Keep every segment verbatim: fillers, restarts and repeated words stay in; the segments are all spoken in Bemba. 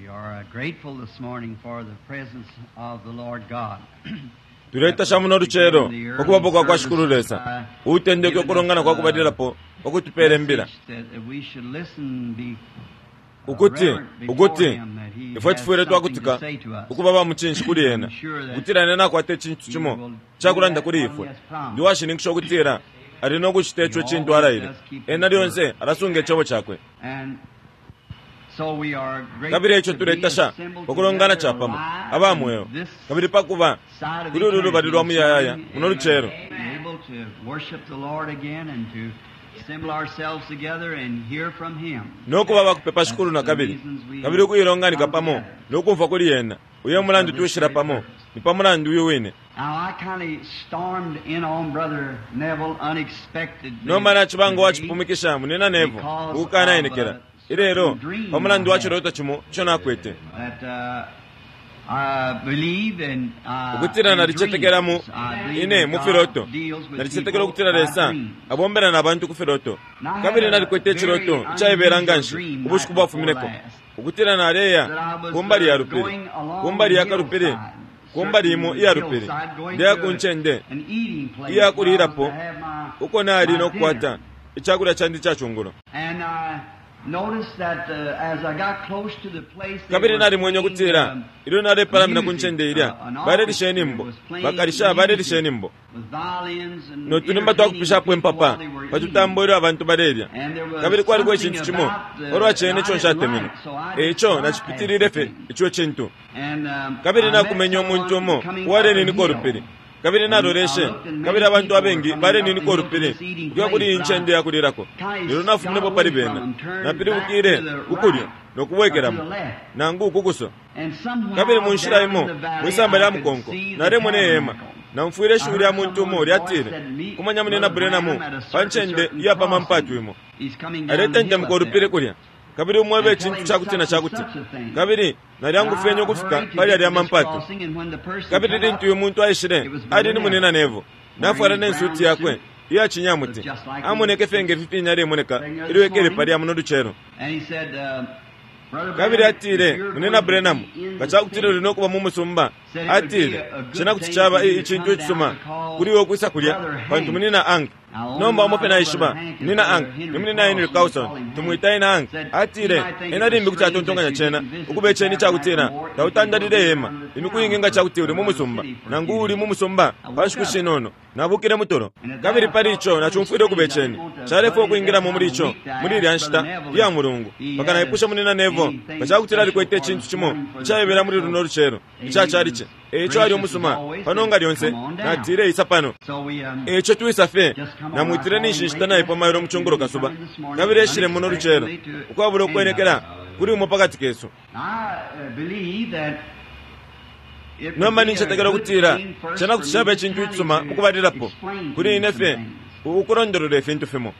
are grateful this morning for the presence of the Lord God. Tuletasha muno lucelo ukubapo kwa kwa Shikulu Lesa utendeke ukulongana kwa kubalilapo ukutupela imbila ukuti ukuti ifwe tufwile twakutika ukuba ba mucinshi kuli ena ukutila ena nakwata icintu cimo cakulanda kuli ifwe ndi washininkisha ukutila ali nokucita ico cintu alaile ena lyonse alasunga icebo cakwe. Kabili ico tuletasha ukulongana capamo aba mweo kabili pakuba kuli ulu lubali lwa muyayaya muno lucelo nokuba bakupepa Shikulu na kabili kabili ukuilonganika pamo nokumfwa kuli ena uyo mulandu tushila pamo ni pa mulandu uyu wine. Nomba nacibanga wacipumikisha munina Neville ukukanaenekela ilelo pa mulandu wa ciloto cimo ico nakwete ukutila nalicetekela mu ine mu filoto nalicetekela ukutila Lesa abombela na bantu ku filoto kabili nalikwete iciloto icaibela nganshi ubushiku bwafumineko ukutila naleya kumbali ya lupili kumbali ya kalupili kumbali imo iya lupili ndeya ku ncende iya kulilapo uko nali nokukwata icakulya candi ca cungulo. Kabili nalimwenye ukutila ilyo nalepalamina ku ncende ilya balelisha inimbo bakalisha balelisha inimbo notunimba twakupishapo impapa patutambo ilyo abantu balelya kabili kwaliko icintu cimo olwa cene ico nshatemenwe eico nacipitilile fye ico cintu. Kabili nakumenye umuntu umo uwaleninika ulupili kabili naloleshe kabili abantu abengi baleninika ulupili ukuya kuli iyi ncende yakulilako lelo nafuminepo pali bena napilibukile kukulyo nokubwekelamo nangu kukuso. Kabili mu nshila imo mwisamba lya mukonko nalemona ihema namfwile ishiwi lya muntu umo lyatile kumanya munina Branham pa ncende iyapamampatu imo aletentemuka ulupili kulya kabili umwebe icintu cakuti na cakuti kabili nalyangufyenye ukufika pali alya mampatu. Kabili lintu uyu muntu aishile ali ni munina Neville nafwala nensuti yakwe iya cinyamuti amoneke fye nge fifinya alemoneka ilyo ekele palya muno lucelo. Kabili atile munina Branham nga cakutila uli nokuba mu musumba atile cena kuti caba icintu icisuma kuli iwe ukwisa kulya pantu munina Hank nomba umo fye naishiba munina Hank ni munina Henry Carlson tumwita ena Hank atile ena limbi kuti atontonkanya cena ukuba iceni cakutila tautandalile ihema imiku ingi nga cakuti uli mu musumba nangu uli mu musumba pa nshiku shinono nabukile mutulo. Kabili pali ico nacumfwile ukuba iceni calefwa ukwingilamo muli ico muli ilya nshita iya mulungu mpaka naipusha munina Neville nga cakutila alikwete icintu cimo icaibela muli luno lucelo ica calice eico ali umusuma pano nga lyonse natile isa pano eico twisa fye namwitile ninshi nshita naipo mailo mucungulo kasuba kabili eshile muno lucelo ukwabula ukwenekela kuli umo pakati kesu. Nomba nincetekela ukutila cena kuti caba icintu icisuma mukubalilapo kuli ine fye ukulondolola ifintu fimo.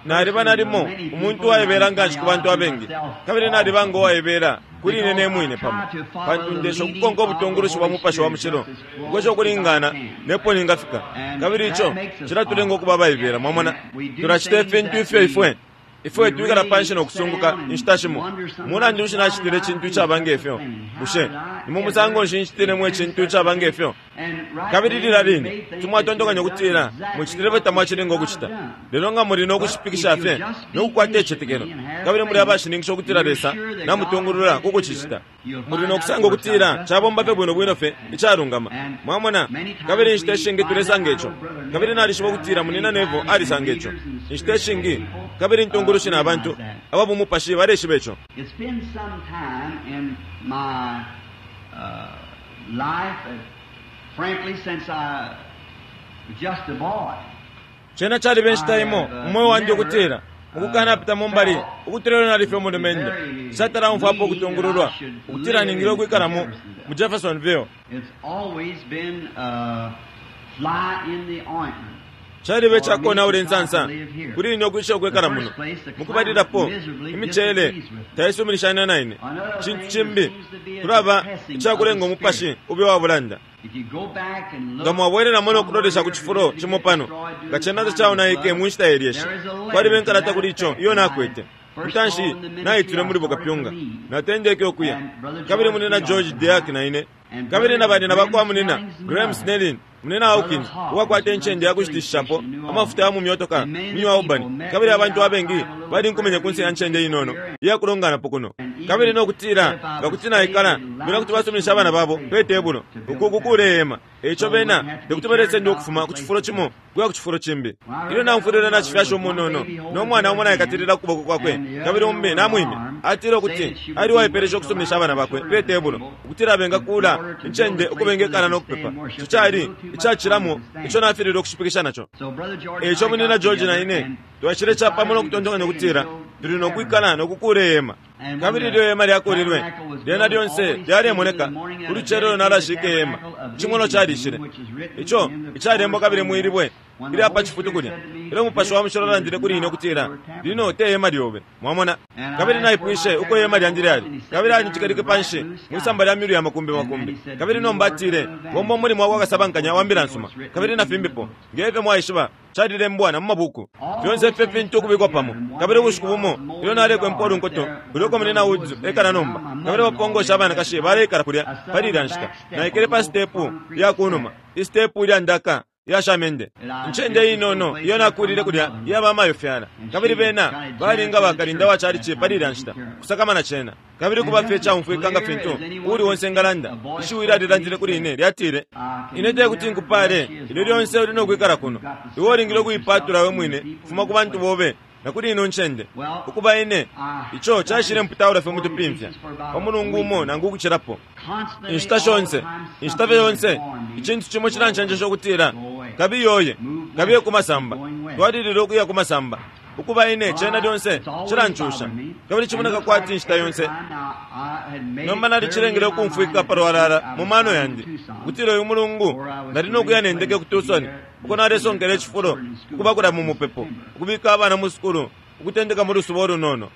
Naliba nalimo umuntu uwaibela nganshi ku bantu abengi kabili naliba ngo uwaibela kuli ine nemwine pamo pantu ndesha ukukonka ubutungulushi bwa mupashi wa mushilo ukwesha ukulingana nepo ningafika kabili ico cilatulenga ukuba abaibela. Mwamona tulacita ifintu ifyo ifwe ifwe twikala panshi nokusunguka inshita shimo mulandu nshi nacitile icintu icaba ngefyo bushe ni mu musango nshi ncitilemo icintu icaba ngefyo. Kabili lila line tumwatontokanya ukutila mucitile fye tamwacilinga ukucita lelo nga muli nokushipikisha fye nokukwata icitetekelo kabili muli abashininkisha ukutila Lesa namutungulula kukucicita muli nokusanga ukutila cabomba fye bwino bwino fye icalungama. Mwamona kabili inshita ishingi tulesanga ico kabili nalishiba ukutila munina Neville alisanga ico inshita ishingi kabili intungulushi na bantu ababumupashi baleshiba ico. It's been some time in my uh, life, uh, frankly, since I was just a boy. Cena caliba inshita imo umweo wandi ukutila ukukanapita mumbali ukutila ilyo nali fye umulumendo nshatala umfwapo ukutungululwa ukutila ningile ukwikalamo mu Jeffersonville. It's always been a fly in the ointment. Caliba icakonaula insansa kuli ine ukwisha ukwikala muno mukubalilapo imiceele taisuminishanya na ine cintu cimbi kulaba icakulenga umupashi ube wabulanda. Nga mwabwelelamo nokulolesha ku cifulo cimo pano nga cena tacaonaike mu nshita yelyeshi kwaliba inkalata kuli ico iyo nakwete Intanshi naitile muli bukapyunga, natendeke ukuya, kabili munina George Deak na ine, kabili na banina bakwa munina Graham Snellin, munina Hawkins uwakwata incende yakushitishapo amafuta ya mu myotoka mu Albany, kabili abantu abengi balinkumenye kunse ya ncende inono iyakulonganapo kuno, kabili nokutila nga kuti naikala bena kuti basuminisha abana babo pe tebulo uku kukuula ihema. Eico bena tekuti balesenda ukufuma ku cifulo cimo kuya ku cifulo cimbi. Ilyo namfwilile nacifyasha umunono no mwana umo naikatilila ku kuboko kwakwe kabili umbi namwimya, atile ukuti ali waipelesha ukusuminisha abana bakwe pe tebulo ukutila bengakuula incende uko bengekala no kupepa. Ico cali icacilamo ico nafililwe ukushipikisha naco. Eico munina George na ine twashile capamo no kutontonkanya ukutila tuli no kwikala no kukuula ihema. Kabili ilyo ihema lyakuulilwe, lyena lyonse lyalemoneka ulucelo nalashika ihema, icimono calishile ico icalembwa kabili mwilibwe ilya pa cifutu kulya. Ilyo Mupashi wa Mushilo alandile kuli ine ukutila lino te hema lyobe, mwamona. Kabili naipwishe uko ihema lyandi lyali, kabili alinjikalike panshi mwisamba lya milu ya makumbi makumbi. Kabili nomba atile bomba umulimo wakwa kasabankanya wa mbila nsuma, kabili na fimbipo ngefyo mwaishiba calilembwa na mu mabuku fyonse ifyo fintu ukubikwa pamo. Kabili ubushiku bumo ilyo nalekwempa ulunkoto kulya uko munina Woods ekala nomba, kabili bapongosha abanakashi baleikala kulya pali ilya nshita, naikele pa sitepu ya kunuma, isitepu ilya ndaka yashamende, incende inono iyo nakulile kulya iyaba mayofyala, kabili bena balinga bakalinda wa chalichi pali ilya nshita kusakamana cena. Kabili kuba fye caumfwika nga fintu uli onse ngalanda, ishiwi lyalilandile kuli ine lyatile, ine tekuti nkupale ilyo lyonse uli nokwikala kuno, iwe ulingile ukuipatula we mwine kufuma ku bantu bobe na kuli ino ncende. Ukuba ine ico cashile mputaula fye mutupimfya pa mulungu umo nangu ukucilapo. Inshita shonse, inshita fye yonse, icintu cimo cilancenjesha ukutila kabiyoye, kabiye ku masamba, twalilile ukuya ku masamba. Ukuba ine cena lyonse cilancusha, kabili cimoneka kwati inshita yonse. Nomba nalicilengele ukumfwika palwalala mu mano yandi ukutila uyu mulungu nali nokuya nendeke ku Tucson uko nalesonkela icifulo ukubakula mu mupepo, ukubika abana mu sukulu ukutendeka mu lusuba ulunono.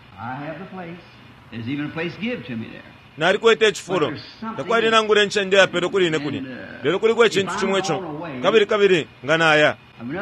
Nalikwete icifulo, takwali nangula incende yapelwe kuli ine kulya, lelo kuliko icintu cimo ico kabili kabili nga naya.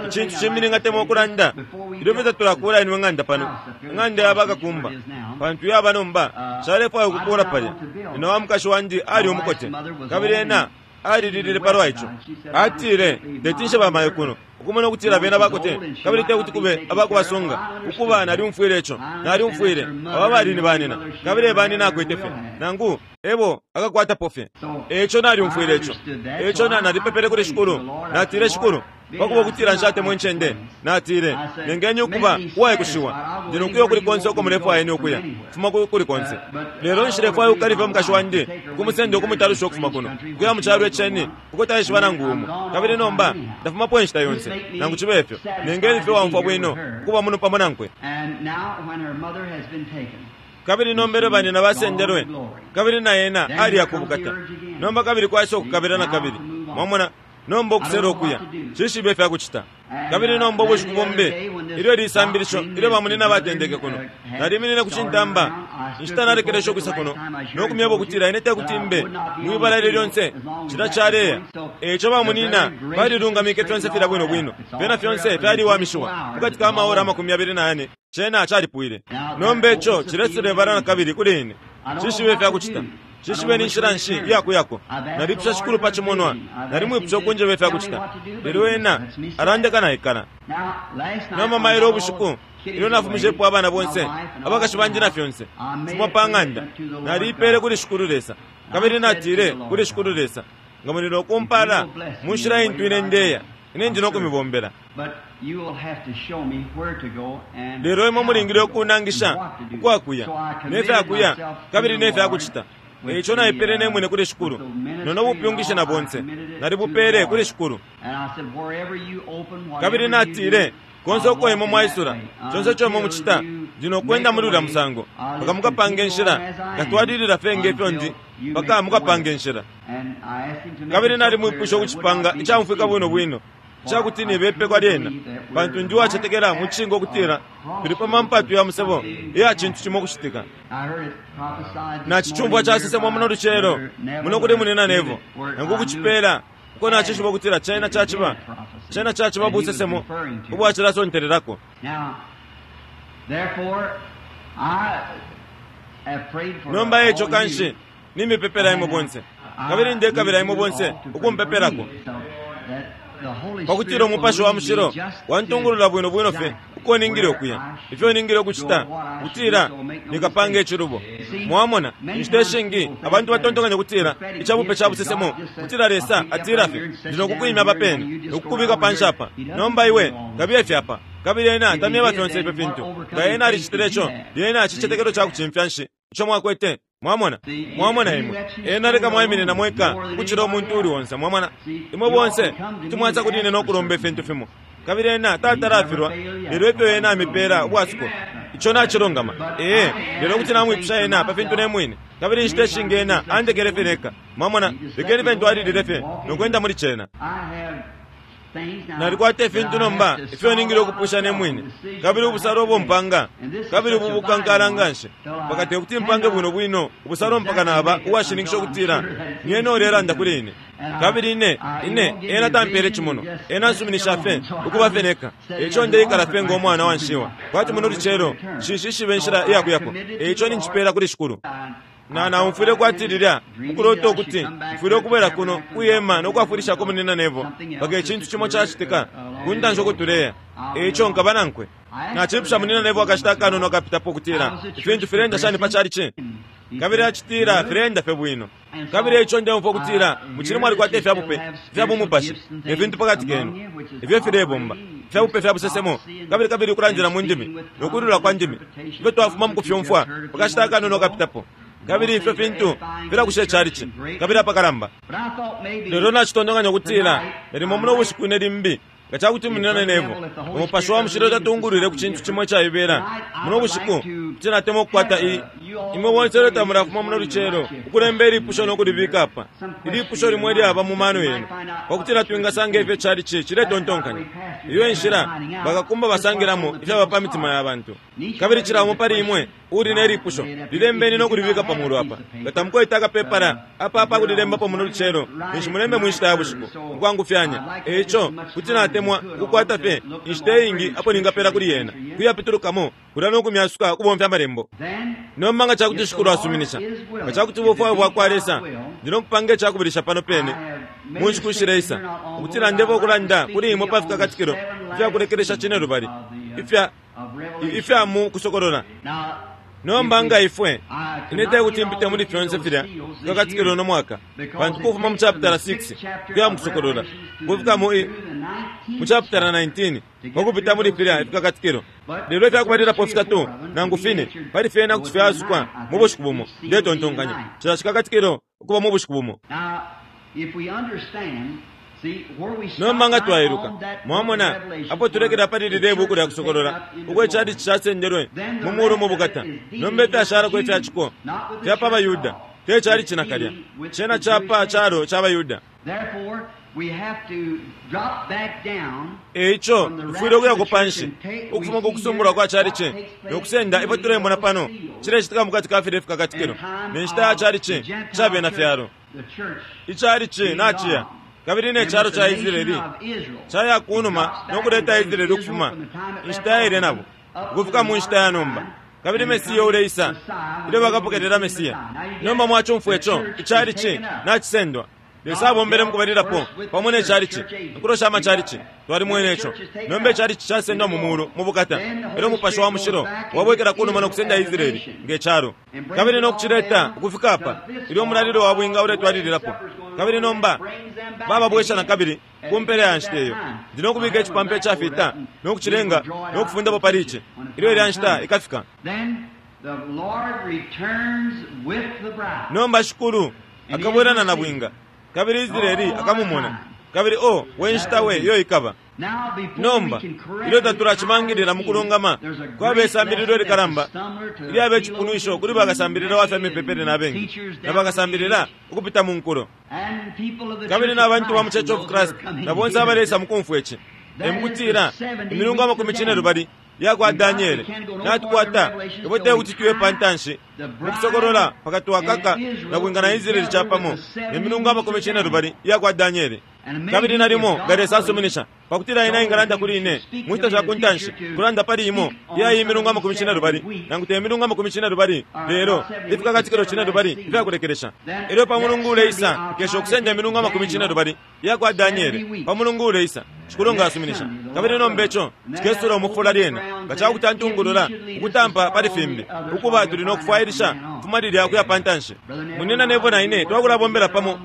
Icintu cimbi ningatemwa ukulanda ilyo fye tatulakula inwe ng'anda pano, ing'anda ya bakakumba, pantu yaba nomba nshalefwaya ukukuula palya. Nina wa mukashi wandi ali umukote, kabili ena alililile palwa ico. Atile teti bamayo kuno ukumona ukutila bena bakote, kabili tekuti kube abakubasunga. Ukuba nalyumfwile ico, nalyumfwile aba bali ni banina, kabili ebanina akwete fye nangu ebo akakwatapo fye. Eco nalyumfwile ico. Eco nalipepele kuli Shikulu, natile Shikulu, pakuba ukutila nshatemwa incende, natile nengeni ukuba uwaikushiwa, ndi nokuya kuli konse uko mulefwaya ine ukuya, fuma kuli konse. Lelo nshilefwaya ukukalifa mukashi wandi ukumusenda ukumutalusha ukufuma kuno ukuya mu calo iceni uko taishiba nangu umo, kabili nomba ndafumapo inshita yonse. Nangu cibe ifyo, nengeni fye waumfwa bwino ukuba muno pamo nankwe. Kabili nombele banina basendelwe, kabili na ena aliyakubukata nomba, kabili kwaisa ukukabila na kabili, mwamona. Nomba ukusela ukuya shishibe ifyakucita. Kabili nomba ubushiku bumbi ilyo lisambilisho ilyo bamunina batendeke kuno, naliminine ku cintamba inshita nalekelesha ukwisa kuno nokumyeba ukutila ine tekuti mbe mwibala ilyo lyonse cila caleya. Eico bamunina balilungamike fyonse filya bwino bwino, fyena fyonse fyaliwamishiwa mukati ka maora amakumi abili na yane, cena calipwile. Nomba ico cilesela ibala na kabili kuli ine, shishibe ifyakucita, shishibe ni nshila nshi iyakuyako. Nalipusha Shikulu pa cimonwa, nalimwipusha ukunjeba ifyakucita, lelo ena alandeka naikala. Nomba mailo ubushiku ilyo nafumishepo abana bonse abakashi bandi na fyonse fuma pa ng'anda, naliipele kuli Shikulu Lesa, kabili natile kuli Shikulu Lesa, nga muli nokumpala mu nshila intu ine ndeya, ine ndi nokumibombela. Lelo imwe mulingile ukunangisha ukwakuya nefyakuya kabili nefyakucita. Eico naipele nemwine kuli Shikulu, nono bupyungishe na bonse nalibupele kuli Shikulu. Kabili natile konse uko imwe mwaisula, conse ico imwe mucita, ndi nokwenda muli ulya musango mpaka mukapanga inshila. Nkatwalilila fye ngefyo ndi mpaka mukapanga inshila. Kabili nalimwipusha ukucipanga icamfwika bwino bwino icakuti nibepekwa lyena, pantu ndi uwacetekela mu cishinka ukutila tuli pa mampatu ya musebo iya cintu cimo kucitika. Nacicumfwa casesemwa muno lucelo muno kuli munina Nevo, nangu kucipela uko nacishiba ukutila cena caciba cena caciba busesemo ubwacilasontelelako. Nomba eco kanshi nimipepela imwe bonse, kabili ndekabila imwe bonse ukumpepelako, pakutila Umupashi wa Mushilo wantungulula bwino bwino fye uko ningile ukuya, ifyo ningile ukucita, kutila nikapanga icilubo. Mwamona, inshita ishingi abantu batontonkanya kutila icabupe ca busesemo kutila Lesa atila fye ndi nokukwimya apapene nokukubika panshi apa, nomba iwe kabiye fye apa, kabili ena tamyeba fyonse ifyo fintu. Nga ena alicitile ico, lyena cicetekelo ca kucimfya nshi ico mwakwete? Mwamona, mwamona imwe ena leka mwaiminina mweka ukucila umuntu uli onse. Mwamona, imwe bonse kuti mwansa kuli ine nokulomba ifintu fimo, kabili ena tatalafilwa, lelo ifyo ena amipela ubwasuko ico nacilungama. Ee, lelo kuti namwipusha ena pa fintu nemwine, kabili inshita ishingi ena andekele fye neka. Mwamona, lekeni fye ntwalilile fye nokwenda muli cena. Nalikwata ifintu nomba ifyo ningile ukupusha nemwine, kabili ubusalo ubo mpanga, kabili ubu bukankala nganshi mpaka tekuti mpange bwino bwino ubusalo mpaka naba uwashininkisha ukutila ni ena ulelanda kuli ine. Kabili ine ine ena tampele cimono, ena ansuminisha fye ukuba fye neka. Eico ndeikala fye ngo mwana wa nshiwa, kwati muno lucelo nshishishibe inshila iyakuyako. Eico ninjipela kuli Shikulu. Na naumfwile kwati lilya mukulota ukuti mfwile ukubwela kuno kuyema nokwafwilishako munina nebo mpaka icintu cimo cacitika kuntanshi ukutuleya. Eico nkaba nankwe. Nacipusha munina nebo akashita akanono akapitapo ukutila ifintu filenda shani pa calici, kabili acitila filenda fye bwino. Kabili eico ndeumfwa ukutila mucili mwalikwata ifyabupe ifya bumupashi ne fintu pakati kenu ifyo filebomba, ifyabupe fya busesemo, kabili kabili ukulandila mu ndimi nokulula kwa ndimi ifyo twafuma mukufyumfwa pakashita akanono akapitapo. Kabili ifyo fintu filakusha icalici kabili apakalamba. Lelo nacitontonkanya ukutila nalimo muno bushiku ine limbi nga cakuti munina nebo Umupashi wa Mushilo tatungulwile ku cintu cimo icaibela muno bushiku, kuti natemwa ukukwata i imwe bonse ilyo tamulafuma muno lucelo ukulemba ilipusho nokulibika apa, ilipusho limwe ilyaba mu mano yenu, pakutila twingasanga ifyo icalici ciletontonkanya. Iyo enshila bakakumba basangilamo ifyaba pa mitima ya bantu. Kabili cila umo pali imwe uli ne lipusho lilembeni nokulibika pamulu apa. Nga tamukwete akapepala apa apa kulilembapo muno lucelo, ninshi mulembe mu nshita ya bushiku mukwangufyanya. Eico kuti natemwa ukukwata fye inshita iingi apo ningapela kuli yena kuyapitulukamo kulya nokumyasuka ukubomfya amalembo. Nomba nga cakuti Shikulu asuminisha, nga cakuti ubufwayo bwakwa Lesa, ndi nokupanga icakubilisha pano pene mu nshiku ishileisa, ukutila ndebo ukulanda kuli imwe pa fikakatikilo ifyakulekelesha cine lubali ifya ifya mu kusokolola. Nomba nga ifwe ine tekuti mpite muli fyonse filya fikakatikilo no mwaka, pantu kufuma mu chapitala six kuya mu kusokolola kufika mu mu chapitala nineteen kwakupita muli filya ifikakatikilo. Lelo ifyakubalilapo fitatu nangu fine pali fyena kuti fyasukwa mu bushiku bumo. Ndetontonkanya cila cikakatikilo ukuba mu bushiku bumo. Nomba nga twailuka, mwamona apo tulekela pali lilya ibuku lya kusokolola uko icalici casendelwe mu mulu mu bukata. Nomba ifyashalako ifyaciko fyapa abayuda, te calici nakalya, cena capa calo ca bayuda. Eico tufwile ukuyako panshi ukufuma ku kusumbulwa kwa calici nokusenda ifyo tulemona pano cilecitika mukati ka filya ifikakatikilo ne nshita ya calici ca bena fyalo. Icalici naciya, kabili ne calo ca Israeli caya kunuma nokuleta Israeli ukufuma inshita yaile nabo ukufika mu nshita ya nomba, kabili Mesiya uleisa ilyo bakapokelela Mesiya. Nomba mwacumfwa ico icalici nacisendwa. Lesa abombele mukubalilapo pamo ne calici, nkulosha amacalici twalimwene ico. Nomba icalici casendwa mu mulu mu bukata, elyo Umupashi wa Mushilo wabwekela kunuma nokusenda Israeli nge calo, kabili nokucileta ukufika apa ilyo umulalilo wa bwinga uletwalililapo. Kabili nomba bababwesha na kabili ku mpela ya nshita iyo ndi nokubika icipampa icafita nokucilenga nokufundapo pali ici ilyo ilya nshita ikafika. Nomba Shikulu akabwelana na bwinga, kabili Israeli akamumona, kabili o we nshita we iyo ikaba. Nomba ilyo tatulacimangilila mukulungama, kwaba isambililo ilikalamba ilyaba icipunwisho kuli bakasambilila wa fya mipepele na bengi na bakasambilila ukupita mu nkulo, kabili n'abantu ba mu Church of Christ na bonse abaleisa mukumfwa ici. Emukutila imilungu amakumi cine lubali yakwa Daniele natukwata ipo tekuti tuye pantanshi mukusokolola pakati wakaka na bwinga na Israeli capamo ne milungu amakumi cine lubali yakwa Daniele. Kabili nalimo nga Lesa asuminisha pakutila ena ingalanda kuli ine mu nshita sha kuntanshi kulanda pali imo iya iyi milungu amakumi cine lubali nangu te milungu amakumi cine lubali lelo ifikakatikilo cine lubali ifyakulekelesha. Elyo pa mulungu uleisa kesha ukusenda imilungu amakumi cine lubali iya kwa Daniele pa mulungu uleisa Shikulu nga asuminisha. Kabili nomba ico cikesula umufula lyena nga cakuti antungulula ukutampa pali fimbi ukuba tuli nokufwailisha kufuma lilya kuya pantanshi. Munina nebo na ine twakulabombela pamo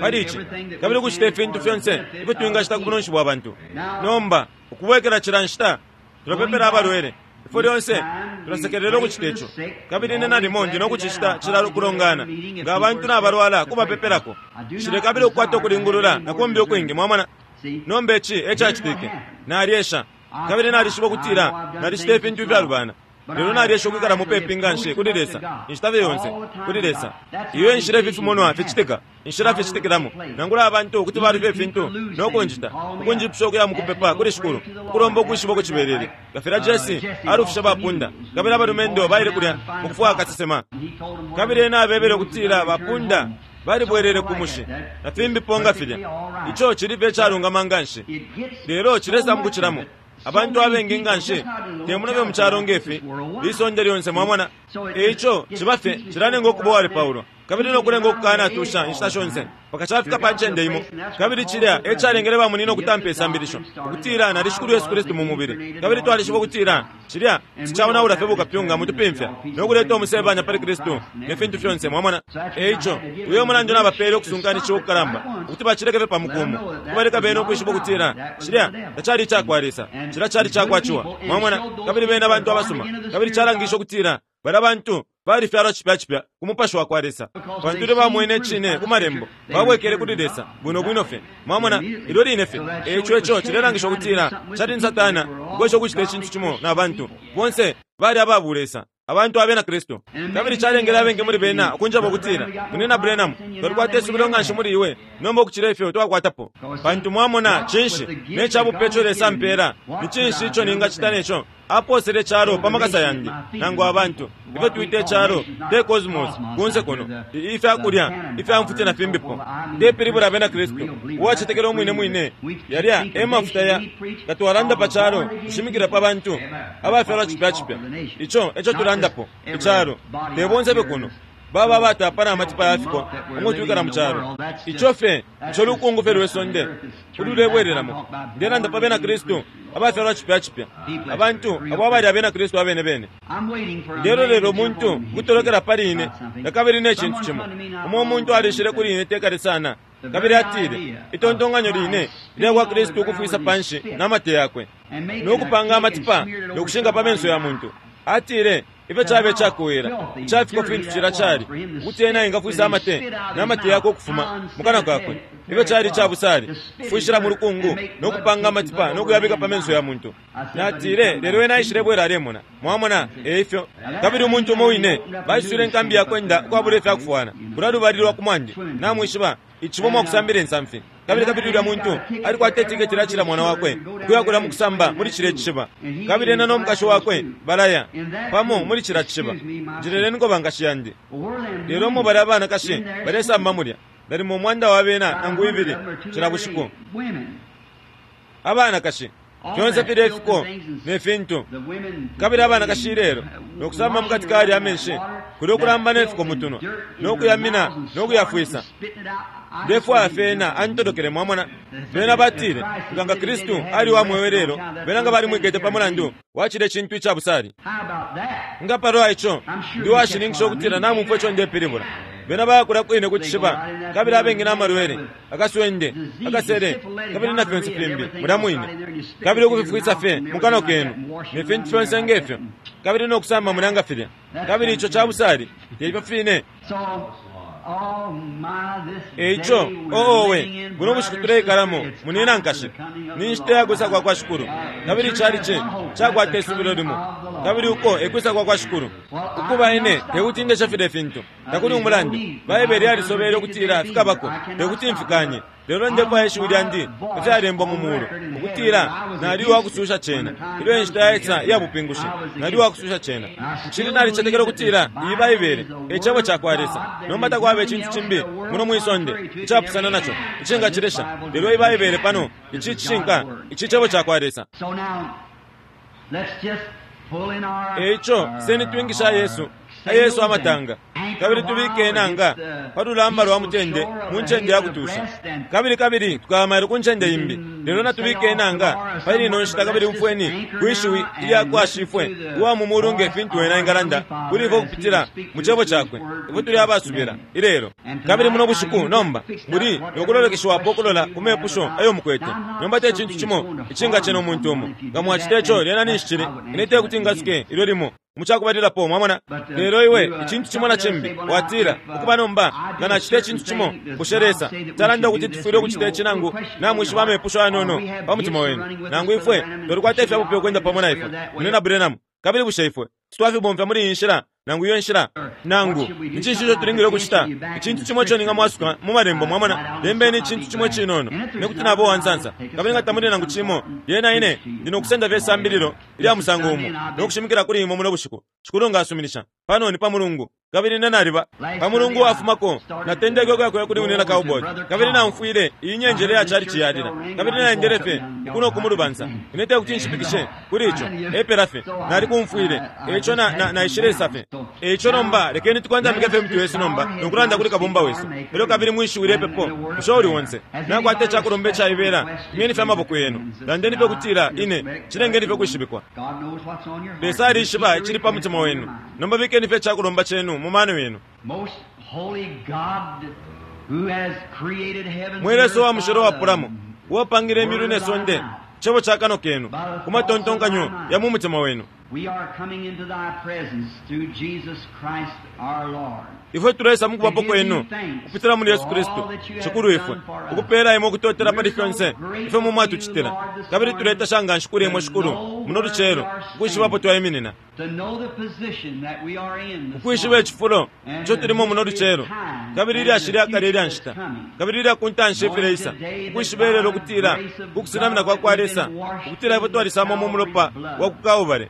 pali ici kabili ukucita ifintu fyonse ifyo twingacita ku bunonshi bwa bantu. Nomba ukubwekela cila nshita tulapepela abalwele ifwe lyonse tulasekelela ukucita ico. Kabili ine nalimo ndi nokucicita cila kulongana nga abantu nabalwala kubapepelako. Nshilekabila ukukwata ukulingulula nakumbi ukwingi, mwamona. Nomba ici ecacitike nalyesha kabili nalishiba ukutila nalicita ifintu ifyalubana, lelo nalyesha ukwikala mupepi nga nshi kuli Lesa inshita fye yonse kuli Lesa. Iyo enshila ifi fimonwa ficitika, inshila ficitikilamo nangula abantu kuti balufya ifintu nokunjita ukunjipusha ukuya mukupepa kuli Shikulu ukulomba ukwishiba ukucibelele nga filya Jesse alufisha bapunda kabili abalumendo baile kulya mukufwaya kasesema. Kabili ena abebele ukutila bapunda balibwelele ku mushi na fimbipo nga filya. Ico cili fye icalungama nga nshi, lelo cilesa mukucilamo abantu abengi nga nshi temunobe mu calo ngefi lisonde lyonse, mwamona. Eico ciba fye cilanenga ukuba uwalepaulwa kabili nokulenga ukukanatusha inshita shonse mpaka cafika pa ncende imo. Kabili cilya ecalengele bamunina ukutampa isambilisho ukutila nali Shikulu Yesu Kristu mu mubili. Kabili twalishiba ukutila cilya sicaonaula fye bukapyunga mutupimfya nokuleta umusebanya pali Kristu ne fintu fyonse, mwamona. Eico uyo mulandu nabapele ukusunkanishiwa ukukalamba ukuti bacileke fye pa mukumu ukubaleka bena ukwishiba ukutila cilya tacali icakwa Lesa, cilya cali cakwa Ciwa, mwamona. Kabili bena bantu abasuma kabili calangisha ukutila bala bantu balifyalwa cipya cipya ku mupashi wa kwa Lesa, pantu ilyo bamwene icine ku malembo babwekele kuli Lesa bwino bwino fye, mwamona, ilyo line fye. Eico ico cilelangisha ukutila cali ni Satana ukwesha ukucita icintu cimo na bantu bonse bali ababulesa abantu abena Kristu. Kabili calengele abengi muli bena ukunjaba ukutila munina Branham twalikwata isubilo nga nshi muli iwe nomba ukucila ifyo twakwatapo, pantu mwamona cinshi ne cabupe ico Lesa ampela ni cinshi ico ningacita neco aposele icalo pa makasa yandi nangu abantu ifyo twita icalo te cosmos kunse kuno ifyakulya ifyamfuti na fimbipo. Ndepilibula abena Kristu uwacetekela umwine mwine yalya e mafuta ya nga twalanda pa calo tushimikila pa bantu abafyalwa cipya cipya. Ico eco tulandapo icalo te bonse fye kuno baba batapa na matipa yafiko umutwikala mu calo ico fye ico lukungu fye lwe sonde ululebwereramo. Ndelanda pa bena Kristu abafyalwa cipya cipya abantu abo abali abena Kristu abene bene. Ndelolera umuntu kutolokela pali ine na kabili ne cintu cimo. Umo umuntu alishile kuli ine tekale sana kabili atile itontonganyo line lya kwa Kristu ukufwisa panshi na mate yakwe nokupanga amatipa nokushinga pa menso ya muntu. Atile ifyo cabe cakuwela cafiko fintu cila cali ukuti ena engafwisa amate na mate yakwe ukufuma mukana kakwe. Ifyo cali cabusali kufwishila mu lukungu nokupanga amatipa nokuyabika pa menso ya muntu. Natile lelo ena aishile bwela alemona, mwamona eifyo. Kabili umuntu umo wine baiswile inkambi yakwenda ukwabula ifyakufwana kulya lubali lwa kumwandi namwishiba icibo mwakusambila insamfi. Kabili kabili ulya muntu alikwata itiketi lya cila mwana wakwe ukuya kulya mukusamba muli cila icishiba. Kabili ena no mukashi wakwe balaya pamo muli cila cishiba. Njileleni bankashi yandi. Lelo umo bali abanakashi balesamba mulya nalimo umwanda wa bena nangu ibili cila bushiku. Abanakashi fyonse filya ifiko ne fintu. Kabili abanakashi ilelo nokusamba mukati kali amenshi kuli ukulamba ne fiko mutunwa nokuyamina nokuyafwisa. Ndefwaya fena antolokele, mwamona. Bena batile nga Kristu ali wa mwewe lelo bena nga balimwikete pa mulandu wacile cintu icabusali. Nga palwa ico ndi washininkisha ukutila namumfwa ico ndepilibula. Bena bayakula kwine ku cishiba kabili abengi n'amalwele akaswende akasele kabili na fyonse fimbi mulya mwine kabili ukufifwisa fye mukano kenu ne fintu fyonse ngefyo kabili nokusamba mulya nga filya. Kabili ico cabusali teifyo fine. Eico oowe buno bushiku tuleikalamo munina nkashi ni nshita yakwisa kwa kwa Shikulu. Kabili cali ci cakwata isubilo limo kabili uko ekwisa kwa kwa Shikulu. Ukuba ine tekuti ndesha filya fintu, takuli umulandu. Baibele yalisobele ukutila fikabako, tekuti mfikanye. Lelo ndefwaya ishiwi lyandi ifyalembwa mu mulu ukutila nali uwakususha cena ilyo inshita yaisa iya bupingushi, nali uwakususha cena. Nshili nalicetekela ukutila iyi Baibele e cebo cakwa Lesa. Nomba takwaba icintu cimbi muno mwisonde icapusana naco icingacilesha, lelo iyi Baibele pano ici cishinka, ici cebo cakwa Lesa. Eico seni twingisha Yesu Yesu amatanga, kabili tubike enanga pa lulamba lwa mutende mu ncende ya kutusha, kabili kabili tukamayilo ku ncende imbi. Lelo natubike enanga pali ino nshita, kabili umfweni kwishiwi ilya kwa Shifwe uwa mu mulu nge fintu wena engalanda kuli ifwe kupitila mu cebo cakwe. Ifwe tuli abasubila ilelo kabili muno bushiku. Nomba muli nokulolekeshiwapo ukulola ku mepusho ayo mukwete. Nomba te cintu cimo icingacena umuntu umo. Nga mwacita ico, lyena ninshi cili ine tekuti ngasuke ilyo limo mucakubalilapo, mwamona. Lelo iwe icintu cimo na cimbi watila ukuba nomba nga nacita icintu cimo, bushe Lesa talanda ukuti tufwile ukucita ici? Nangu namwishiba amepusho ayanono pa mutima wenu, nangu ifwe twalikwata ifyabupe ukwenda pamo na ifwe mune na Branham, kabili bushe ifwe titwafibomfya muli iyi nshila nangu iyo nshila? Nangu ni cinshi ico tulingile ukucita? Icintu cimo ico ningamwasuka mu malembo, mwamona. Lembeni icintu cimo cinono nekuti nabo uwansansa, kabili nga tamuli nangu cimo, lyena ine ndi nokusenda fye isambililo ilya musango umo nokushimikila kuli imwe muno bushiku, Shikulu nga asuminisha. Pano ni pa Mulungu, kabili ine naliba pa Mulungu wafumako natendeke ukuyakuya kuli unena cowboy, kabili naumfwile iyi nyenjele ya chalichi yalila, kabili naendele fye kuno ku mulubansa. Ine tekuti nshipikishe kuli ico, epela fye nalikumfwile eico naishile fye. Eico nomba lekeni tukondamike fye mitu yesu nomba nokulanda kuli Kabumba wesu. Elyo kabili mwishiwile ipepo bushe uli onse nakwata icakulomba icaibela, imyeni fye amaboko yenu, landeni fye kutila ine cilengeni fye kwishibikwa. Lesa alishiba icili pa mutima wenu. Nomba bikeni fye icakulomba cenu mu mano yenu. Mwe Lesa wa mushilo wapulamo, uwapangile imyulu ne sonde, cebo ca kano kenu ku matontonkanyo ya mu mutima wenu. Ifwe tulesa mukubapo kwenu kupitila muli Yesu Kristu Shikulu ifwe, ukupela imwe ukutotela pali fyonse ifwe mu mwatucitila, kabili tuletasha nga nshi kuli imwe Shikulu muno lucelo ukwishibapo twaiminina, ukwishiba icifulo ico tulimo muno lucelo, kabili ilyashi lyakale ilya nshita, kabili ilya ku ntanshi ifileisa, ukwishiba ilelo ukutila ukusenamina kwa kwa Lesa, ukutila ifwe twalisamo mu mulopa wa ku Kalbale,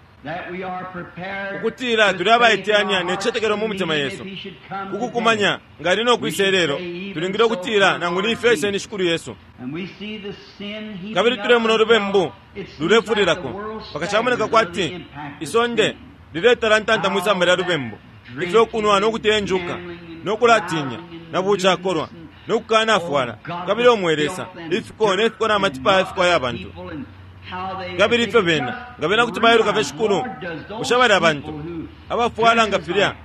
ukutila tuli abaiteyanya ne cicetekelo mu mutima yesu kukukumanya nga ali nokwisa ilelo. Tulingile ukutila nangu ni ifyo iseni Shikulu Yesu. Kabili tulemona ulubembu lulefulilako pakacamoneka kwati isonde liletalantanta mwisamba lya lubembu, ifyo kunwa nokutenjuka nokulatinya na bucakolwa nokukanafwala, kabili omwe Lesa ifiko nefiko na matipa yafiko aya bantu. Kabili ifyo bena nga bena kuti bailuka fye Shikulu, bushe bali abantu abafwala nga filya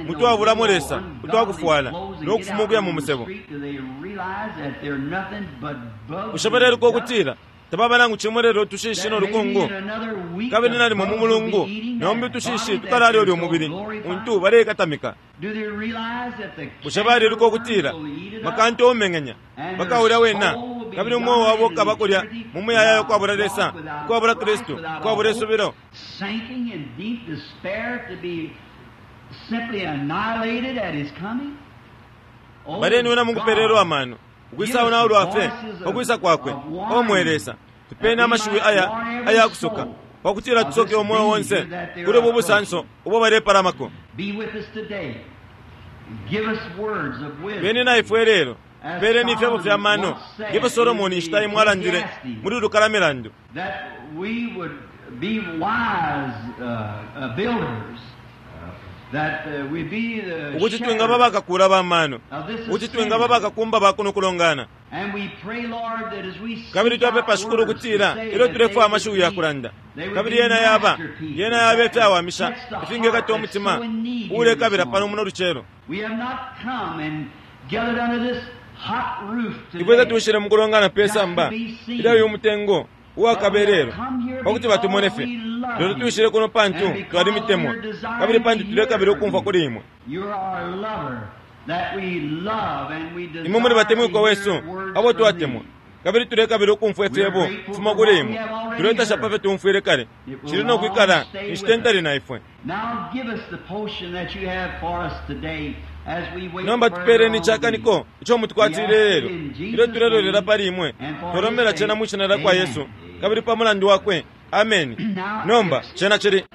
mutwabulamo Lesa utwakufwala nokufuma ukuya mu musebo? Bushe baleluka ukutila tababa nangu cimo lelo tushishi nolukungu? Kabili nalimo mu mulungu nombi utushishi tukalalya ulya umubili untu baleikatamika. Bushe baliluka ukutila makantu omeng'enya bakaulya wena, kabili umweo wabo ukaba kulya mu muyayaya ukwabula Lesa, ukwabula Kristu, ukwabula isubilo? Baleniwena mukupelelwa amano ukwisa unaulwa fye pakwisa kwakwe. Omwe Lesa, tupeni amashiwi aya ayakusoka pakutila tusoke umweo onse kuli ubu busanso ubo balepalamako. Beni na ifwe lelo, peleni ifyebo fya mano ngefyo Solomoni inshita imwe alandile muli lukalamilandu, ukuti twingaba bakakula ba mano, ukuti twingaba bakakumba ba kuno kulongana. Kabili twapepa Shikulu ukutila ilyo tulefwaya amashiwi ya kulanda, kabili yena yaba yena yaba ifyawamisha ifingekata umutima uulekabila pano muno lucelo. Ifwe tatushile mukulongana pe samba ilya uyu mutengo uwakabelelo pakuti batumone fye, lelo tuishile kuno pantu twalimitemwa, kabili pantu tulekabila ukumfwa kuli imwe. Imwe muli batemwikwa wesu abo twatemwa, Kabili tulekabila ukumfwa ifyebo kufuma kuli imwe. Tuletasha pa fyo tumfwile kale. Cili no kwikala inshita ntali na ifwe. Nomba tupeeleni icakaniko ico mutukwatile lelo ilyo tulelolela pali imwe. Twalombela cena mwi shina lya kwa Yesu kabili pa mulandu wakwe. Ameni. Nomba cena cili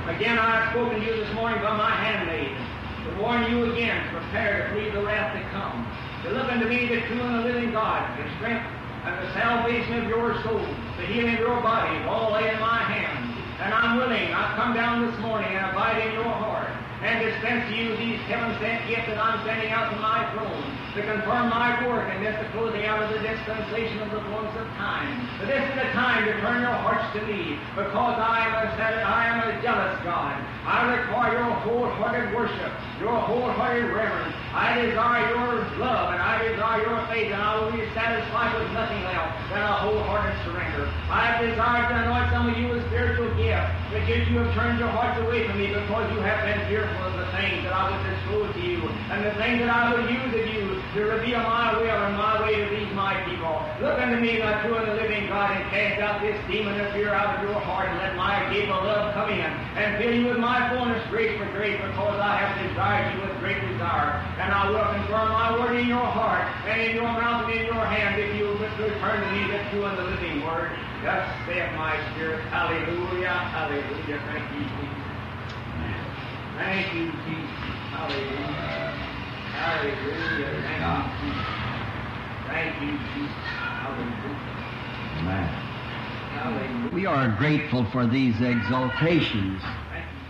Again, I have spoken to you this morning by my handmaid, to warn you again, prepare to flee the wrath to come, to look unto me, the true and the living God, the strength and the salvation of your soul, the healing of your body, all lay in my hand. And I'm willing, I've come down this morning and abide in your heart, and dispense to you these heaven-sent gifts that I'm sending out to my throne, to confirm my work and this the closing out of the dispensation of the fullness of time. But this is the time to turn your hearts to me, because I am a, I am a jealous God. I require your wholehearted worship, your wholehearted reverence. I desire your love, and I desire your faith, and I will be satisfied with nothing else than a wholehearted surrender. I have desired to anoint some of you with spiritual gifts, but yet you have turned your hearts away from me because you have been fearful of the things that I would disclose to you, and the things that I would use of you to reveal my will and my way to these my people. Look unto me, the true and the living God, and cast out this demon of fear out of your heart, and let my gift of love come in and fill you with my fullness, grace for grace, because I have desired you with great desire. And I will confirm my word in your heart, and in your mouth, and in your hand, if you will return to me the true and the living word. Thus saith my spirit. Hallelujah, hallelujah. Thank you, Jesus. Thank you, Jesus. Hallelujah. Hallelujah. Thank you, Jesus. Thank you, Jesus. Hallelujah. Amen. Hallelujah. We are grateful for these exaltations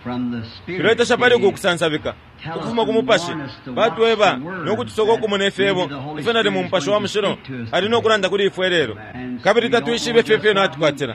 from the Spirit. Tuletasha pali uku kusansabika ukufuma ku mupashi batweba nokutusoka okumona ifyebo ifyo nali mu mupashi wa mushilo ali nokulanda kuli ifwe lelo kabili tatwishibe ifyo ifyo natukwatila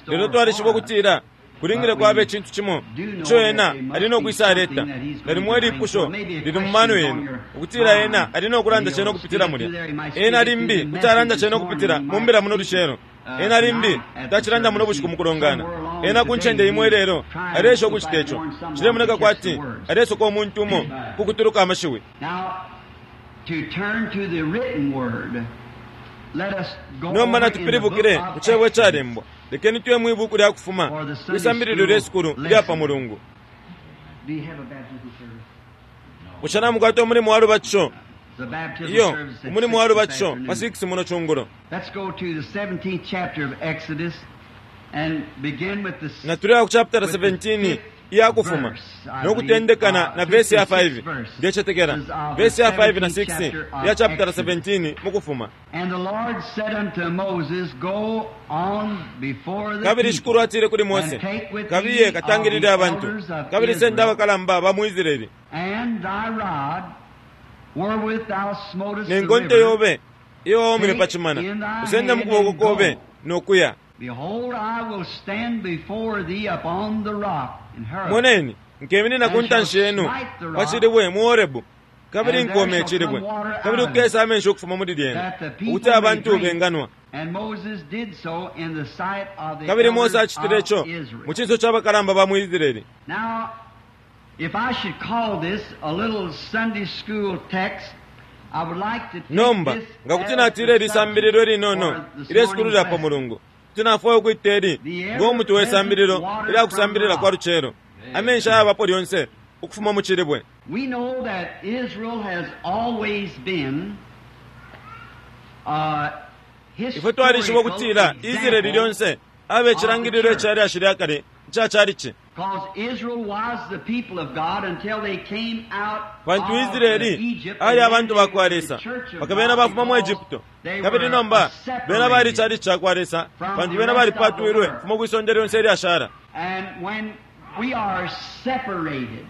lelo twalishiba ukutila kulingile kwaba icintu cimo ico ena ali nokwisa aleta nalimo ilipusho lili mu mano yenu ukutila ena ali nokulanda cena ukupitila mulya ena limbi kuti alanda cena ukupitila mu mbila muno lucelo ena limbi tacilanda muno bushiku mukulongana ena ku ncende imwe lelo alesha ukucita ico cilemoneka kwati alesoka omuntu umo kukutuluka amashiwi. Now, to turn to the written word, let us go Nomba over in the natupilibukile book ku of cebo Exodus. icalembwa. Lekeni tuye mwi buku lya kufuma kwisambililo lye sukulu lya pa mulungu. Do you have a baptism service? Bushe namukwata umulimu wa lubatisho? The baptism Iyo, service at umulimu wa six this lubatisho pa afternoon. six muno chungulo. Let's go to the seventeenth chapter of Exodus and begin with the Natuleya ku chapter seventeen iya kufuma nokutendekana na verse ya five. Ndecetekela verse ya five na six ya chapter seventeen mukufuma. And the Lord said unto Moses, Go on before the Kabili people, shikulu atile kuli Mose, and take with kabiye thee of katangilile the abantu elders of kabili senda Israel, abakalamba ba mu Israeli and thy rod wherewith thou smotest ne the nkonto river. yobe iyo waumile pa chimana usende mu kuboko kobe nokuya. Behold, I will stand before thee upon the rock in Horeb. Moneni nkeminina ku ntanshi yenu pa chilibwe mu Horebu kabili nkome icilibwe kabili kukesa amenshi ukufuma muli lyena ukuti abantu benganwa. And Moses did so in the sight of the Kabili Mose elders acitile of ico Israel. mu cinso ca bakalamba ba mu Israeli. Now, if I should call this a little Sunday school text, I would like to take Nomba this nga kuti as natile the ili sambililo subject linono for this ilye sukulu morning's lya pa lesson. mulungu Kuti nafwaya ukwita ili ngo mutwe we sambililo ilya kusambilila kwa lucelo, amenshi ayabapo lyonse ukufuma mu cilibwe. We know that Israel has always been a Ifwe twalishiba ukutila Israeli lyonse abe icilangililo ica lyashi lya kale ica calici. Because Israel was the people of God until they came out Pantu of Israeli Egypt, ali and abantu then ba kwa they were Lesa the church of paka bena God bafuma mu because Egypto, they kabili were nomba bena bali separated. calici ca kwa Lesa from pantu the bena rest of the balipatwilwe world. kufuma kwisonde lyonse ilyashala. And when we are separated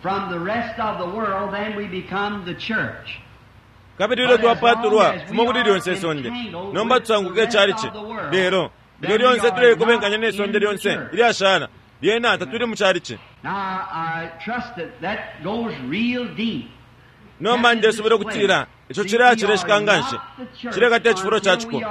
from the rest of the world, then we become the church. Kabili ilyo twapatulwa kufuma kuli lyonse isonde, nomba tusanguke calici. Lelo ilyo lyonse tuleikobenkanya ne sonde lyonse ilyashala, lyena tatuli mu calici. Now, I trust that that goes real deep. Nomba ndesubila ukutila ico cilaya cileshika nganshi, cilekata icifulo ca ciko.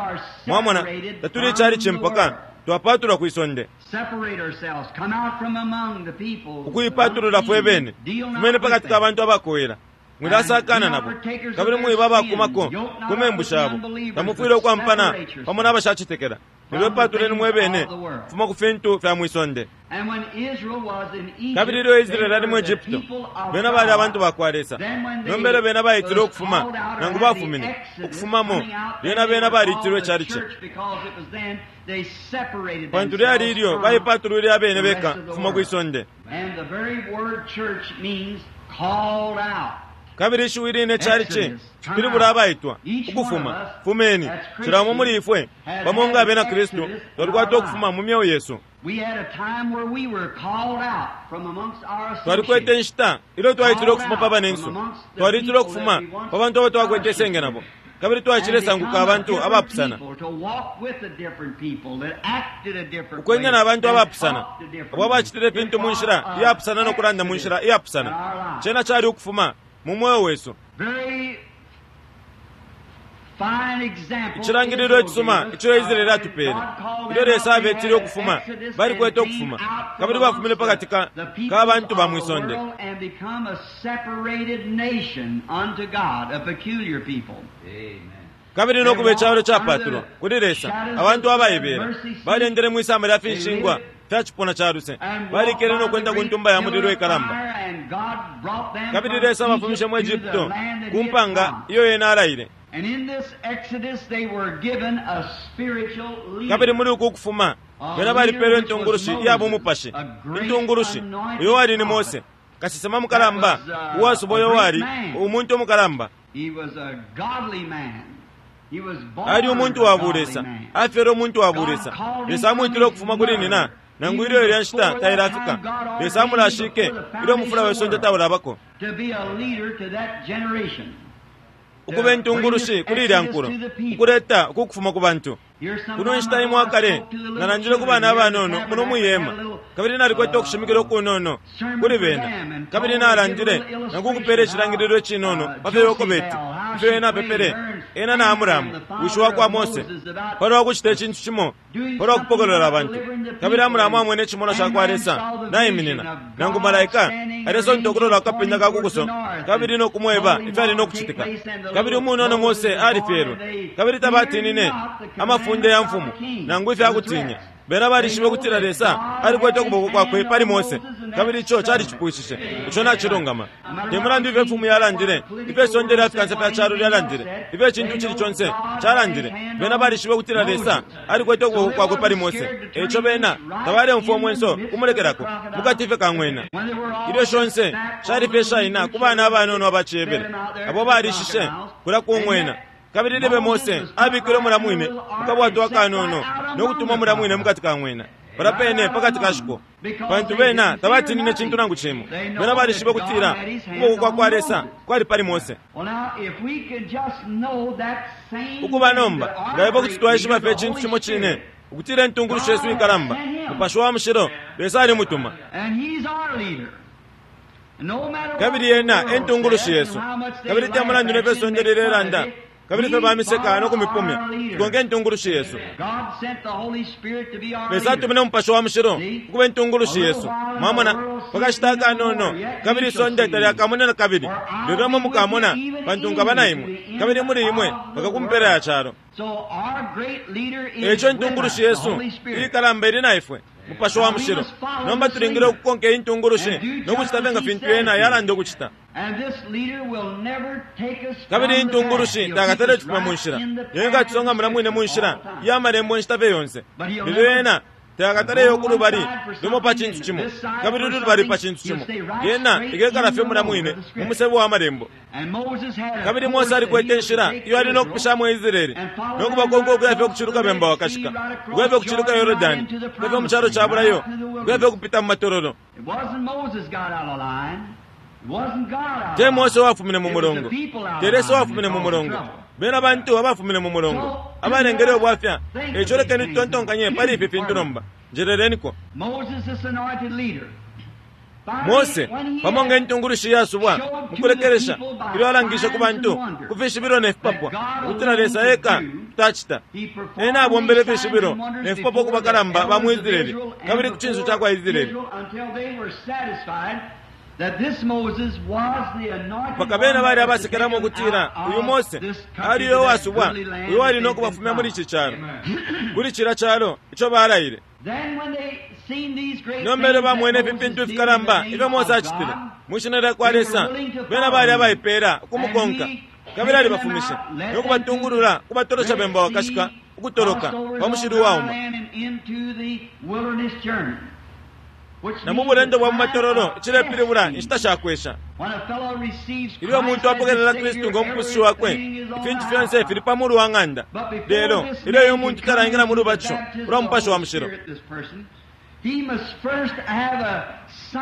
Mwamona, tatuli calici mpaka twapatulwa kwi sonde, Separate ourselves, come out from among the people. ukuipatulula fwe bene, Deal not fumene with pakati ka them. bantu abakowela. Mwilasakana nabo, kabili mwiba abakumako ku membu shabo. Tamufwile ukwampana pamo n'abashacetekela. Lelo ipatuleni mwe bene kufuma ku fintu fya mwisonde. And when Israel was in Egypt, Kabili ilyo Israeli they ali mu were the Egypto, people of bena bali God. abantu ba kwa Lesa. Then when they Nomba ilyo bena baitilwe was ukufuma, called out or nangu had the bafumine Exodus ukufumamo, coming out, lyena then they bena were balitilwe called the calici. church because it was then they separated Pantu lyali themselves ilyo from baipatulwile abene the rest beka of the kufuma world. kwi sonde. And the very word church means called out. Kabili ishiwi line calici cipilibula abaitwa ukufuma. Fumeni, cila umo muli ifwe pamo nga abena Kristu twalikwata ukufuma mu myeo yesu. We had a time where we were called out from amongst our Twalikwete associates. inshita ilyo twaitilwe ukufuma pa banensu, twalitilwe ukufuma pa bantu abo twakwete isenge nabo, kabili twacilesanguka abantu abapusana, ukwenda na bantu abapusana abo abacitile ifintu mu nshila iyapusana no kulanda mu nshila iyapusana. Cena cali ukufuma mu mweo wesu. Icilangililo icisuma ico Israeli atupele, ilyo Lesa abetile ukufuma, balikwete ukufuma, kabili bafumine pakati ka ka bantu ba mwisonde, kabili no kuba icalo capatulwa kuli Lesa, abantu abaibela balendele mwisamba lya finshingwa fya cipuna ca luse, balikele no kwenda ku ntumba ya mulilo ikalamba, kabili Lesa abafumishe mu Egypto ku mpanga iyo yena alaile. And in this Exodus they were given a spiritual leader. Kabili muli uku kufuma bena balipelwe intungulushi iya bumupashi, intungulushi uyo wali ni Mose, kasesema mukalamba uwasuba, uyo wali umuntu umukalamba. He was a godly man. He was born Ali umuntu wa a godly bulesa, man. afyele umuntu wa bulesa. Lesa amwitile ukufuma kuli nina, nangu ilyo ilya nshita tailafika. Lesa amulashike ilyo umufula we sonde taulabako, To be a leader to that generation. ukuba intungulushi kuli ilya nkulo, ukuleta uku kufuma ku bantu. Kuno nshita imwe akale nalandile ku bana abanono muno mwihema, kabili nalikwete ukushimikila ukunono kuli bena, kabili nalandile nangu ukupela icilangililo icinono pa fyo Yokobeti, ifyo ena apepele ena na Amuramu wishi wa kwa Mose palwa kucita icintu cimo palwa kupokolola abantu. Kabili Amuramu amwene icimonwa ca kwa Lesa naiminina, nangu malaika alesonta ukulola ku kapinda ka kukuso, kabili no kumweba ifyali no kucitika. Kabili umunono Mose alifyelwe, kabili tabatinine amafunde ya mfumu nangu ifyakutinya. Bena balishibe ukutila Lesa alikwete ukuboko kwakwe pali Mose, kabili ico calicipwishishe. Ico nacilungama. Te mulandu ifyo imfumu yalandile, ifyo isonde lya fikansa fya calo lyalandile, ifyo icintu cili conse calandile, bena balishibe ukutila Lesa alikwete ukuboko kwakwe pali Mose. Eico bena tabaleumfwa umwenso kumulekelako mukati fye kang'wena. Ilyo shonse shali fye shaina ku bana abanono abacebele abo balishishe kulya kung'wena. Kabili libe Mose abikile umula mwine mukabwato akanono no kutuma umula mwine mukati ka ng'wena pala pene pakati ka shiko, pantu bena tabatinine cintu nangu cimo. Bena balishibe kutila ukuboko kwa kwa Lesa kwali pali Mose. Well, now, if we could just know that same Ukuba thing nomba that our nga ipo kuti great twaishiba leader, fye the icintu Holy cimo cine, Spirit, ukutila intungulushi yesu ikalamba, Mupashi wa Mushilo, Lesa alimutuma, And he's our leader. No matter kabili what yena the world entungulushi says yesu. and how much they Kabili te laugh mulandu at ne fye you sonde and make fun lilelanda of it, Kabili fye bamiseka no kumipumya. Tukonke intungulushi yesu. Lesa atumine Umupashi wa Mushilo ukuba intungulushi yesu. Mwamona, pakashita akanono, kabili isonde talyakamone na kabili, lelo imwe mukamona, pantu nkaba na imwe, kabili muli imwe mpaka ku mpela ya calo. Eco intungulushi yesu iikalamba ili na ifwe, Mupashi wa Mushilo. Nomba tulingile ukukonka iyi ntungulushi no kucita fye nga fintu yena yalanda ukucita. Kabili intungulushi takatale tufuma mu nshila, lelo ikatusonga mula mwine mu nshila ya malembo inshita fye yonse. Lelo yena takataleyo ku lubali lumo pa cintu cimo, kabili lulubali pa cintu cimo. Yena ikekala fye mula mwine mu musebo wa malembo. Kabili Mose alikwete inshila iyo ali no kupishamo Israeli no kubakonka ukuya fye kuciluka bemba wakashika, ukuya fye kuciluka Yorodani, ukuya fye mu calo ca bulayo, ukuya fye kupita mu matololo. Te Mose wafumine mu mulongo, te Lesa wafumine mu mulongo, bena bantu abafumine mu mulongo abalengele ubwafya. Eco lekeni tutontonkanye pali ifi fintu nomba. Njeleleniko. Mose pamo nga intungulushi yasubwa mukulekelesha ilyo alangishe ku bantu ku fishibilo ne fipapwa ukutila Lesa eka tacita. Ena abombele fishibilo ne fipapwa ku bakalamba ba mu Israeli kabili ku cinso ca kwa Israeli, mpaka bena bali abasekelamo ukutila uyu Mose ali uyo wasubwa, uyo wali no kubafumya muli ici calo, kuli cila calo ico balaile. Nomba ilyo bamwene ifi fintu fikalamba ifyo Mose acitile mwishina lya kwa Lesa, bena bali abaipela ukumukonka, kabili alibafumishe no kubatungulula kubatolosha bemba wakashika ukutoloka pa mushili uwauma. Na mu bulendo bwa mu matololo icilepilibula inshita shakwesha. Ilyo umuntu apokelela Kristu ngo mupusushi wakwe, ifintu fyonse fili pa mulu wa ng'anda. Lelo ilyo uyo muntu talaingila mu lubatisho ulwa Mupashi wa Mushilo,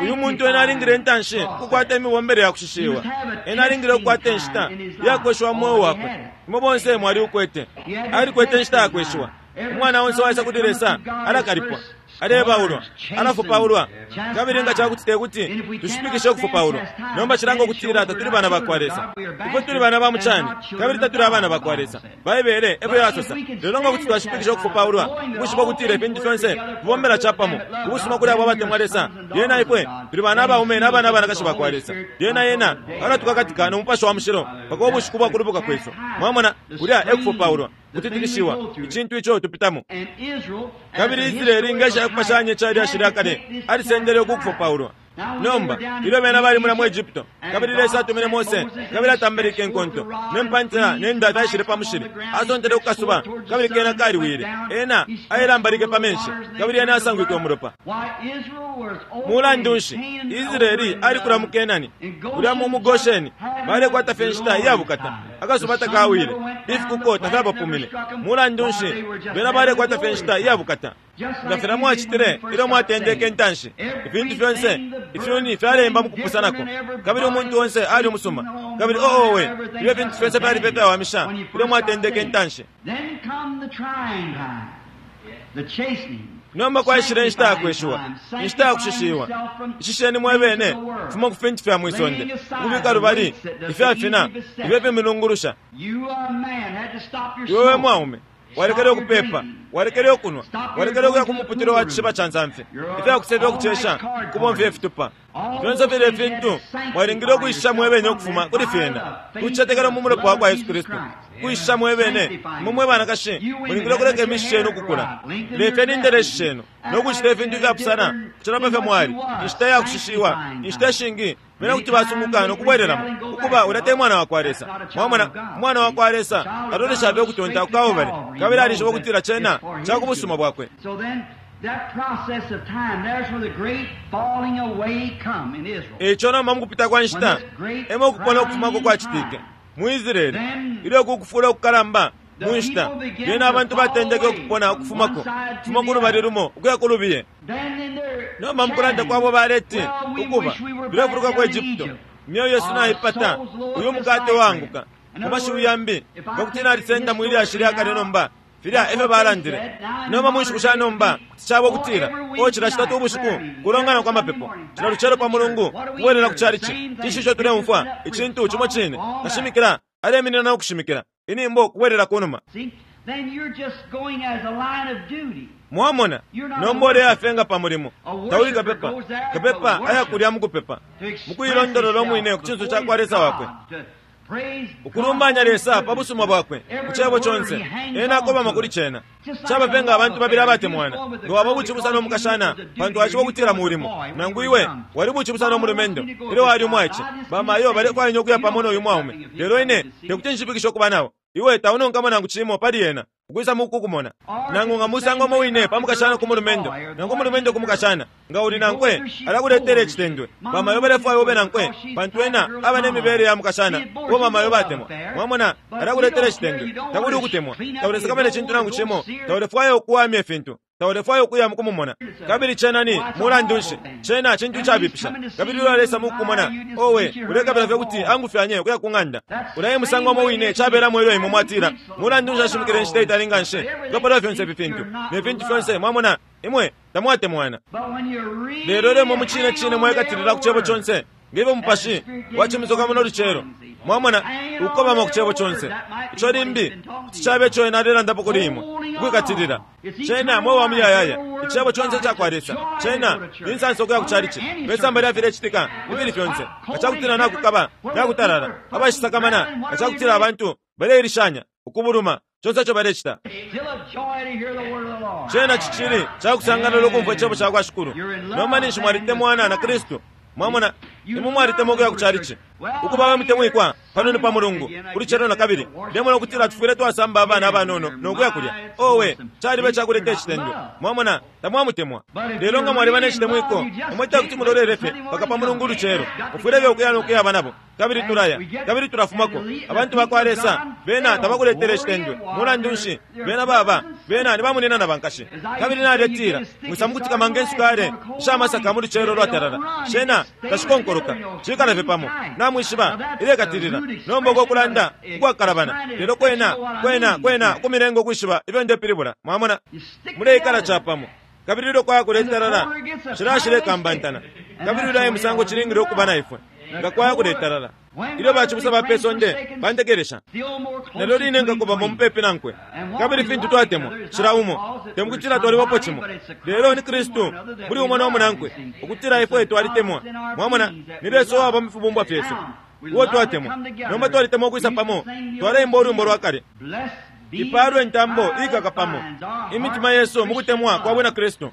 uyu muntu ena alingile intanshi ukukwata imibombele ya kushishiwa. Ena alingile ukukwata inshita yakweshiwa mu mweo wakwe. Imwe bonse mwali ukwete, alikwete inshita yakweshiwa. Umwana onse waisa kuli Lesa alakalipwa, alebaulwa, alafupaulwa. Kabili nga cakuti tekuti tushipikishe ukufupaulwa, nomba cilanga ukutila tatuli bana bakwa Lesa. Ifwe tuli bana ba mucani, kabili tatuli abana bakwa Lesa. Baibele efyo yasosa. Lelo nga kuti twashipikisha ukufupaulwa, ukwishiba ukutila ifintu fyonse fibombela capamo ubusuma kuli abo abatemwa Lesa, lyena ifwe tuli bana abaume n'abana abanakashi bakwa Lesa. Lyena yena alatukakatika no Mupashi wa Mushilo mpaka ubushiku bwa kulubuka kwesu. Mwamona, kulya ekufupaulwa, kutitikishiwa, icintu ico tupitamo. Kabili Israeli ngesha yakupashanya icali ashili kale alisendele ukukufupaulwa. Nomba ilyo bena bali mula mu Egypto, kabili Lesa atumine Mose, kabili atambelike inkonto ne mpantila ne nda taishile pa mushili, asontele ku kasuba, kabili kena kaliwile. Ena ailambalike pa menshi, kabili ena asangwike umulopa. Mulandu nshi Israeli alikula mu Kenani, kulya mu Gosheni balekwata fye inshita iyabukata, akasuba takawile, ifikuko tafyabapumine. Mulandu nshi bena balekwata fye inshita iyabukata? Nga filya mwacitile ilyo mwatendeke intanshi, ifintu fyonse ifyuni fyalemba mukupusanako, kabili umuntu onse ali umusuma, kabili oowe ilyo ifintu fyonse fyali fye fyawamisha ilyo mwatendeke intanshi. Nomba kwaishile inshita yakweshiwa, inshita yakushishiwa. Ishisheni mwebene kufuma ku fintu fya mwisonde, ukubika lubali ifyafina ifyo fimilungulusha. Iwe we mwaume walekele ukupepa, walekele ukunwa, walekele ukuya ku muputilo wa cishiba ca nsamfi, ifyakusefya ukucesha kubomfya ifitupa fyonse filya ifintu mwalingile ukwishisha mwebene ukufuma kuli fyena, kucicetekela mu mulopa wa kwa Yesu Kristu. Kwishisha mwebene imwe mwe banakashi mulingile ukuleka imishi shenu ukukula, lefyeni indeleshi shenu no kucita ifintu ifyapusana kucila pa fyo mwali. Inshita yakushishiwa, inshita ishingi bena kuti basunguka no kubwelelamo ukuba ulya te mwana wa kwa Lesa. Mwamona, umwana wa kwa Lesa alolesha fye ukutonta ku Kalvari, kabili alishiba ukutila cena ca ku busuma bwakwe. Eco nomba mukupita kwa nshita emo ukupona ukufumako kwacitike mu Israeli, ilyo kukufula ukukalamba mu nshita, lyena abantu batendeke ukupona ukufumako, kufuma ku lubali lumo ukuya ku lubiye. Nomba mukulanda kwabo baleti ukuba tulefuluka ku Egypto, imyeo yesu naipata uyu mukate wanguka. Mu mashiwi yambi nga nalisenda mwili lyashi lya kale nomba filya efyo balandile. Nomba mu nshiku sha nomba kuti caba ukutila o cila citatu ubushiku kulongana kwa mapepo, cila lucelo pa mulungu kubwelela ku chalichi. Cinshi ico tuleumfwa icintu cimo cine? Kashimikila aleminina no kushimikila. Inimbo kubwerera kunuma. See? Then you're just going as a line of duty. Mwamona nomba uleyafenga pa mulimo tauli kapepa kapepa ayakulya mukupepa mukuilondolola omwine ku cinso ca kwa Lesa wakwe ukulumbanya Lesa pa busuma bwakwe ku cebo conse ena akobama kuli cena cabapenga abantu babili abatemwana nga waba bucibusa n'omukashana pantu aciba okutila mulimo nangu iwe wali bucibusa n'omulumendo ilyo wali umwaice bamayo balefwaya okuya pamo n'oyu mwaume lelo ine tekuti nshipikishe okuba nabo iwe taunonkamo nangu cimo pali ena ukwisa mukukumona nangu nga musango omo wine pamukashana ku mulumendo nangu umulumendo ku mukashana nga uli nankwe alakuletera ecitendwe bamayo balefwaya ube nankwe pantu ena aba n'emibere ya mukashana uwo mamayo batemwa mwamona alakuletera ecitendwe takuli ukutemwa taulesakamana ecintu nangu cimo taulefwaya okuwamya efintu taulefwaya okuya mukumumona kabili cena ni mulandu nshi cena cintu cabipisha kabili ulo alesa mukukumona owe ulekabila fye kuti angufyanye ukuya ku ng'anda ulaye musango omo wine cabelamo ilyo imwe mwatila mulandu nshi ashimikile inshita itali nga nshi ukapalawo fyonse ifi fintu ne fintu fyonse mwamona imwe tamwatemwana lelo lemo mucine cine mwekatilila ku cebo conse ngevyo mupashi wacimisoka muno lucelo mwamona ukukobama ku cebo conse ico limbi kuti cabe ico ena alelandapo kuli imwe ukwikatilila cena mwe wa muyayaya icebo conse cakwa Lesa cena ni nsansa okuya ku calici pesamba lya filecitika ifili fyonse nga cakutila nakukaba nakutalala abashisakamana nga cakutila abantu baleilishanya ukubuluma conse ico balecita cena cicili cakusangalala ukumfwa icebo cakwa Shikulu nomba ninshi mwalitemwana na Kristu mwamona imwe mwalitemwa okuya ku calici ukuba abamutemwikwa pano ni pa mulungu kuli celo na kabili ndemona okutila tufwile twasamba abana abanono nokuya kulya owe caliba ecakuleta ecitendwe mwamona tamwamutemwa lelo nga mwaliba n'ecitemwiko imwe tekuti mulolele fye paka pa mulungu ulucelo mufwile fye okuya nokuyaba nabo kabili tulaya kabili tulafumako abantu bakwa Lesa bena tabakuletera ecitendwe mulandu nshi bena baba bena ni bamunina na bankashi kabili naletila mwisa mukutikama ngensukale ishamasaka mu lucelo lwatalala shena tashikonkoloka cikala fye pamo namwishiba ilekatilila nomba okokulanda ukwakalabana lelo kwena kwena kwena kumilenga okwishiba ifyo ndepilibula mwamona muleikala capamo kabili ilyo kwaya kuletalala shilashilekambantana kabili ulaye musango cilingile okuba na ifwe nga kwaya kuletalala ilyo bacibusa ba pesonde bantekelesha nalyo line nkakobamo mupepi nankwe kabili fintu twatemwa cila umo temukutila twalibapo cimo lelo ni Kristu muli umo n'omunankwe ukutila ifwe twalitemwa mwamona ni Lesa uwaba mu fibumbwa fyesu uwo twatemwa nomba twalitemwa okwisa pamo twaleimba olwimbo lwa kale ipalwe entambo ikaka pamo imitima yesu mukutemwa kwa bwina Kristu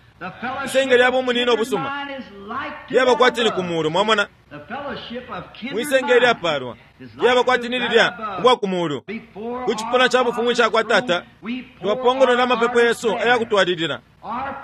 isenge lyaba omunina obusuma lyaba kwati ni ku mulu mwamona mwisenge lyapalwa lyaba kwati ni lilya ubwa ku mulu ku cipuna ca bufumu icakwa Tata twapongolola amapepo yesu ayakutwalilila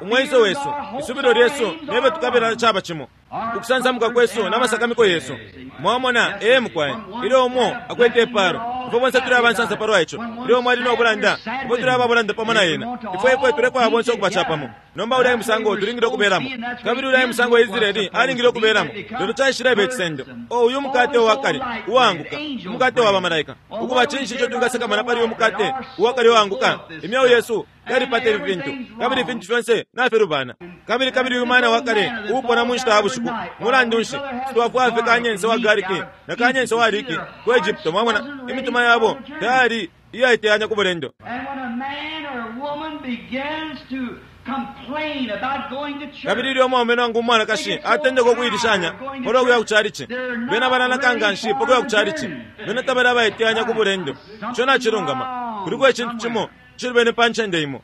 umwenso wesu isubilo lyesu nebe tukabila caba cimo ukusansamuka kwesu n'amasakamiko yesu mwamona ee mukwaye ilyo umo akwete ipalo ifwe bonse tuli abansansa palwa ico ilyo umo ali n'obulanda ifwe tuli ababulanda pamo na ena ifwe ifwe tulefwaya bonse okuba capamo nomba ulaye musango tulingile okubelamo kabili ulaye musango Israeli alingile okubelamo lelo caishileba ecisendo o uyu mukate uwakale uwaanguka umukate wa bamalaika ukuba cinshi ico twingasakamana pali uyu mukate uwakale uwaanguka imyeo yesu yalipata ifi fintu kabili ifintu fyonse nafilubana kabili kabili uyu mwana wakale uupona mu nshita ya bushiku mulandu nshi twafwaya fye kanyense wa gariki na kanyense wa liki ku Egypto mwamona imitima yabo tayali iyaiteyanya ku bulendo kabili ilyo omwaume nangu umwanakashi atendeka okuilishanya palwa kuya ku calici bena balanaka nga nshi pakuya ku calici bena tabali abaiteyanya ku bulendo ico nacilungama kuliko ecintu cimo cilubene pa ncende imo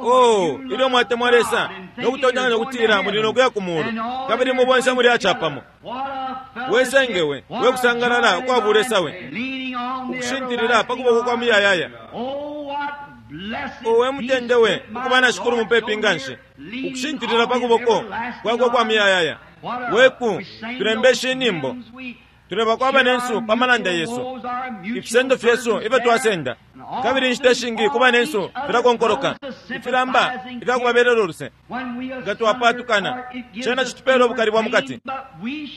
oh ilyo mwatemwa Lesa nokutontonkanya okutila muli nokuya ku mulu kabili mubonse muli acapamo wesengewe wekusangalala ukwabulesa we ukushintilila pa kuboko kwa muyayaya owe mutende we ukuba na Shikulu mupepi nga nshi ukushintilila pa kuboko kwakwe kwa muyayaya weku tulembesha inimbo tuleba kwaba nensu pa malanda yesu ifisendo fyesu ifyo twasenda kabili inshita ishingi kuba nensu filakonkoloka ifilamba ifyakubabelela oluse nga twapatukana cena citupela obukali bwa mukati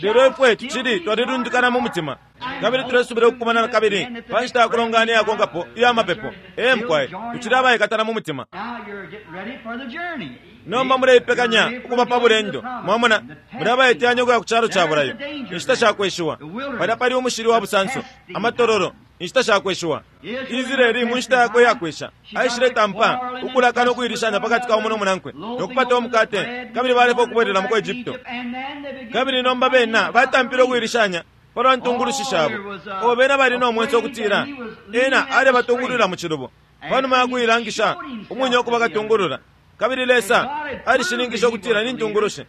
lelo ifwe tucili twalilundikana mu mutima kabili tulesubila okukumana kabili pa nshita yakulongana iyakonkapo iya mapepo ee mukwaye tucili abayikatana mu mutima Nomba muleipekanya ukuba pa bulendo. Mwamona, muli abaiteyanya ukuya ku calo ca bulayo. Inshita shakweshiwa palya pali umushili wa busanso, amatololo, inshita shakweshiwa. Israeli mu nshita yakwe iyakwesha aishiletampa ukulaka no kuilishanya pakati ka umo no munankwe no kupata umukate, kabili balefa ukubwelela mu Egypto. Kabili nomba bena batampile ukuilishanya palwa ntungulushi shabo. O bena bali no mwenso ukutila ena alebatungulula mu cilubo panuma ya kuilangisha umwine ukuba katungulula. Kabili Lesa alishininkisha ukutila ni ntungulushi.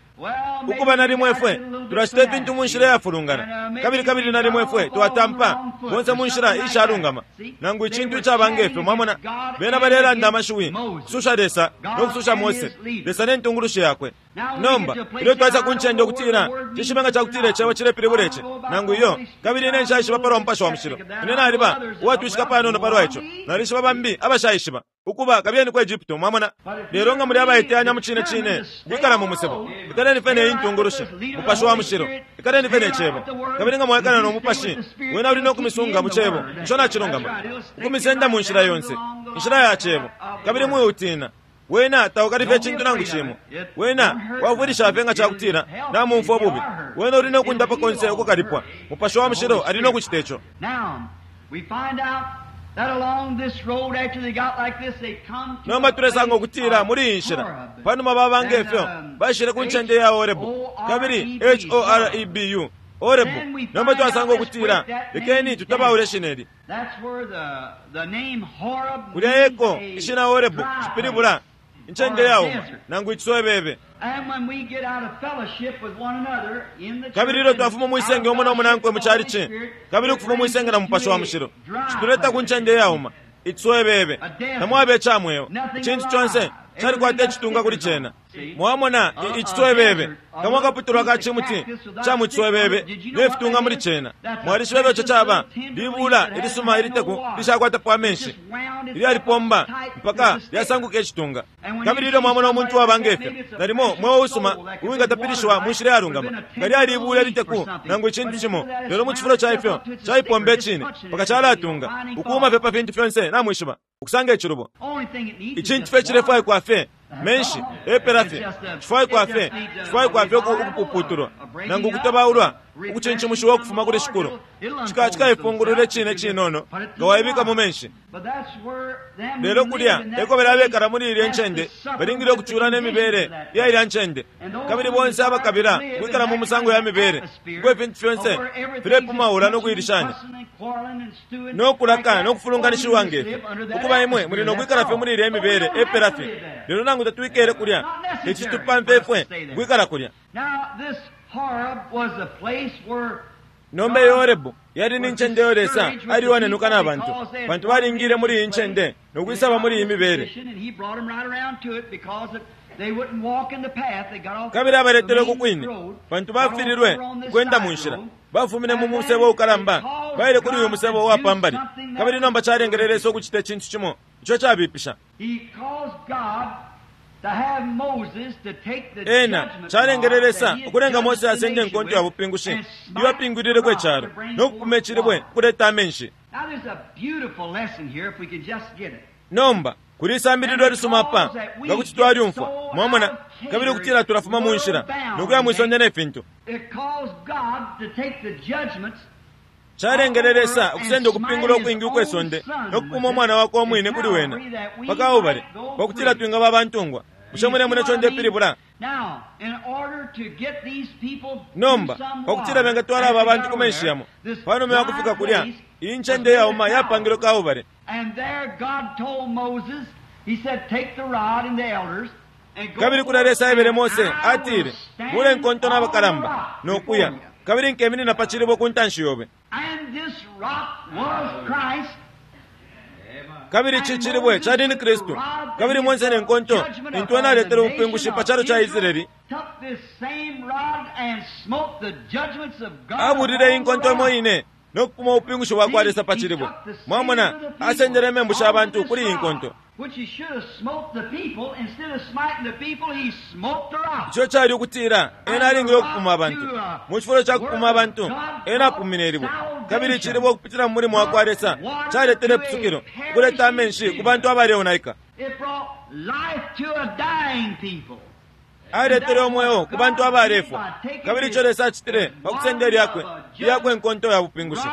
Ukuba nalimwe ifwe tulacita ifintu mu nshila iyafulungana, kabili kabili nalimwe ifwe twatampa bonse mu nshila ishalungama nangu icintu icaba ngefyo. Mwamona, bena balelanda amashiwi kususha Lesa no kususha Mose, Lesa ne ntungulushi yakwe. Nomba ilyo twaisa ku ncende ukutila cishibe nga cakutila icebo cilepilibula ici nangu iyo, kabili ine nshaishiba palwa Mupashi wa Mushilo. Ine naliba uwatwishika panono palwa ico, nalishiba bambi abashaishiba ukuba kabiyeni ku Egypto. Mwamona, lelo nga muli abaiteyanya mu cine cine ukwikala mu musebo, ikaleni fye ne intungulushi Mupashi wa Mushilo, ikaleni fye ne cebo. Kabili nga mwaikala no Mupashi, wena uli no kumisunga mu cebo ico nacilungama, ukumisenda mu nshila yonse, inshila ya cebo. Kabili mwiutina wena taukalifye icintu nangu cimo. Wena wafwilisha fye nga cakutila namumfwa ububi. Wena uli no kundapa konse ukukalipwa. Mupashi wa Mushilo ali no kucita ico. Nomba tulesanga ukutila muli iyi nshila panuma baba ngefyo baishile ku ncende ya Horebu, kabili H O R E B U, Horebu. Nomba twasanga ukutila lekeni tutabaule shineli kulya eko ishina Horebu cipilibula incende yauma nangu iciswebebe. Kabili ilyo twafuma mwisenge umo no munankwe mu calici, kabili ukufuma mwisenge na Mupashi wa Mushilo, cituleta ku ncende yauma iciswebebe. Tamwaba icamweo, icintu conse calikwata icitunga kuli cena. Mwamona iciswebebe kamwe akaputulwa ka cimuti ca mu ciswebebe ne fitunga muli cena. Mwalishiba ico caba libula ilisuma iliteku lishakwatapo amenshi, ilyalipomba mpaka lyasanguka icitunga. Kabili ilyo mwamona umuntu waba ngefyo, nalimo mweo usuma uwingatapilishiwa mu nshila yalungama, nga lyalibula iliteku nangu icintu cimo, lelo mu cifulo ca ifyo caipomba icine mpaka calatunga ukuuma fye pa fintu fyonse. Namwishiba ukusanga icilubo, icintu fye cilefwaikwa fye menshi epela fye, cifwaikwa fye cifwaikwa fye ukupuputulwa nangu ukutobaulwa ukucinchimushiwa ukufuma kuli Shikulu. Cikaifungulula icine cinono nga waibika mu menshi. Lelo kulya eko bali abekala muli ilya ncende balingile ukucula ne mibele iya ilya ncende, kabili bonse abakabila ukwikala mu musango ya mibele uko ifintu fyonse filepumaula no kuilishanya no kulaka no kufulunganishiwa ngefyo. Ukuba imwe muli no kwikala fye muli ilya mibele epela fye. Lelo nangu tatwikele kulya, ici tupampe ifwe kwikala kulya. Nomba iyo Horebu yali ni ncende yo Lesa aliyonenuka na bantu, bantu balingile muli iyi ncende no kwisaba muli iyi mibele. Kabili abaletele uku kwine bantu bafililwe ukwenda mu nshila, bafumine mu musebo ukalamba baile kuli uyu musebo uwapambali. Kabili nomba calengele Lesa ukucita icintu cimo ico cabipisha. Ena calengele Lesa ukulenga Mose asende enkonto ya bupingushi iyo apingwilileko icalo no kupuma icilibwe ukuleta amenshi. Nomba kuli isambililo lisuma apa nga kuti twalyumfwa. Mwamona, kabili ukutila tulafuma mu nshila no kuya mwisonde ne fintu. Calengele Lesa ukusenda ukupingula ukwingi ukwesonde no kupuma umwana wakwe umwine kuli wena paka ubale pakutila twingaba abantungwa. Bushe mulemona ico ndepilibula? Nomba pakutila bengatwala aba bantu ku menshi yamo panuma ya kufika kulya, iyi ncende yauma yapangilwe kaubale. Kabili kulya Lesa aebele Mose atile, bule nkonto n'abakalamba no kuya, kabili nkeminina pa cilibwe ku ntanshi yobe. Kabili ici cilibwe cali ni Kristu. Kabili Mose ne nkonto intu ena aletele ubupingushi pa calo ca Israeli, abulile inkonto imo ine no kupuma ubupingushi bwa kwa Lesa pa cilibwe. Mwamona, asendele imembu sha bantu kuli iyi nkonto. Ico cali ukutila ena alingile ukupuma abantu. Mu cifulo ca kupuma abantu, ena apumine ilibwe. Kabili icilibwe ukupitila mu mulimo wa kwa Lesa caletele ipusukilo, ukuleta amenshi ku bantu abaleonaika. Aletele umweo ku bantu abalefwa. Kabili ico Lesa acitile pa kusenda lyakwe iyakwe enkonto ya bupingushi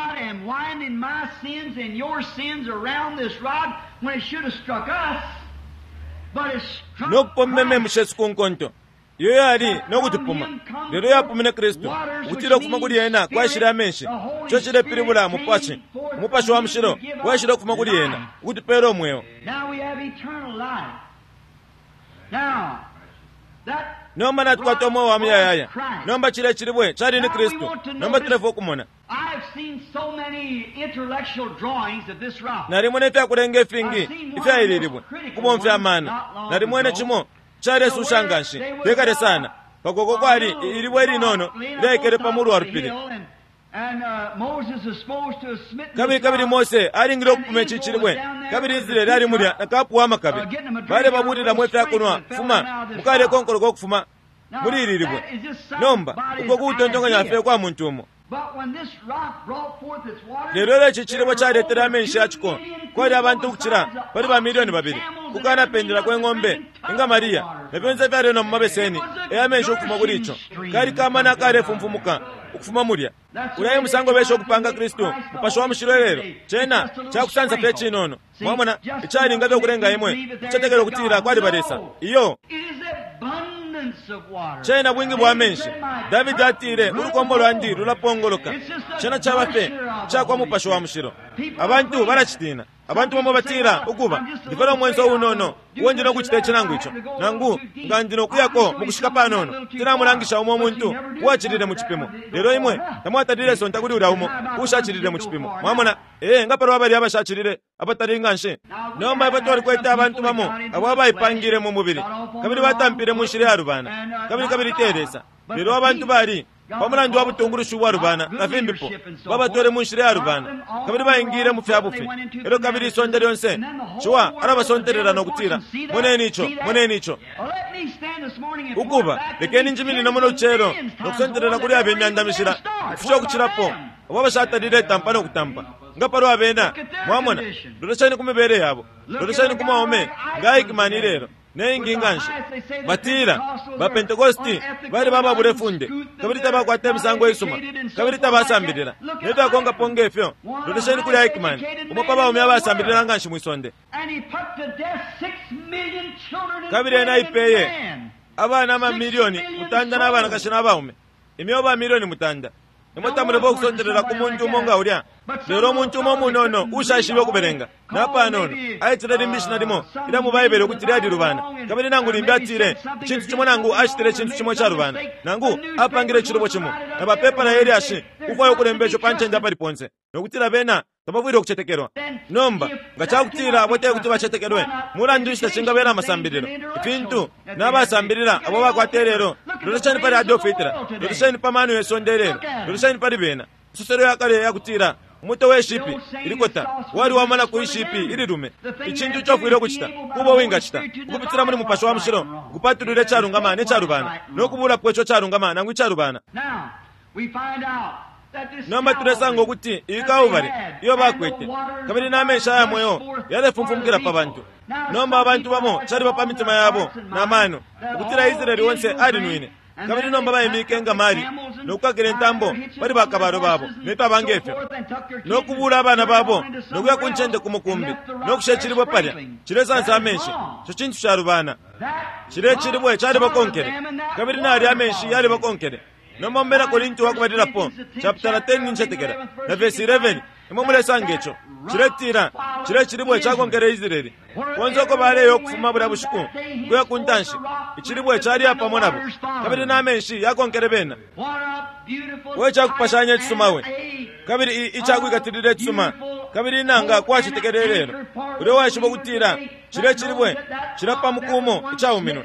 no kupomba imembu shesu ku nkonto iyo yali no kutupuma, lelo yapumine Kristu ukutila ukufuma kuli ena kwashile amenshi. Ico cilepilibula mupashi, umupashi wa mushilo waishile ukufuma kuli ena ukutupela umweo. Nomba natukwata umweo wa muyayaya. Nomba cile cilibwe cali ni Kristu. Nomba tulefwa ukumona. Nalimwene ifyakulenga ifingi ifyaililibwe ukubomfya amano. Nalimwene cimo calesusha nganshi tekale sana pakoko kwali ilibwe ilinono lyaikele pa mulu wa lupili. Kabili kabili Mose alingile ukupuma ici cilibwe, kabili Israeli ali mulya na kapu wa makabe bale babulilamo ifyakunwa fuma mukalekonkoloka ukufuma muli ili libwe. Nomba uko kutontonkanya fye kwa muntu umo. Lelo lelo ici cilibwe caletele amenshi yaciko kwali abantu ukucila pali ba milioni babili kukanapendela kwe ng'ombe ingamaliya na fyonse ifyalenwa mu mabeseni eyamenshi ukufuma kuli ico kali kamana kalefumfumuka ukufuma mulya. Ulya musango besha ukupanga Kristu mupashi wa mushilo lelo cena cakusansa fye cinono. Mwamona icalinga fye ukulenga imwe kucetekela ukutila kwali balesa iyo cena bwingi bwa menshi. Davidi atile ulukombo lwandi lulapongoloka. Cena caba fye cakwa mupashi wa mushilo. Abantu balacitina. Abantu bamo batila ukuba ndifela umwenso unono uwo ndi nokucita ici nangu ico nangu nga ndi nokuyako mukushika panono tinamulangisha umo umuntu uwacilile mu cipimo. Lelo imwe tamwatalile sonta kuli ulya umo ushacilile mu cipimo. Mwamona ee nga palwa bali abashacilile abatali nganshi. Nomba ifwe twalikwete abantu bamo abo abaipangile mu mubili kabili batampile mu nshila yalubana kabili kabili te Lesa. Lelo abantu bali pamulandu wa butungulushi ubwalubana na fimbipo babatwele mu nshila yalubana kabili baingile mu fya bufi. Elyo kabili isonde lyonse ciwa alabasontelela nokutila moneni ico, moneni ico. Ukuba lekeni njiminine muno lucelo nokusontelela kuli abe imyanda mishila ukufisha ukucilapo abo abashatalile tampa nokutampa nga palwa bena. Mwamona, lolesheni ku mibele yabo, lolesheni ku mwaume nga aikimani lelo neingi nganshi. Batila bapentekosti bali bababula ifunde kabili tabakwata imisango isuma kabili tabasambilila nefyakonkapo ngefyo. Lolesheni kuli Aikman, umo pa baume abasambilila nganshi mwisonde, kabili ena aipeye abana amamilioni mutanda n'abanakashi n'abaume imyeo ba milioni mutanda. Imwe tamulepa okusontelela ku muntu umo nga ulya. Lelo omuntu umo munono ushaishibe okubelenga napanono aitile limbi ishina limo ilya mu Baibele ukuti lyalilubana, kabili nangu limbi atile icintu cimo nangu acitile icintu cimo icalubana nangu apangile icilubo cimo na bapepala yelyashi kufwaya ukulemba ico pa ncende apali ponse nokutila bena tabafwile ukucetekelwa. Nomba nga cakutila abo te kuti bacetekelwe, mulandu nshi tacingabela amasambililo ifintu n'abasambilila abo bakwata lelo? Lolesheni pali Adolf Hitler, lolesheni pa mano yesonde lelo, lolesheni pali bena. Isoselo yakale yakutila umuto we shipi ilikota wali wamana ku ishipi ililume. Icintu ico ufwile ukucita kuba wingacita ukupitila muli mupashi wa mushilo ukupatulula icalungama necalubana nokubulapo ico calungama nangu icalubana. Nomba tulesanga ukuti iyi Kalvari iyo bakwete kabili n'amenshi aya mweo yalefumfumukila pa bantu. Nomba abantu bamo caliba pa mitima yabo n'amano ukutila Israeli wonse alinwine, kabili nomba baimike nga mali nokukakila intambo pali bakabalo babo nefyaba ngefyo nokubula abana babo nokuya ku ncende ku mukumbi nokusha icilibwe palya cilesansa amenshi. Ico cintu calubana. Cile cilibwe calibakonkele kabili nali amenshi yalibakonkele. Nomba mubena Korinti wakubalilapo chapter ten nincetekela na verse eleven imwe mulesanga ico ciletila cile cilibwe cakonkele Israeli konse uko baleya ukufuma bulya bushiku kuya ku ntanshi. Icilibwe caliya pamo nabo kabili n'amenshi yakonkele bena. We cakupashanya icisuma we kabili icakwikatilila icisuma kabili inanga kwacetekele lelo ulya waishiba ukutila cile cilibwe cilapa mukumo icauminwe.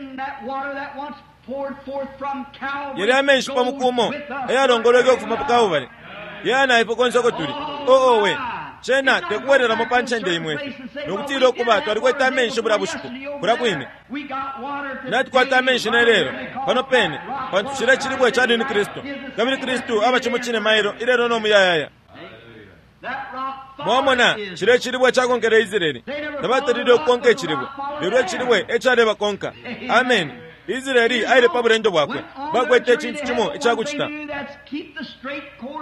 Yali amenshi pa mukumo ayalongolweke ukufuma pa Kalvari yana ifwe konse uko tuli. Oo we cena tekubwereramo pa ncende imwe ifi nokutila ukuba twalikwete amenshi bulya bushiku kulya kwine. Natukwata amenshi nelelo pano pene pantu cile cilibwe cali ni Kristu, kabili Kristu aba cimo cine mailo ilelo no muyayaya. Mwamona cile icilibwe cakonkele Israeli. Tabatalile ukukonka icilibwe, lelo icilibwe ecalebakonka. Amen. Israeli aile pa bulendo bwakwe, bakwete icintu cimo icakucita.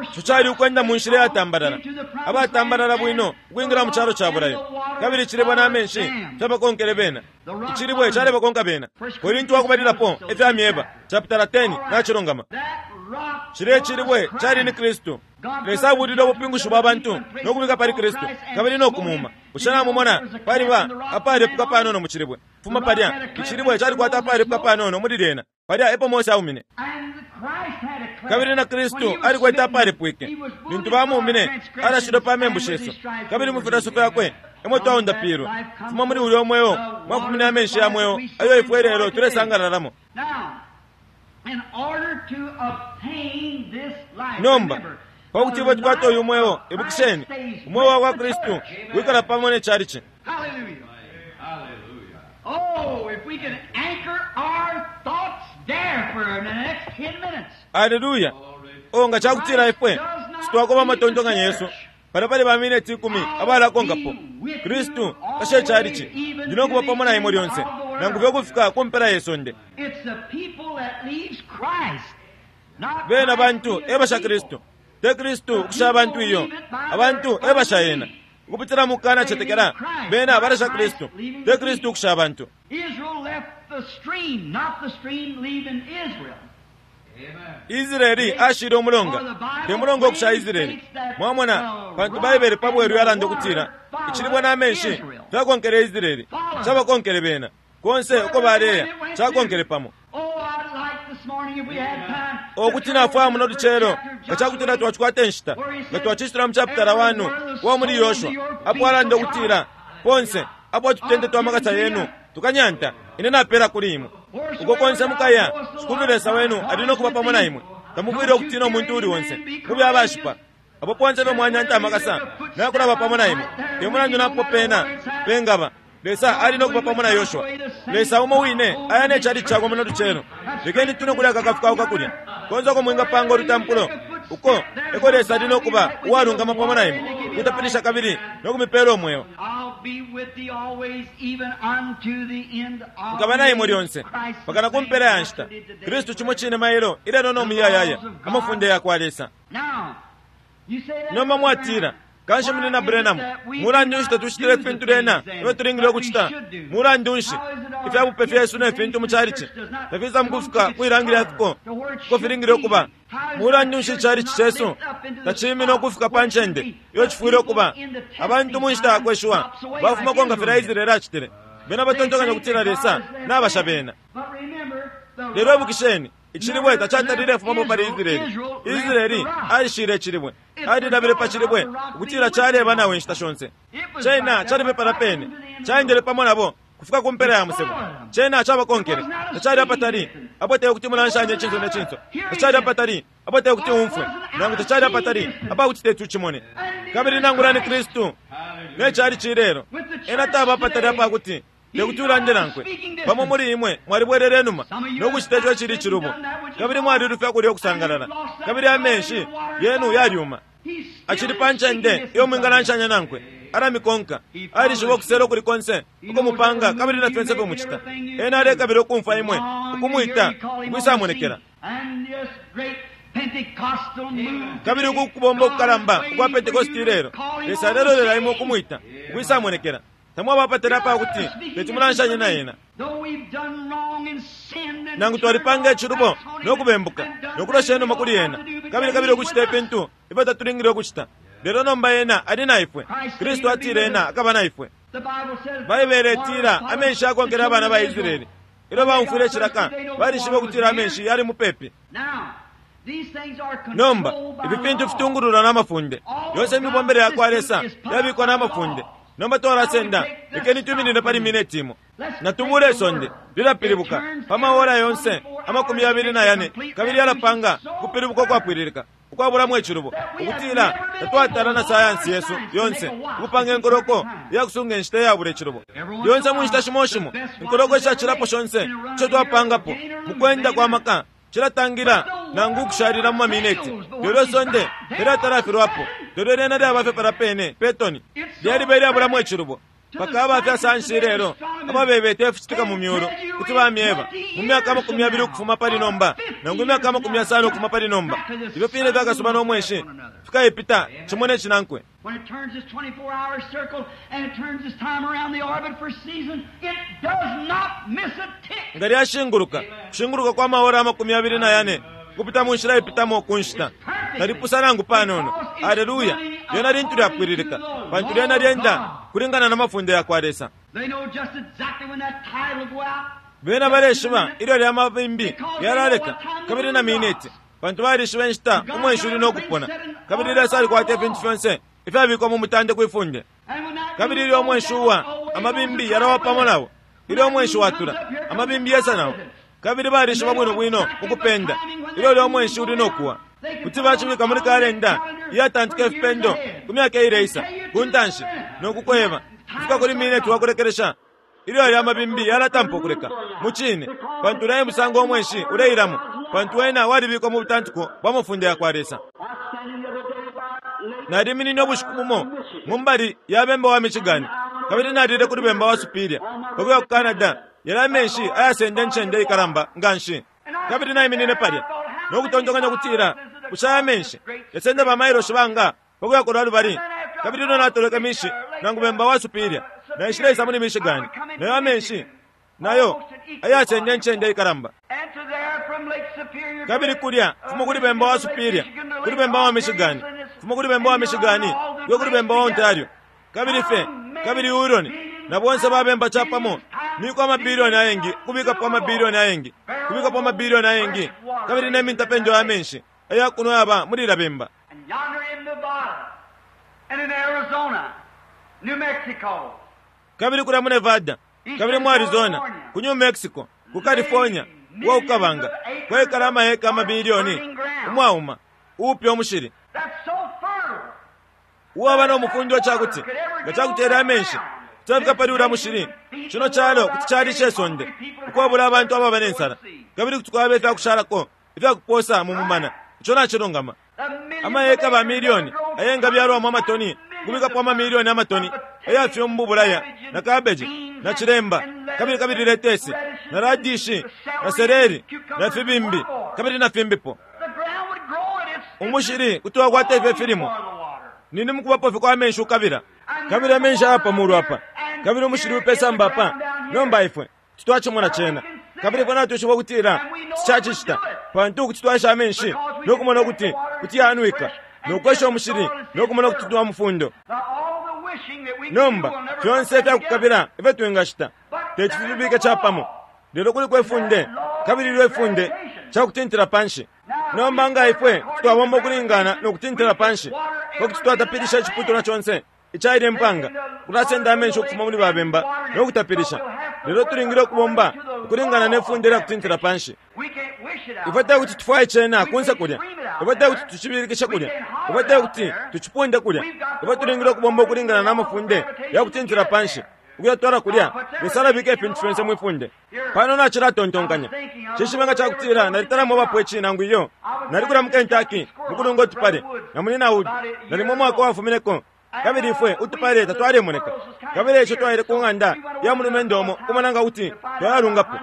Ico cali ukwenda mu nshila yatambalala, abatambalala bwino ukwingila mu calo ca bulayo. Kabili icilibwe n'amenshi fyabakonkele bena. Icilibwe calebakonka bena. Korinti wakubalilapo efyamyeba chapitala ten nacilungama. Cile icilibwe cali ni Kristu. Lesa abulile ubupingushi bwa bantu no kubika pali Kristu kabili no kumuma. Bushe namumona paliba apalepuka panono mu cilibwe? Fuma palya, icilibwe calikwata apalepuka panono muli lyena. Palya epo Mose aumine. Kabili na Kristu alikwete apalepwike. Lintu bamuumine, alashilwe pa membu shesu. Kabili mu filaso fyakwe emo twaundapilwe. Fuma muli ulya mweo mwafumine amenshi ya mweo ayo ifwe lelo tulesangalalamo. Nomba pakuti ifwe tukwate uyu mweo, ibukisheni, umweo wa kwa Kristu wikala pamo ne chalichi. Aleluya! O nga cakutila ifwe sitwakoba amatontonkanyo yesu pali pali ba mineti ikumi abalakonkapo. Kristu kashe chalichi ndi nokuba pamo na imwe lyonse nangu fye ukufika ku mpela ye sonde. Bena bantu ebasha Kristu, te Kristu ukusha abantu iyo, abantu ebasha yena. Ukupitila mu kukana cetekela, bena balasha Kristu, te Kristu ukusha abantu. Israeli ashile umulonga, te mulonga ukusha Israeli. Mwamona, pantu Baibele pa bweru yalanda ukutila icilibwe n'amenshi fyakonkele Israeli, cabakonkele bena konse uko baleya, cakonkele pamo. Okuti nafwaya muno lucelo nga cakutila twacikwata inshita nga twacicitila mu chapitala one wa muli Yoshua, apo alanda ukutila ponse apo tutende twa makasa yenu tukanyanta, ine napela kuli imwe. Uko konse mukaya, Shikulu Lesa wenu ali nokuba pamo na imwe. Tamufwile ukutina umuntu uli onse, mube abashipa. Apo ponse pe mwanyanta amakasa nakulaba pamo na imwe. Te mulandu napo pena pengaba, Lesa ali nokuba pamo na Yoshua. Lesa umo wine aya ne chali chakwe muno lucelo. Lekeni tune kulya kakafukauka kulya konse uko mwingapanga olutampulo, uko eko Lesa ali nokuba uwalungama pamo na imwe, kutapilisha kabili nokumipela umweo. Nkaba na imwe lyonse mpaka ku mpela ya nshita. Kristu cimo cine mailo ilelo no muyayaya, amafunde ya kwa Lesa. Nomba mwatila, kanshi muli na Branham, mulandu nshi tatucitile ifintu lyena ifyo tulingile ukucita? Mulandu nshi ifyabupe fyesu ne fintu mu chalichi tafisa mukufika kwilangilya fiko uko filingile ukuba? Mulandu nshi ichalichi chesu tacimine ukufika pa ncende iyo cifwile ukuba? Abantu mu nshita yakweshiwa bafumako nga filya Israeli acitile. Bena batontonkanya ukutila Lesa nabasha bena. Lelo ibukisheni, icilibwe tacatalile fumapo pali Israeli. Israeli alishile icilibwe, alilabile pa cilibwe ukutila caleba nawe inshita shonse. Cena calipe pala pene, caendele pamo nabo kufika ku mpela ya musebo. Cena cabakonkele, tacali apatali apo te kuti mulanshanye icinso ne cinso, tacali apatali apo te kuti umfwe, nangu tacali apatali apakuti tetu cimone. Kabili nangula ni Kristu ne cali cilelo, ena taba apatali apakuti tekuti ulande nankwe. Pamo muli imwe mwalibwelele numa nokucita ico icili icilubo, kabili mwalilufya kulya ukusangalala, kabili amenshi yenu yalyuma. Acili pa ncende iyo mwingalanshanya nankwe, alamikonka, alishiba ukusela ukuli konse ukumupanga kabili na fyonse fyomucita. Ena alekabila ukumfwa imwe ukumwita ukwisamonekela. Kabili uku kubomba ukukalamba ukwa Pentekosti ilelo, Lesa alelolela imwe ukumwita ukwisamonekela. Tamwabapatela apakuti teti mulanshanye na ena. Nangu twalipanga icilubo nokubembuka nokulosha inuma kuli ena, kabili kabili ukucita ifintu ifyo tatulingile ukucita, lelo nomba ena ali na ifwe. Kristu atile ena akaba na ifwe. Baibele itila amenshi akonkele abana ba Israeli. Ilyo baumfwile icilaka, balishibe ukutila amenshi yali mupepi. Nomba ifi fintu fitungululwa n'amafunde yonse. Imibombele ya kwa Lesa yabikwa n'amafunde. Nomba twalasenda, lekeni tuminine pali mineti imo. Natubule isonde lilapilibuka pa maora yonse amakumi yabili na yane, kabili yalapanga kupilibuka ukwapwililika ukwabulamo icilubo, ukutila tatwatala na sayansi yesu yonse ukupanga enkoloko iyakusunga inshita iyabula icilubo. Lyonse mu nshita shimo shimo inkoloko ishacilapo shonse ico twapangapo mu kwenda kwa maka cilatangila nangu ukushalila mu mamineti, lelo isonde teliatalafilwapo. Lelo lyena lyaba fye palya pene petoni lyaliba ilyabulamo icilubo paka abafya sayansi lelo ababebeta ificitika mu myulu kuti bamyeba mu myaka amakumi yabili ukufuma pali nomba nangu imyaka amakumi yasano ukufuma pali nomba ifyo fine fyakasuba n'omweshi fikaipita cimo ne cinankwe. When it turns its twenty-four hour circle and it turns its time around the orbit for season, it does not miss a tick. Nga lyashinguluka kushinguluka kwa maora amakumi abili na yane kupita mu nshila ipitamo ku nshita talipusa nangu panono. Aleluya! Lyena lintu lyapwililika pantu lyena lyenda kulingana na mafunde ya kwa Lesa. They know just exactly when that tide will go out. Bena baleshiba ilyo lya mabimbi lyalaleka kabili na miniti pantu balishiba inshita umweshi uli nokupona kabili Lesa alikwata ifintu fyonse ifyabikwa mu mutande kwifunde. And when that Kabili moon ilyo goes umweshi down, uwa away amabimbi goes the yalawa tide pamo with it. nawo ilyo umweshi watula amabimbi yesa nawo kabili balishiba bwino bwino ukupenda ilyo lyo umweshi uli nokuwa kuti bacibika muli kalenda iyatantika ifipendo ku myaka ileisa ku ntanshi nokukweba kufika kuli mineti wakulekelesha ilyo alya amabimbi yalatampa ukuleka mu cine pantu ulaye musango umweshi uleilamo pantu wena walibikwa mu butantiko bwa mafunde ya kwa Lesa. Naliminine ubushiku bumo mu mbali ya bemba wa Michigan kabili nalile kuli bemba wa Superior pakuya ku Canada yali amenshi ayasenda incende ikalamba nga nshi kabili naiminine palya nokutontonkanya kutila bushe aya amenshi yasenda bamailoshi banga pakuya kulwa lubali kabili ilyo natolweke mishi nangu bemba wa Superior naishileisa muli Michigan nayo amenshi nayo ayasenda incende ikalamba. And to there from Lake Superior Kabili kulya fuma kuli bemba wa Superior kuli bemba wa Michigan fuma kuli bemba wa Michigan yo kuli bemba wa Ontario kabili fe kabili Huron na bonse babemba chapamo niko amabilioni ayengi kubikapo amabilioni ayengi kubikapo amabilioni ayengi kabili nemintapendo ya menshi ayakuno yaba muli ila bemba. And yonder in Nevada and in Arizona, New Mexico, Kabili kulya mu Nevada kabili mu Arizona ku New Mexico ku California wa ukabanga kwekala amaheka amabilioni umwauma upya umushili that's so fertile. uwaba n'omufundi ocakuti nga cakutera amenshi kutabika pali ula mushili kino kyalo kuti kyalisha esonde ukwabula abantu ababa n'ensala kabili kuti kwaba ifyakushalako ifyakuposa mu mumana ico nacilungama. The millions Amayeka of ba acres miliyoni that grow ayenga byalwamu amatoni kubikapo amamiliyoni amatoni ayafyumbu bulaya na kabeji na chilemba kabili kabili letesi na radishi na sereri na fibimbi kabili na fimbipo. The ground would grow and it's Umushili kuti wakwata ifyo filimo for the water. nini mukubapo fye kwa amenshi ukabila kabili amenshi aya pamulu apa kabili umushili upesamba apa nomba ifwe titwacimona cena kabili ifwe natwishiba ukutila ticacicita pantu kuti twasha amenshi nokumona ukuti kuti yanwika nokwesha umushili nokumona ukuti twa mufundo. Now, all the wishing that we can Nomba do will never fyonse put that ifyakukabila ifyo twingashita teti fifibike capamo lelo kuliko ifunde kabili ilyo ifunde cakutintila panshi. Nomba nga ifwe twabomba ukulingana nokutintila panshi pakuti twatapilisha iciputulwa conse icaile impanga kulasenda amenshi ukufuma muli babemba nokutapilisha lelo tulingile ukubomba ukulingana nefunde lya kutintila panshi. We can't wish it out. Ifwe tekuti tufwaye cena kunse kulya ifwe tekuti tucibilikishe kulya ifwe tekuti tucipunde kulya ifwe tulingile ukubomba ukulingana n'amafunde ya kutintila panshi ukuyatwala kulya Lesa alabika ifintu fyonse mwifunde. Pano nacilatontonkanya cishibe nga cakutila nalitalamo bapo ici nangu iyo nali mu Kentucky mukulunga utupale na muli Naudi nalimo umwaka wafumineko kabili ifwe utupale tatwalemoneka kabili ico twaile ku ng'anda ya mulumendo umo kumona nga kuti twayalungapo.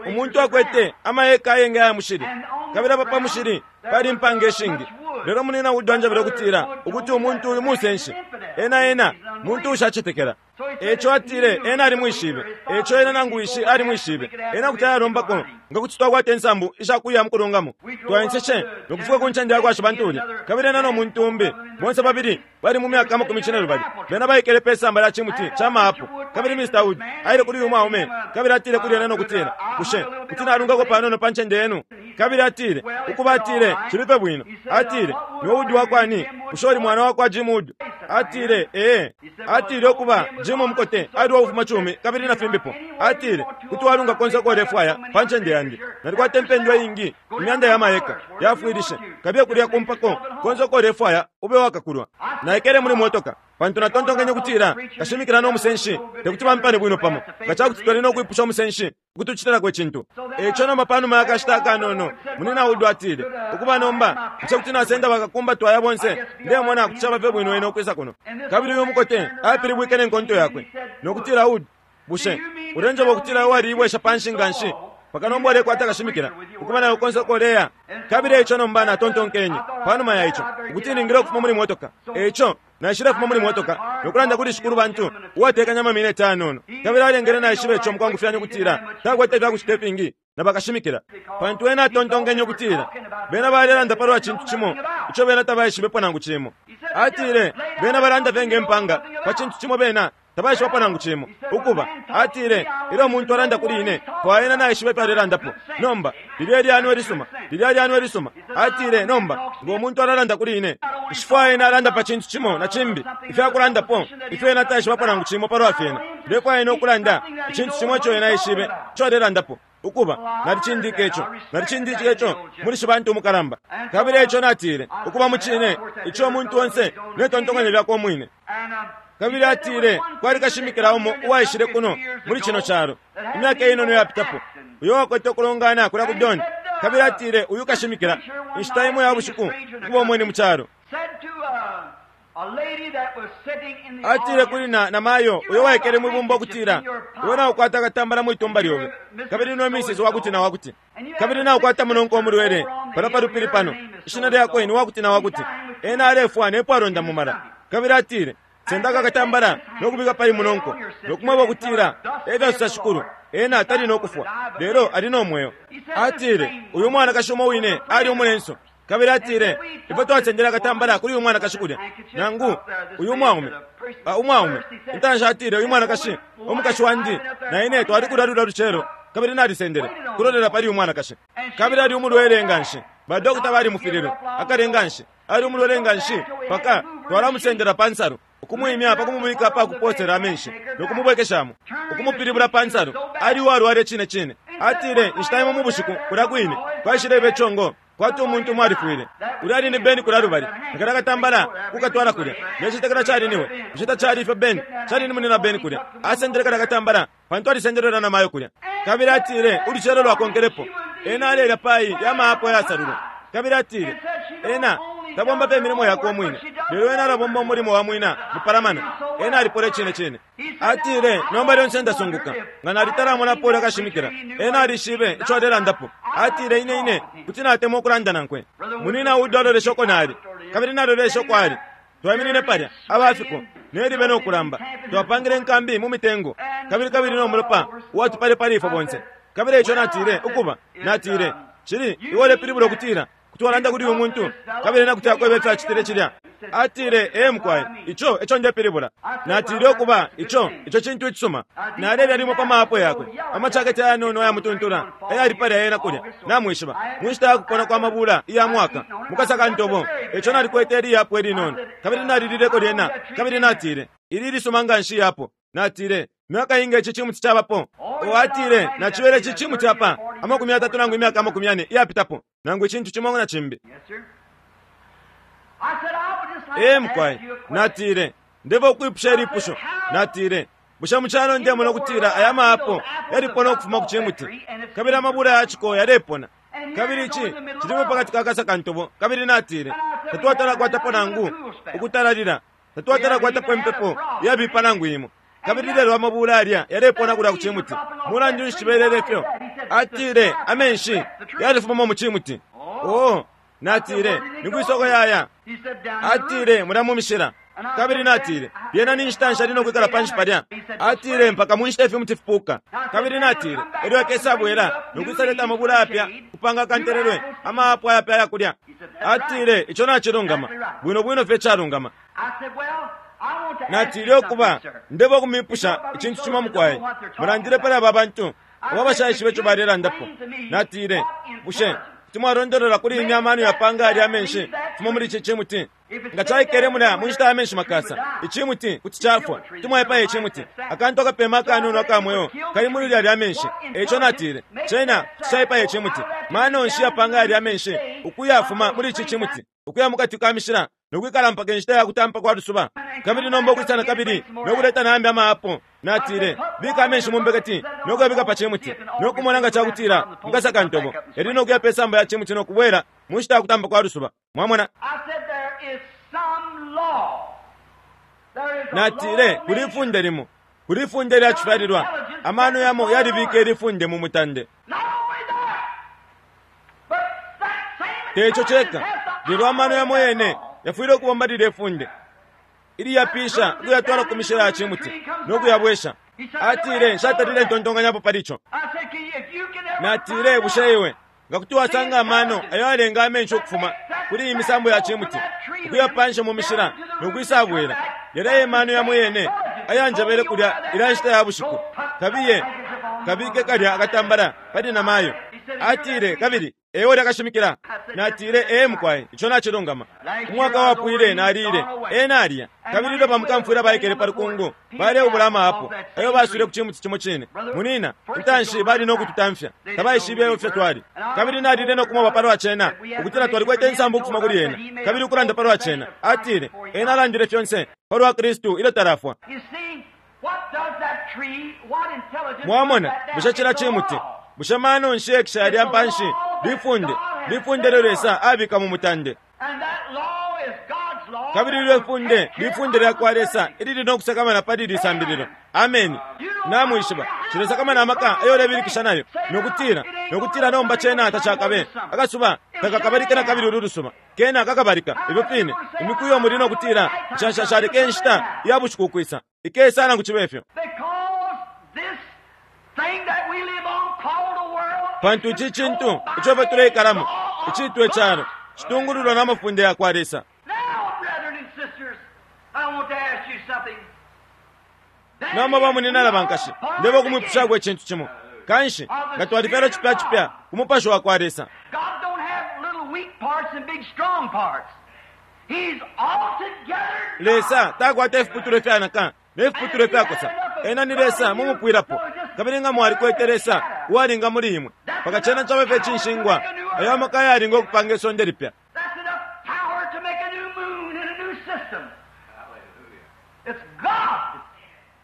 Umuntu akwete amaheka ayengi aya mushili kabili apa pa mushili pali impanga ishingi lelo munina Wood anjebele ukutila ukuti umuntu uyu musenshi ena ena muntu ushacetekela eco atile ena alimwishibe eco ena nangu wishi alimwishibe ena kuti ayalombako nga kuti twakwata insambu ishakuya mukulungamo twaenseshe nokufika ku ncende yakwasha bantuli kabili ena nomuntu umbi bonse babili bali mu myaka amakumi cine lubali bena baikele pe samba lya cimuti ca maapo kabili Mister Wood aile kuli uyu mwaume kabili atile kuli ena nokutila bushe kuti nalungako panono pa ncende yenu kabili atile ukuba atile cilipe bwino atile niwe Wood wakwani bushe uli mwana wakwa Jim Wood atile ee atile ukuba Jim mukote ali wakufuma cumi kabili na fimbipo atile kuti walunga konse kolefwaya pa ncende yandi nalikwata impendwa ingi imyanda ya mayeka yafwilishe kabiye kulya kumpako konse kolefwaya ube wakakulwa naikele muli motoka Pantu natontonkenye kutila kashimikila no musenshi tekuti bampane bwino pamo, nga cakuti twali no kwipusha umusenshi ukutucitilako icintu. Eico nomba panuma ya kashita akanono, munina Wood atile, ukuba nomba ico kuti nasenda bakakumba twaya bonse, ndemona kuti caba fye bwino ene ukwisa kuno. Kabili uyu mukote apilibwike nenkonto yakwe nokutila, Wood, bushe ulenjoba ukutila waliibwesha panshi nganshi paka nomba ulekwata kashimikila ukuba nayo konse koleya? Kabili eico nomba natontonkenye panuma ya ico ukuti ningile ukufuma muli motoka. Eico naishile fuma muli motoka nokulanda kuli shikulu bantu uwatekanya amamineti anono, kabili alengele naishiba ico mukwangufyanya ukutila takwete ifyakucita ifingi na bakashimikila, pantu ena atontonkenye ukutila bena balelanda palwa cintu cimo ico bena tabaishibepo nangu cimo. Atile bena balanda fye ngempanga pa cintu cimo bena tabaishibapo nangu cimo. Ukuba atile ilyo umuntu alanda kuli ine fwaena naishiba ifyo alelandapo. Nomba lilya lyanwe lisuma, lilya lyanwe lisuma. Atile nomba ngo umuntu alalanda kuli ine nshifwaye ena alanda pa cintu cimo na cimbi ifyakulandapo ifyo ena taishibapo nangu cimo palwa fyena. Ndefwaya ena ukulanda icintu cimo ico ena aishibe ico alelandapo. Ukuba nalicindike ico, nalicindike ico muli shibantu umukalamba. Kabili ico natile ukuba mucine ico umuntu onse netontokanyo lyakwe umwine. Kabili atile kwali kashimikila umo uwaishile kuno muli cino calo imyaka inono yapitapo, uyo wakwete ukulongana kulya ku Don. Kabili atile uyu kashimikila inshita imo ya bushiku ukuba umweni mu calo. Atile kuli na namayo uyo waikele mwibumba ukutila, iwe naukwata akatambala mwitumba lyobe, kabili no misisi wakuti na wakuti, kabili naukwata munonko umulwele pano palupili pano, ishina lyakwe ni wakuti na wakuti, ena alefwa nepo alonda mumala. Kabili atile sendaka akatambala nokubika pali munonko nokumweba ukutila efyasusa shikulu, ena tali nokufwa lelo ali no mweo. Atile uyu mwanakashi umo wine ali umulenso. Kabili atile ifwe twasendele akatambala kuli uyu mwanakashi kulya nangu uyu mwaume umwaume intanshi. Atile uyu mwanakashi umukashi wandi na ine twali kulya lulya lucelo, kabili nalisendele kulolela pali uyu mwanakashi. Kabili ali umulwele nganshi, badokota balimufililwe akale nganshi, ali umulwele nganshi paka twalamusendela pa nsalu ukumwimya pakumubika pakuposera amenshi nokumubwekeshamo ukumupilibula pa nsalu. Ali uwalwale cine cine. Atile inshita imo mu bushiku kulya kwine twashileba icongo kwati umuntu umwe alifwile. Ulya ali ni Beni kulya lubali nakala katambala kukatwala kulya necitekela cali niwe nshita cali ifyo Beni cali ni munina Beni kulya asendele kala katambala pantu alisendelelwa na mayo kulya. Kabili atile ulucelo lwakonkelepo ena alelya payi ya maapo yasalulwa. Kabili atile ena tabomba pe imilimo yakwe umwine, lelo ena alabomba umulimo wa mwina mupalamano. Ena alipole cine cine. Atile nomba lyonse ndasunguka nga nalitalamonapo ulya kashimikila. Ena alishibe ico alelandapo. Atile ine ine kuti natemwa ukulanda nankwe. Munina Wood alolesha uko nali, kabili nalolesha uko ali. Twaiminine palya abafiko nelibe nokulamba, twapangile inkambi mu mitengo, kabili kabili no mulopa uwatupale pali ifwe bonse. Kabili ico natile ukuba natile cili iwe ulepilibula ukutila kuti walanda kuli uyu muntu kabili nakuti akwebe ifyo acitile cilya. Atile ee mukwai, ico eco ndepilibula. Natile ukuba ico ico cintu icisuma. Nalelya limo pa maapo yakwe amacaketi ayanono ayamutuntula ayali palya ena kulya, namwishiba mu nshita yakupona kwa mabula iya mwaka mukasaka ntobo. Eco nalikwete eliyapo elinono, kabili nalilileko lyena. Kabili natile ili lisuma nganshi yapo. Natile myaka inga ici cimuti cabapo? O atile nacibele ici cimuti apa amakumi atatu nangu imyaka amakumi ane iyapitapo, nangu icintu cimo na cimbi. Ee mukwai, natile ndeva ukwipusha ilipusho. Natile bushe mucalo ndemona ukutila aya maapo yalipona ukufuma ku cimuti, kabili amabula yaciko yalepona, kabili ici cilimo pakati ka kasaka ntobo. Kabili natile tatwatalakwatapo nangu ukutalalila, tatwatalakwatapo impepo yabipa nangu imo, kabili lelo amabula alya yalepona kulya ku cimuti. Mulandu nshi cibelele ifyo? Atile amenshi yalifumamo mu cimuti. Oo, natile nikwisoko yaya? Atile mulya mu mishila. Kabili natile lyena ni nshita nshi ali nokwikala panshi palya? Atile mpaka mu nshita ifimuti fipuka. Kabili natile elyo akesabwela nokwisaleta amabula yapya kupanga akantelelwe amaapo ayapya ayakulya. Atile ico nacilungama bwino bwino fye calungama. Natile ukuba ndeba ukumipusha icintu cimo mukwai, mulandile pali aba bantu abo bashaishiba ico balelandapo. Natile bushe Kuti mwalondolola kuli ine amano yapanga yalya amenshi fuma muli ici cimuti? Nga caikele mulya mu nshita ya menshi makasa, icimuti kuti cafwa. Kuti mwaipaya icimuti. Akantu akapema akanono aka mweo kali muli lya amenshi. Eico natile, cena kuti caipaya icimuti. Mano nshi yapanga yalya amenshi ukuyafuma muli ici cimuti, ukuya mukati ka mishila nokwikala mpaka inshita ya kutampa kwa lusuba, kabili nomba ukwisa kabili nokuleta nambi amaapo? Natile, bika amenshi mu mbeketi nokuyabika pa cimuti nokumona nga cakutila mukasaka ntobo yali nokuya pe samba ya cimuti nokubwela mu nshita ya kutampa kwa lusuba. Mwamona? Natile, kuli ifunde limo, kuli ifunde lya cifyalilwa. Amano yamo yalibika ilifunde mu mutande. Teco ceka, lelo amano yamo yene yafwile ukubomba lile funde iliyapisha ukuyatwala ku mishila ya cimuti nokuyabwesha. Atile, nshatalile ntontonkanyapo pali ico. Natile, bushe iwe nga kuti wasanga amano ayo alenga amenshi ukufuma kuli iyi misambo ya cimuti ukuyapansha mu mishila nokwisabwela, yalya emano yamo yene ayanjebele kulya ilya nshita ya bushiku, kabiye kabike kalya akatambala pali namayo. Atile, kabili ewe lyakashimikila. Natile, ee mukwai, ico nacilungama. Umwaka wapwile nalile ena alya, kabili ilyo bamukamfwila baikele pa lukungu baleubula amaapo ayo baswile ku cimuti cimo cine. Munina, intanshi bali nokututamfya, tabaishibe ifyo twali. Kabili nalile nokumoba palwa cena, ukutila twalikwete insambu ukufuma kuli ena, kabili ukulanda palwa cena. Atile, ena alandile fyonse palwa Kristu ilyo talafwa. Mwamona, bushe cila cimuti, bushe mano nshi ekisha yalya mpanshi? Lifunde, lifunde lyo Lesa abika mu mutande. Kabili lyo funde, lifunde lya kwa Lesa ilili nokusakamana pali lisambililo. Ameni. Namwishiba, cilesakamana amaka ayo lebilikisha nayo, nokutila, nokutila nomba cena tacakabe. Akasuba takakabalike na kabili ulu lusuba. Kena kakabalika, ifyo fine. Imiku iyo muli nokutila, nshashashalike inshita ya bushiku ukwisa. Ikesa nangu cibe ifyo. Pantu ici cintu ico fye tuleikalamo, icitwe calo, citungululwa n'amafunde ya kwa Lesa. Nomba bamunyina bankashi, ndebo kumwipushako icintu cimo. Kanshi nga twalifyalwa cipya cipya ku mupashi wa kwa Lesa. Lesa takwata ifiputulwa ifyanaka ne fiputulwa ifyakosa. Ena ni Lesa mumupwilapo. Kabili nga mwalikwete Lesa uwalinga muli imwe, paka cena cabe fye cinshingwa ayo amaka yalinga okupanga isonde lipya.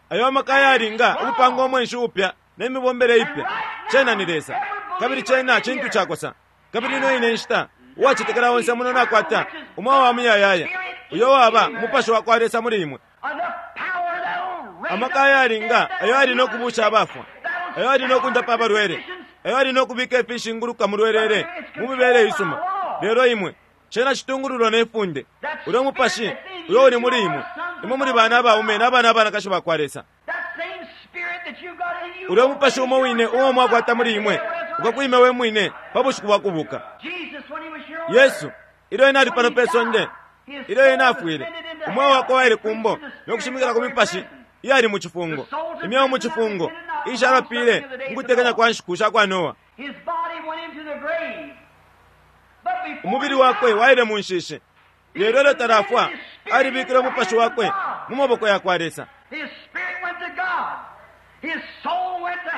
Ayo amaka yalinga ukupanga umwenshi upya ne mibombele ipya. Cena ni Lesa, kabili cena cintu cakosa. Kabili ino ine nshita uwacetekela onse muno nakwata umweo wa muyayaya, uyo waba umupashi wa kwa Lesa muli imwe. Amaka yalinga ayo ali nokubusha abafwa, ayo ali nokundapa abalwele, ayo ali nokubika ifishinguluka mu lwelele mu mibele isuma. Lelo imwe cena citungululwa ne funde. Ulyo mupashi uyo uli muli imwe, imwe muli bana abaume n'abana abanakashi ba kwa Lesa. Ulyo mupashi umo wine uo mwakwata muli imwe ukakwime we mwine pa bushiku bwa kubuka. Yesu ilyo ena ali pano pe sonde, ilyo ena afwile, umweo wakwe waile kumbo nokushimikila ku mipashi iyali mu cifungo, imyeo mu cifungo ishalapile mukutekanya kwa nshiku sha kwa Noa. Umubili wakwe waile mu nshishi, lelo ilyo talafwa alibikile umupashi wakwe mu maboko ya kwa Lesa.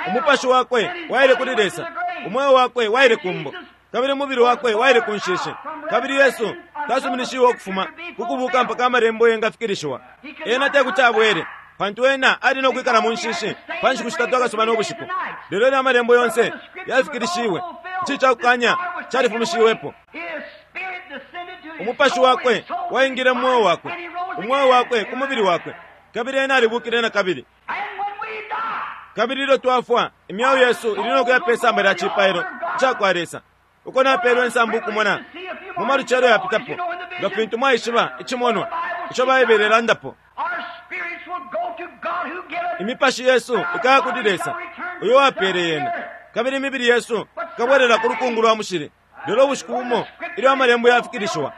Umupashi wakwe waile kuli Lesa, umweo wakwe waile kumbo, kabili umubili wakwe waile ku nshishi. Kabili Yesu tasuminishiwe ukufuma kukubuka mpaka amalembo yengafikilishiwa. Ena tekuti abwele, pantu ena ali nokwikala mu nshishi pa nshiku shitatu akasuba no bushiku. Lelo ena amalembo yonse yafikilishiwe, ici cakukanya califumishiwepo. Umupashi wakwe waingile mu mweo wakwe, umweo wakwe ku mubili wakwe, kabili ena alibukile na kabili. Kabili ilyo twafwa, imyeo yesu ili nokuya pe samba lya cipailo ica kwa Lesa, uko napelwe insambu ukumona mu malucelo yapitapo, nga fintu mwaishiba icimonwa ico Baibele ilandapo. Imipashi yesu ikaya kuli Lesa uyo wapele yena, kabili imibili yesu ikabwelela ku lukungu lwa mushili. Lelo ubushiku bumo ilyo amalembo yafikilishiwa,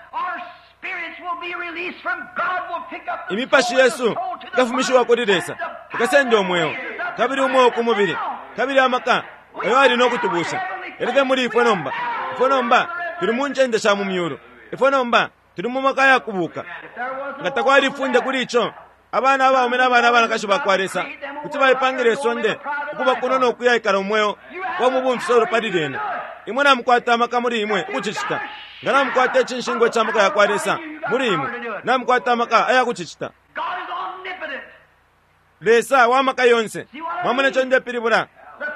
imipashi yesu ikafumishiwa kuli Lesa, ikasenda umweo, kabili umweo ku mubili, kabili amaka ayo ali nokutubusha yalife muli ifwe nomba. Ifwe nomba tuli mu ncende sha mu myulu. Ifwe nomba tuli mu maka ya kubuka. Nga takwali ifunde kuli ico, abana abaume n'abana abanakashi bakwa Lesa kuti baipangila isonde ukuba kuno no kuyaikala umweo wa mu bumfisolo pali lyena. Imwe namukwata amaka muli imwe ukucicita. Nga namukwata icinshingwa ca maka yakwa Lesa muli imwe, namukwata amaka aya kucicita. God is omnipotent. Lesa wa maka yonse. Mwamona ico ndepilibula?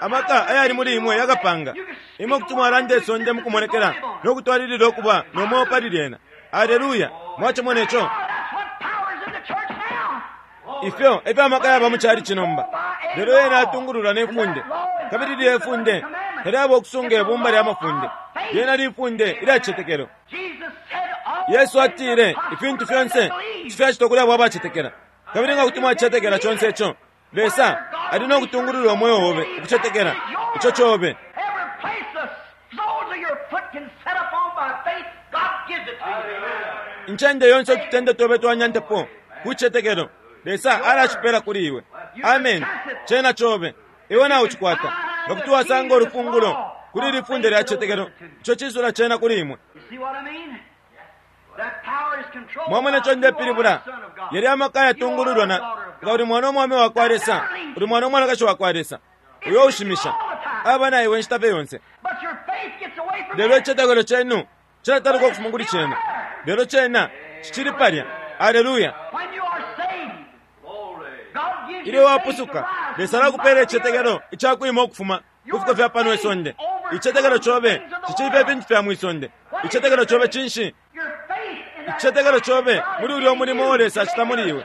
Amaka ayali muli imwe yakapanga imwe kuti mwalanda isonde mukumonekela no kutwalilila ukuba no mweo pali lyena. Aleluya! Mwacimona ico? That's what power is in the church now. Ifyo efyo amaka yaba mu chalichi nomba. Lelo yena atungululwa ne funde, kabili lilye funde talyaba okusunga ibumba lya mafunde. Lyena lifunde ilya cicetekelo. Jesus said, all Yesu atile ifintu fyonse tifyacitwa kuli abo abacetekela. Kabili nga kuti mwacetekela conse ico, Lesa ali no kutungulula umweo obe ukucetekela ico cobe. Every place the soles of your foot can set up on by faith, God gives it to you. Incende yonse ututende tobe twanyantepo kucetekelo, Lesa alacipela kuli iwe. Amen. Cena cobe iwe naucikwata. Nga kuti wasanga ulufungulo kuli lifunde lya cicetekelo, ico cisula cena kuli imwe. You see what I mean? That power is controlled Mwamona by ico ndepilibula? you are the Son of God. Yali amaka yatungululwa na nga uli mwana omwame wakwa Lesa, uli mwana omwanakashi wakwa Lesa uyo ushimisha aba na iwe nshita fye yonse. But your faith gets away from Lelo that. icitetekelo cenu cilataluka ukufuma kuli cena, lelo cena cicili palya. Aleluya! When you are saved, God gives Ilyo you faith to wapusuka, rise Lesa from alakupela the icitetekelo icakwima ukufuma ku fiko fya pano isonde. Icitetekelo cobe cicili ifintu fya mwisonde. Icitetekelo cobe cinshi? Your faith in that Icitetekelo cobe muli ulya umulimo uo Lesa acita muli iwe,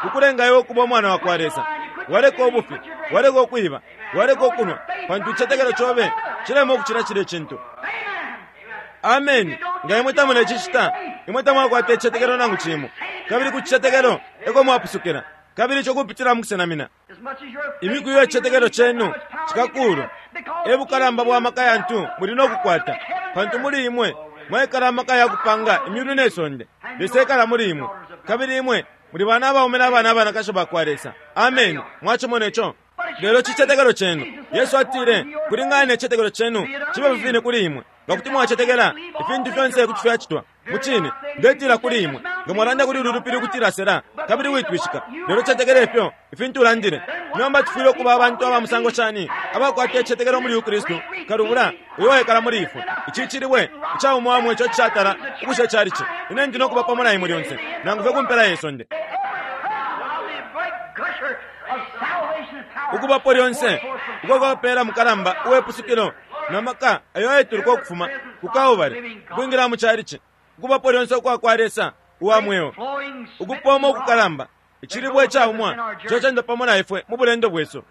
ukulenga iwe ukuba umwana wa kwa Lesa. Waleka ubufi, waleka ukwiba, waleka ukunwa, pantu icitetekelo cobe cilema ukucila cilya icintu. Amen. Amen. Nga imwe tamulecicita, imwe tamwakwata icitetekelo nangu cimo. Kabili ku citetekelo eko mwapusukila, kabili ico kupitila mu kusenamina. As much as your faith Imiku iyo icitetekelo cenu cikakulwa, e bukalamba bwa maka yantu muli no kukwata, pantu muli imwe mwaikala amaka ya kupanga imyulu ne sonde. Lesa ekala muli imwe, kabili imwe muli bana abaume n'abana abanakashi bakwa Lesa. Amen. Mwacimona ico? Lelo cicetekelo cenu. Yesu atile, kulingana ne cicetekelo cenu cibe fifine kuli imwe. Nga kuti mwacetekela ifintu fyonse kuti fyacitwa. Mucine ndetila kuli imwe, nga mwalanda kuli ulu lupili ukutila sela, kabili witwishika, lelo cetekela ifyo ifintu ulandile. Nomba tufwile ukuba abantu aba musango shani abakwata icitetekelo muli Kristu kalubula uyo waikala muli ifwe. Ici cilibwe icaumwamwe ico cishatala ukusha icalici. Ine ndi no kuba pamo na imwe lyonse, nangu fye ku mpela ye sonde. The great gusher of salvation and power. Ukubapo lyonse uko kwapela mukalamba uwepusukilo na maka ayo ayetuluka ukufuma ku Kalvari ukwingila mu calici. Ukubapo lyonse ukwa kwa Lesa uwa mweo, Flowing ukupoma ukukalamba icilibwe icaumwa ico cenda pamo na ifwe mu bulendo bwesu.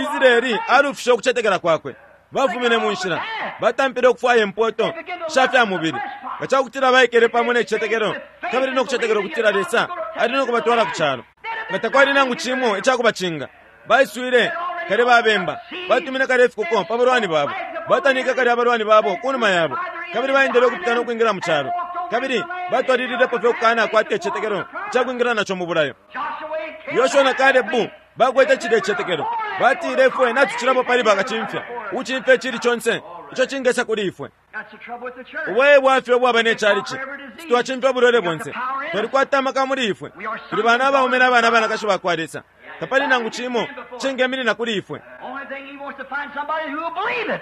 Israeli alufishe ukucetekela kwakwe. Bafumine mu nshila, batampile ukufwaya impoto sha fya mubili. Nga cakutila baikele pamo ne cicetekelo kabili no kucetekela ukutila Lesa ali no kubatwala ku calo, nga takwali nangu cimo icakubacinga. Baiswile kale babemba, batumine kale ifikuko pa balwani babo, batanike kale abalwani babo kunuma yabo, kabili baendele ukupita no kwingila mu calo, kabili batwalililepo fye ukukana kwata icicetekelo icakwingila naco mu bulayo. Joshua Yoshua na Kalebu bakwete cilya icicetekelo. Batile ifwe natucilapo pali bakacimfya, ukucimfya icili conse ico cingesa kuli ifwe. That's the trouble with the church. Ubuye bwafye ubwaba ne chalichi, twacimfya ubulwele bonse, twalikwata amaka muli ifwe, tuli bana abaume n'abana abanakashi bakwa Lesa. Tapali nangu cimo cingeminina kuli ifwe. Only thing he wants to find somebody who will believe it.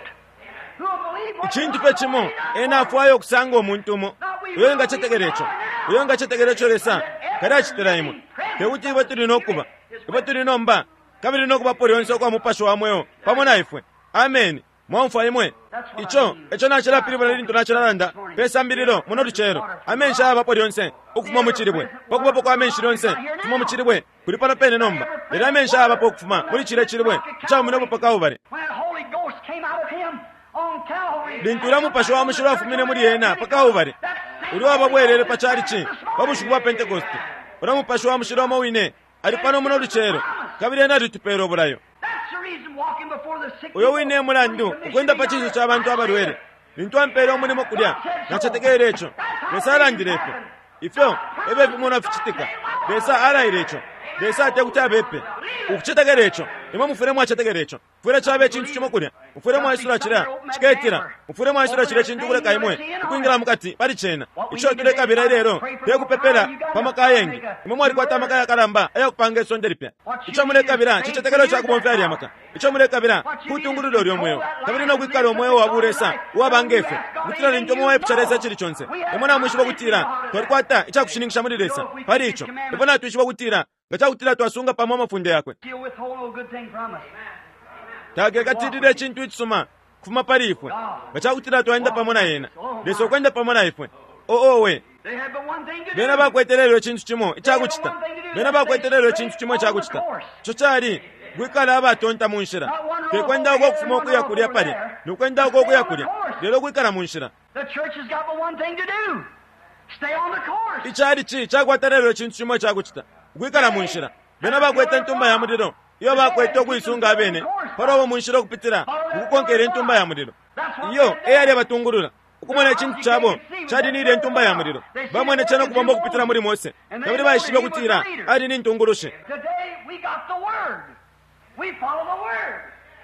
Who will believe what Icintu fye cimo ena afwaya okusanga omuntu umo uyo engacetekela ico, uyo engacetekela ico Lesa kali acitila imwe. Tekuti ifwe tuli nokuba ifwe tuli nomba kabili nokubapo lyonse ukwa mupashi wa mweo pamo na ifwe. Amen. Mwaumfwa imwe? Ico eco nacilapilibula lintu nacilalanda pe sambililo muno lucelo. Amenshi ayabapo lyonse ukufuma mu cilibwe, pakubapo kwa menshi lyonse ukufuma mu cilibwe kuli pano pene nomba. Lelo amenshi ayabapo ukufuma muli cilya cilibwe icaumine pa Kalvari. When that Holy Ghost came out of him on Calvary. Lintu ulya mupashi wa mushilo afumine muli ena pa Kalvari, ulya wababwelele pa calici pa bushiku bwa Pentekoste, ulya mupashi wa mushilo umo wine ali pano muno lucelo, kabili ena alitupela ubulayo. That's the reason walking before the sick Uyo wine e mulandu ukwenda pa cinso ca bantu abalwele. Lintu ampele umulimo kulya, nacetekele ico. Lesa alandile ifyo. Ifyo efyo fimonwa ficitika. Lesa alaile ico. Lesa ate kuti abepe ukucetekela ico. Imwe mufwile mwacetekela ico. Mufwile cabe icintu cimo kulya, mufwile mwaisula cilya ciketila, mufwile mwaisula cilya cintu kuleka imwe ukwingila mukati pali cena. Ico tulekabila ilelo tekupepela pa maka ayengi. Imwe mwalikwata amaka yakalamba ayakupanga isonde lipya. Ico mulekabila cicetekelo cakubomfya alya maka. Ico mulekabila kutungulula ulyo mweo kabili nokwikala umweo wa bulesa uwaba ngefyo, ukutila lintu umwe waipusha Lesa icili conse, imwe namwishiba ukutila twalikwata icakushininkisha muli Lesa pali ico. Ifwe natwishiba ukutila nga cakutila twasunga pamo amafunde yakwe, He'll withhold no good thing from us. takekatilile icintu icisuma kufuma pali ifwe nga cakutila twaenda pamo na yena. Lesa ukwenda pamo na ifwe. Oowe, They had but one thing to bena do. bakwete lelo icintu cimo icakucita. Bena bakwete lelo icintu cimo icakucita. Ico cali kwikala abatonta mu nshila, tekwenda uko kufuma ukuya kulya palya nokwenda uko ukuya kulya, lelo kwikala mu nshila. The church has got but one thing to do. Stay on the course. Icalici cakwata lelo icintu cimo icakucita, ukwikala mu nshila. Bena bakwete intumba ya mulilo iyo bakwete ukuisunga abene palobo mu nshila ukupitila mukukonkela intumba ya mulilo iyo eyali abatungulula. Ukumona icintu cabo cali ni ilya intumba ya mulilo, bamwene cena ukubomba ukupitila muli Mose, kabili baishibe ukutila ali ni ntungulushi. Today we got the Word. We follow the Word.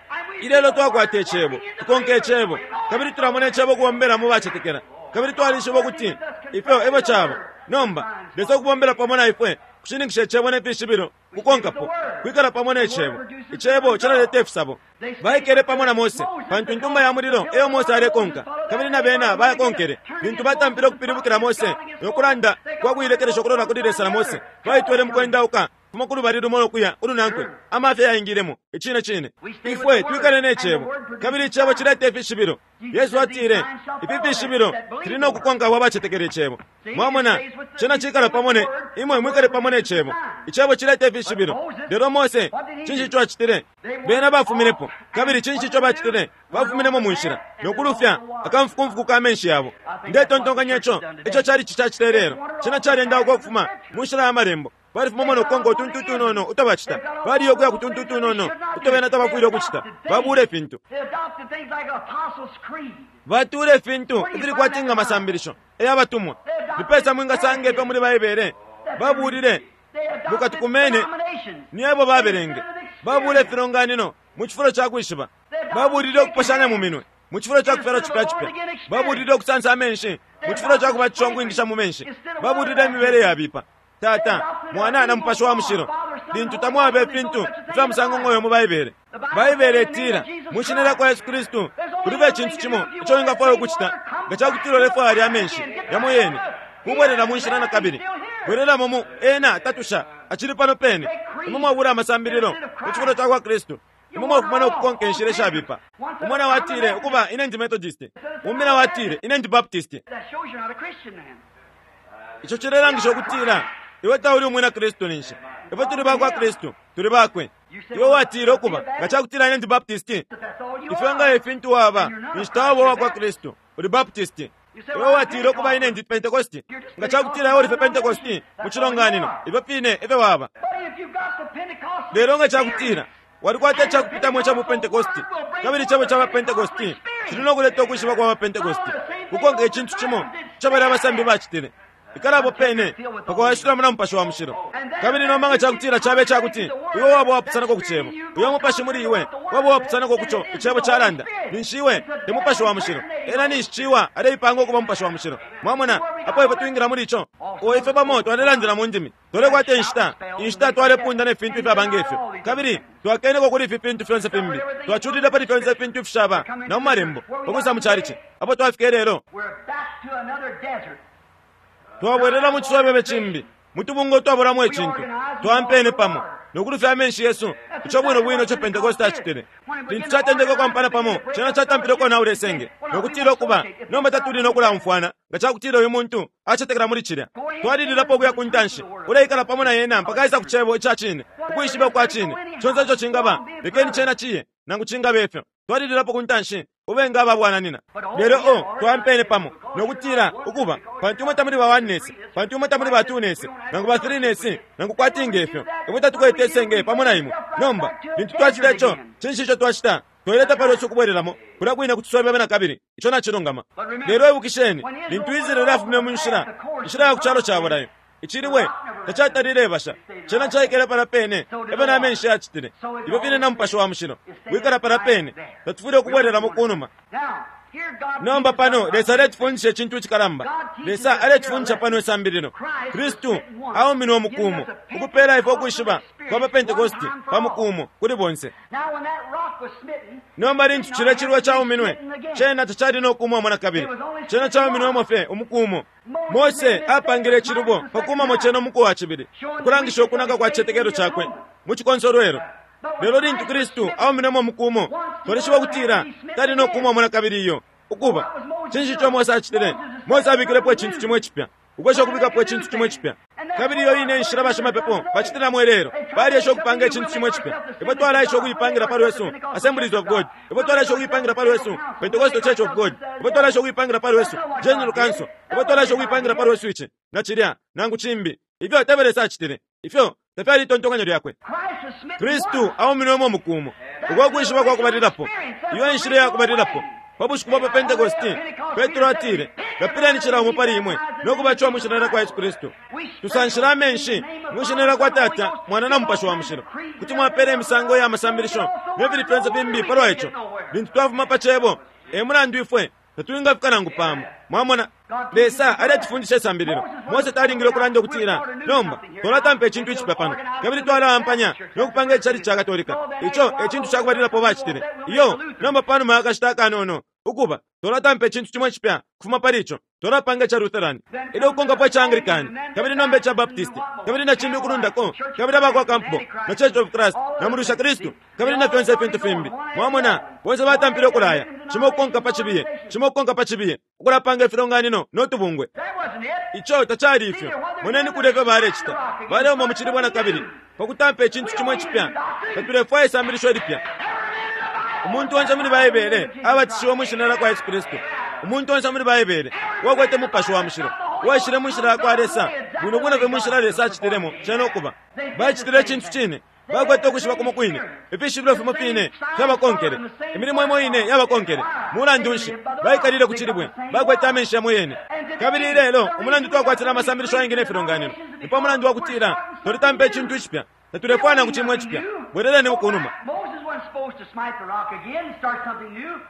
And we Ilelo twakwata icebo, tukonka icebo, kabili tulamona icebo kubombela mu bacetekela, kabili twalishiba ukuti ifyo efyo caba. Nomba Lesa ukubombela pamo na ifwe kushininkisha icebo ne fishibilo, kukonkapo kwikala pamo ne cebo. Icebo calaleta ifisabo. Baikele pamo na Mose pantu intumba ya mulilo eyo Mose alekonka, kabili na bena bayakonkele. Lintu batampile ukupilibukila Mose nokulanda kwa kuilekelesha ukulola kuli Lesa na Mose, baitwele mukwendauka fuma kulubali lumo nokuya ulunankwe, amafya yaingilemo. Icine cine ifwe twikale ne cebo, kabili icebo cileta ifishibilo. Yesu atile ifi fishibilo fili nokukonka abo abacetekela icebo. Mwamona, cena cikala pamo ne imwe, mwikale pamo ne cebo. Icebo cileta ifishibilo. Lelo Mose, cinshi ico acitile? Bena bafuminepo, kabili cinshi ico bacitile? Bafuminemo mu nshila nokulufya akamfukumfuku ka menshi yabo. Ndetontonkanya ico ico cali cicacita lelo. Cena calyendauka ukufuma mu nshila ya malembo. Balifumamo nokukonka utuntu utunono utabacita, baliyo ukuya ku tuntu utunono uto bena tabafwile ukucita. Babula ifintu, They adopted things like Apostles' Creed. batula ifintu ifili kwati nga masambilisho eyabatumwa. Nipesa mwingasanga ifyo muli Baibele? Babulile They adopted mukatukumene denominations. niebo babelenge. Babula ifilonganino mu cifulo ca kwishiba. Babulile ukuposhanya mu minwe mu cifulo ca kufyalwa cipya cipya. Babulile ukusansa amenshi mu cifulo ca kubatisha ukwingisha mu menshi. Babulile imibele yabipa. Tata, Mwana na Mupashi wa Mushilo, lintu tamwaba ifintu ifya musango ngoyo mu Baibele. Baibele itila mu shina lya kwa Yesu Kristu kulibe icintu cimo ico wingafwaya ukucita nga cakutila ulefwaya lya menshi yamo yene kubwelela mu nshila na kabili. Bwelelamo mu ena tatusha acili pano pene. Imwe mwabula amasambililo mu cifulo ca kwa Kristu. Imwe mwafuma nokukonka inshila ishabipa. Umwana watile ukuba ine ndi Methodist, umbi na watile ine ndi Baptist. That shows you're not a Christian then. Ico cilelangisha ukutila iwe tauli umwina Kristu ninshi. Ifwe tuli bakwa Kristu, tuli bakwe. Iwe watile ukuba nga cakutila ine ndi Baptist, But that's all you ifyo nga are. ifintu waba ninshi tawaba uwakwa Kristu, uli Baptist. Iwe watile ukuba ine ndi Pentecost, nga cakutila iwe uli fye Pentecost mu cilonganino, ifyo fine efyo waba. But if you've got the Pentecostal Lelo nga cakutila walikwata icakupitamo ica bupentekosti, kabili icebo ca bapentekosti cili nokuleta ukwishiba kwa bapentekosti kukonka icintu cimo ico bali abasambi bacitile. Ikalapo pene pakuwashilamo na Mupashi wa Mushilo. Kabili nomba nga cakutila cabe cakuti iwe waba wapusanako ku cebo, uyo mupashi muli iwe waba wapusanako kuco icebo calanda, ninshi iwe te Mupashi wa Mushilo. Ena ninshi ciwa aleipanga ukuba Mupashi wa Mushilo. Mwamona apo ifwe twingila muli ico? O ifwe pamo twalelandila mu ndimi, twalekwata inshita inshita twalepunda ne fintu ifyaba ngefyo, kabili twakeneko kuli ifi fintu fyonse fimbi, twaculile pali fyonse ifintu ifishaba na mu malembo ukusa mu calici. Apo twafika lelo We're back to another desert. twabwelela mu cisobebe cimbi, mu tubunga twabulamo icintu, twampene pamo nokulufya amenshi yesu. Ico bwino bwino ico Pentekoste acitile. Lintu catendeke ukwampana pamo, cena catampile ukonaula isenge nokutila ukuba nomba tatuli nokulaumfwana nga cakutila uyu muntu acetekela muli cilya. Twalililapo ukuya ku ntanshi, uleikala pamo na yena mpaka aisa ku cebo ica cine, ukwishiba kwa cine. Conse ico cingaba, lekeni cena ciye, nangu cingaba ifyo. Twalililapo ku ntanshi, ube nga ababwananina. Lelo o twampene pamo nokutila ukuba pantu imwe tamuli ba oneness, pantu imwe tamuli ba twoness, nangu ba threeness, nangu kwati ngefyo, imwe tatukwete isenge pamo na imwe. Nomba lintu twacita ico, cinshi ico twacita? Twaleta palwesu ukubwelelamo kulya kwine kutusobebe na kabili. Ico nacilungama. Lelo ibukisheni, lintu Israeli afumine mu nshila, inshila ya ku calo ca bulayo, Icilibwe tacatalile basha, cena caikele pala pene efyo na menshi yacitile. Ifyo fine na Mupashi wa Mushilo wikala pala pene, tatufwile ukubwelelamo kunuma. Nomba pano Lesa aletufundisha icintu icikalamba. Lesa aletufundisha pano isambililo. Kristu auminwe umukumo ukupela ifwe ukwishiba kwa pa Pentekosti pa mukumo kuli bonse. Nomba lintu cilya cilibwe cauminwe, cena tacali no kumwamo na kabili. Cena cauminwemo fye umukumo. Mose apangile icilubo pa kumamo cena umuku wa cibili, ukulangisha ukunaka kwa cicetekelo cakwe mu cikonsolwelo. Lelo lintu Kristu auminwemo umukumo, twalishiba ukutila tali no kumwamo na kabili iyo. Ukuba, cinshi ico Mose acitile? Mose abikilepo icintu cimo icipya, ukwesha ukubikapo icintu cimo icipya. Kabili iyo ine inshila bashimapepo bacitilamo ilelo, balyesha ukupanga icintu cimo icipya. Ifwe twalaisha ukuipangira pa lwesu Assemblies of God, ifwe twalaisha ukuipangira pa lwesu Pentecostal Church of God, ifwe twalaisha ukuipangira pa lwesu General Council, ifwe twalaisha ukuipangira pa lwesu ici na cilya nangu cimbi. Ifyo tefyo Lesa acitile, ifyo tafyali itontonkanyo lyakwe. Kristu auminwemo umukumo, uko kwishiba kwa kubalilapo, iyo inshila ya kubalilapo. Pa bushiku bwa pa Pentekosti, Petro atile, lapileni cila umo pali imwe no kubatishiwa mu shina lya kwa Yesu Kristu. Tusanshila amenshi mu shina lya kwa Tata, Mwana na Mupashi wa Mushilo. Kuti mwapela imisango ya masambilisho ne fili fyonse fimbi palwa ico. Lintu twafuma pa cebo, e mulandu ifwe tatwingafika nangu pamo. Mwamona, Lesa aletufundisha isambililo. Mose talingile ukulanda ukutila, nomba twalatampa icintu icipya pano, kabili twalawampanya no kupanga icali ca Katolika. Ico e cintu cakubalilapo bacitile. Iyo, nomba panuma ya kashita akanono, ukuba twalatampa icintu cimo icipya kufuma pali ico, twalapanga ica Lutheran, ilyo kukonkapo ica Anglican, kabili nomba ica Baptist, kabili na cimbi ukulundako, kabili abakwa Campbell na Church of Christ na Mulusha Kristu, kabili na fyonse ifintu fimbi. Mwamona, bonse batampile ukulaya, cimo ukukonka pa cibiye, cimo ukukonka pa cibiye, ukulapanga ifilonganino no tubungwe. Ico tacali ifyo. Moneni kulya ifyo balecita. Baleuma mu cilibwa na kabili pa kutampa icintu cimo icipya. Tatulefwaya isambilisho ilipya. Umuntu onse muli Baibele abatishiwe mu shina lya kwa Yesu Kristu. Umuntu onse muli Baibele uwakwete Mupashi wa Mushilo, uwaishile mu nshila ya kwa Lesa, bwino bwino fye mu nshila Lesa acitilemo, cena ukuba bacitile icintu cine. Bakwete ukwishiba kumo kwine, ifishibilo fimo fine fyabakonkele, imilimo imo ine yabakonkele. Mulandu nshi baikalile ku cilibwe? Bakwete amenshi yamo yene. Kabili ilelo umulandu twakwatila amasambilisho ayengi ne filonganino ni pa mulandu wa kutila twalitampa icintu icipya, tatulefwaya nangu cimo icipya. Bweleleni kunuma.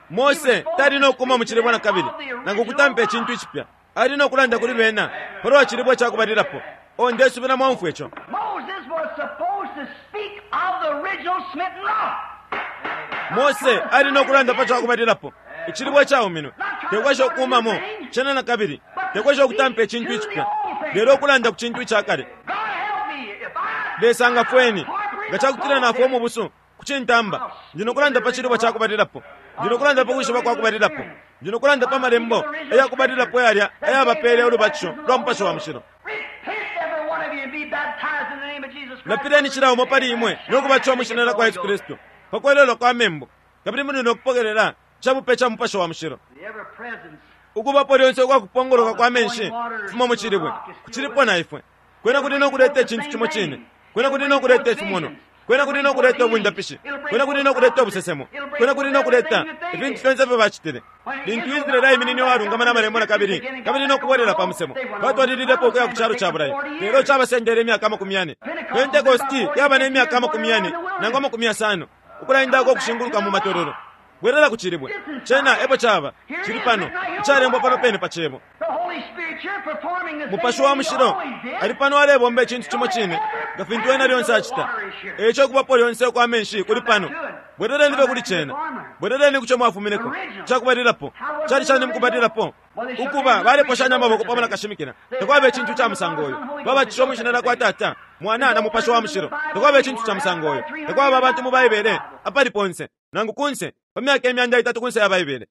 Mose tali no kuma mu cilibwe na kabili nangu kutampa icintu icipya. Ali no kulanda kuli bena palwa cilibwe cakubalilapo. O, ndesubila mwaumfwa ico. Mose ali no kulanda pa cakubalilapo, icilibwe cauminwe. Tekwesha ukumamo cena na kabili, tekwesha ukutampa icintu icipya, lelo ukulanda ku cintu icakale. Lesa ngafweni nga cakutila nafwe umubusu ku cintamba. Ndi no kulanda pa cilibwe cakubalilapo, ndi no kulanda pa kwishiba kwa kubalilapo, ndi no kulanda pa malembo ayakubalilapo yalya ayabapele ulubatisho lwa Mupashi wa Mushilo. Lapileni cila umo pali imwe no kubatishiwa mu shina lya kwa Yesu Kristu pa kwelelwa kwa membu, kabili muli no kupokelela icabupe ca Mupashi wa Mushilo. Ukubapo lyonse ukwa kupongoloka kwa menshi kufuma mu cilibwe kucilipo na ifwe. Kwena kuli no kuleta icintu cimo cine, kwena kuli no kuleta ifimono, kwena kuli no kuleta ubundapishi, kwena kuli no kuleta ubusesemo, kwena kuli no kuleta ifintu fyonse ifyo bacitile. Lintu Israeli aiminine uwalungama na malembo na kabili, kabili no kubwelela pa musebo, batwalililepo ukuya ku calo ca Bulayo, lelo cabasendele imyaka amakumi yane. Pentekosti yaba ne myaka amakumi yane nangu amakumi yasano ukulaendako ukushinguluka mu matololo. Bwelela ku cilibwe, cena epo caba cili pano, icalembwa pano pene pa cebo. Mupashi wa Mushilo ali pano alebomba icintu cimo cine nga fintu ena lyonse acita. Eico kubapo lyonse ukwa menshi kuli pano. Bweleleni fye kuli cena, bweleleni kuco mwafumineko cakubalilapo. Cali cani mukubalilapo? Ukuba baleposhanya amaboko pamo na kashimikila, takwaba icintu ca musango uyo. Babatishiwe mu shina lya kwa Tata, Mwana na Mupashi wa Mushilo, takwaba icintu ca musango uyo. Takwaba abantu mu Baibele apali ponse nangu kunse pa myaka imyanda itatu kunse ya Baibele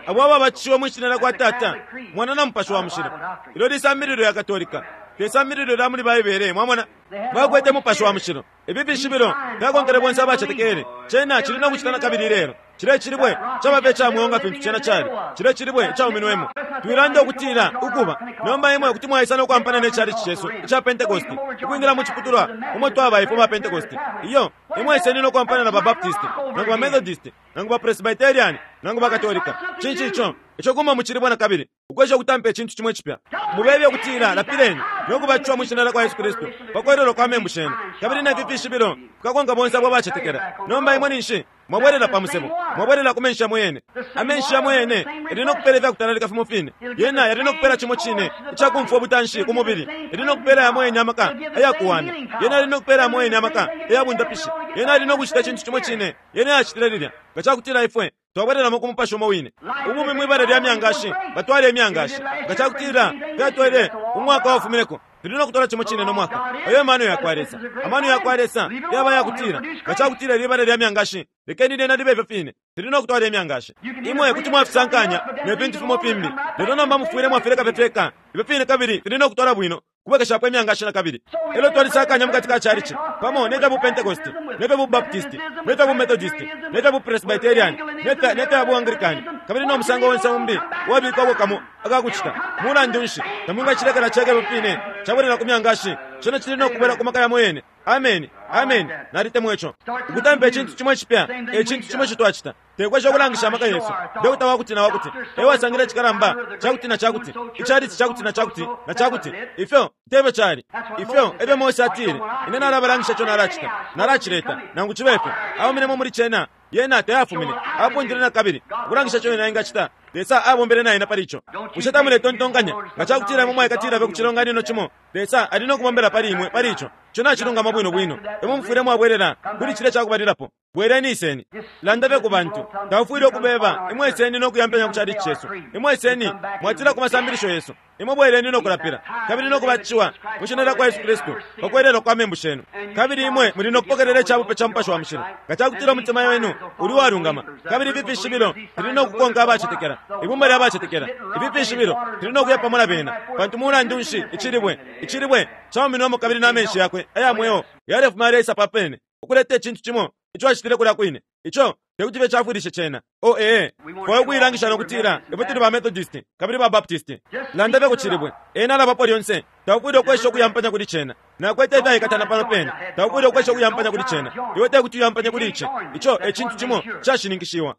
abo ababatishiwe mu shina lya kwa Tata, Mwana na Mupashi wa Mushilo. Ilo lisambililo ya Katolika, te sambililo lya muli Baibele. Mwamona, bakwete Mupashi wa Mushilo. Ifi fishibilo fyakonkele bonse abacetekele. Cena cili no kucita na kabili ilelo. Cile cilibwe caba fye ca mweo nga fintu cena cali. Cile cilibwe icauminwemo. Twilanda ukutila ukuba nomba imwe kuti mwaisa no kwampana ne chalichi chesu ica Pentecost, ukwingila mu ciputulwa umo twaba ifwe ba Pentecost. Iyo, imwe iseni no kwampana na ba Baptist, nangu ba Methodist, nangu ba Presbyterian, nangu ba Katolika. Cinshi ico? Ico kuma mu cilibwe na kabili, ukwesha ukutampa icintu cimwe cipya. Mubebe ukutila lapileni no kubatishwa mu shina lya kwa Yesu Kristu pakwelelwa kwa membu shenu, kabili ne fifishibilo fikakonka bonse abo abacetekela. Nomba imwe ninshi mwabwelela pa musebo, mwabwelela ku menshi yamo yene. Amenshi yamo yene yali no kupela ifyakutalalika fimo fine. Yena yali no kupela cimo cine icakumfwa ubutanshi ku mubili. Yali no kupela yamo yene amaka ayakuwamya. Yena yali no kupela yamo yene amaka ayabundapishi. Yena yali no kucita icintu cimo cine yena yacitile lilya. Nga cakutila ifwe twabwelelamo ku mupashi umo wine. Ubumi mwibala lya myangashi, batwale imyangashi. Nga cakutila fyatwele umwaka wafumineko, tuli no kutola cimo cine no mwaka. Ayo mano yakwa Lesa. Amano yakwa Lesa yaba yakutila. Nga cakutila libala lya myangashi, lekeni lyena libe ifyo fine. Tuli no kutwala imyangashi. Imwe kuti mwafisankanya ne fintu fimo fimbi. Lelo nomba mufwile mwafileka fye fyeka. Ifyo fine kabili tuli no kutwala bwino kubwekeshapo imyangashi na kabili. Elo twalisakanya mukati ka chalichi pamo ne fya bu Pentecost, ne fya bu Baptist, ne fya bu Methodist, ne fya bu Presbyterian, ne fya ne fya bu Anglican, kabili no musango wonse umbi wabikwapo kamo akakucita. Mulandu nshi tamwingacilekela cheke ifyo fine cabwelela ku myangashi. Cino cili no kubwela ku maka yamo yene. Amen, amen. Nalitemwa ico. Ukutampa icintu cimwe cipya, icintu cimwe ico twacita. Tekwesha ukulangisha amaka yesu. Dokota wakuti na wakuti ewasangile icikalamba cakuti na cakuti, icalichi cakuti na cakuti na cakuti. Ifyo tebyo cali. Ifyo ebyo Mose atile, ine nalabalangisha ico nalacita, nalacileta. Nangu cibe ifyo auminemo muli cena, yena tayafumine. Apundile na kabili ukulangisha ico yena engacita. Lesa abombele naye na pali ico. Bushe tamuletontonkanya nga cakutila imwe mwaikatila fye ku cilonganino cimo, Lesa ali no kubombela pali imwe pali ico? Ico nacilungama bwino bwino. Imwe mufwile mwabwelela kuli cilya cakubalilapo. Bweleni iseni. Landa fye ku bantu. Taufwile ukubeba. Imwe iseni no kuyampenya ku chalichi chesu. Imwe iseni mwatila ku masambilisho yesu. Imwe bweleni no kulapila kabili no kubatishiwa mu shina lya kwa Yesu Kristu pakwelelwa kwa membu shenu, kabili imwe muli no kupokelela icabupe ca Mupashi wa Mushilo. Nga cakutila umutima wenu uli walungama, kabili ifi fishibilo tuli no kukonka abacetekela, ibumba lya bacetekela. Ifi fishibilo tuli no kuya pamo na bena, pantu mulandu nshi icilibwe icilibwe cauminwamo kabili na menshi yakwe aya mweo yalefuma yaleisa papene ukuleta icintu cimo ico acitile kulya kwine. Ico tekuti fye cafwilishe cena. O ee, fwayo ukuilangisha nokutila ifwe tuli ba Methodist kabili ba Baptist. Landa fye ku cilibwe. Ena alabapo lyonse. Taufwile ukwesha ukuyampanya kuli cena. Nakwete ifyaikatana pano pene. Taufwile ukwesha ukuyampanya kuli cena. Iwe tekuti uyampanye kuli ici. Ico e cintu cimo cashininkishiwa.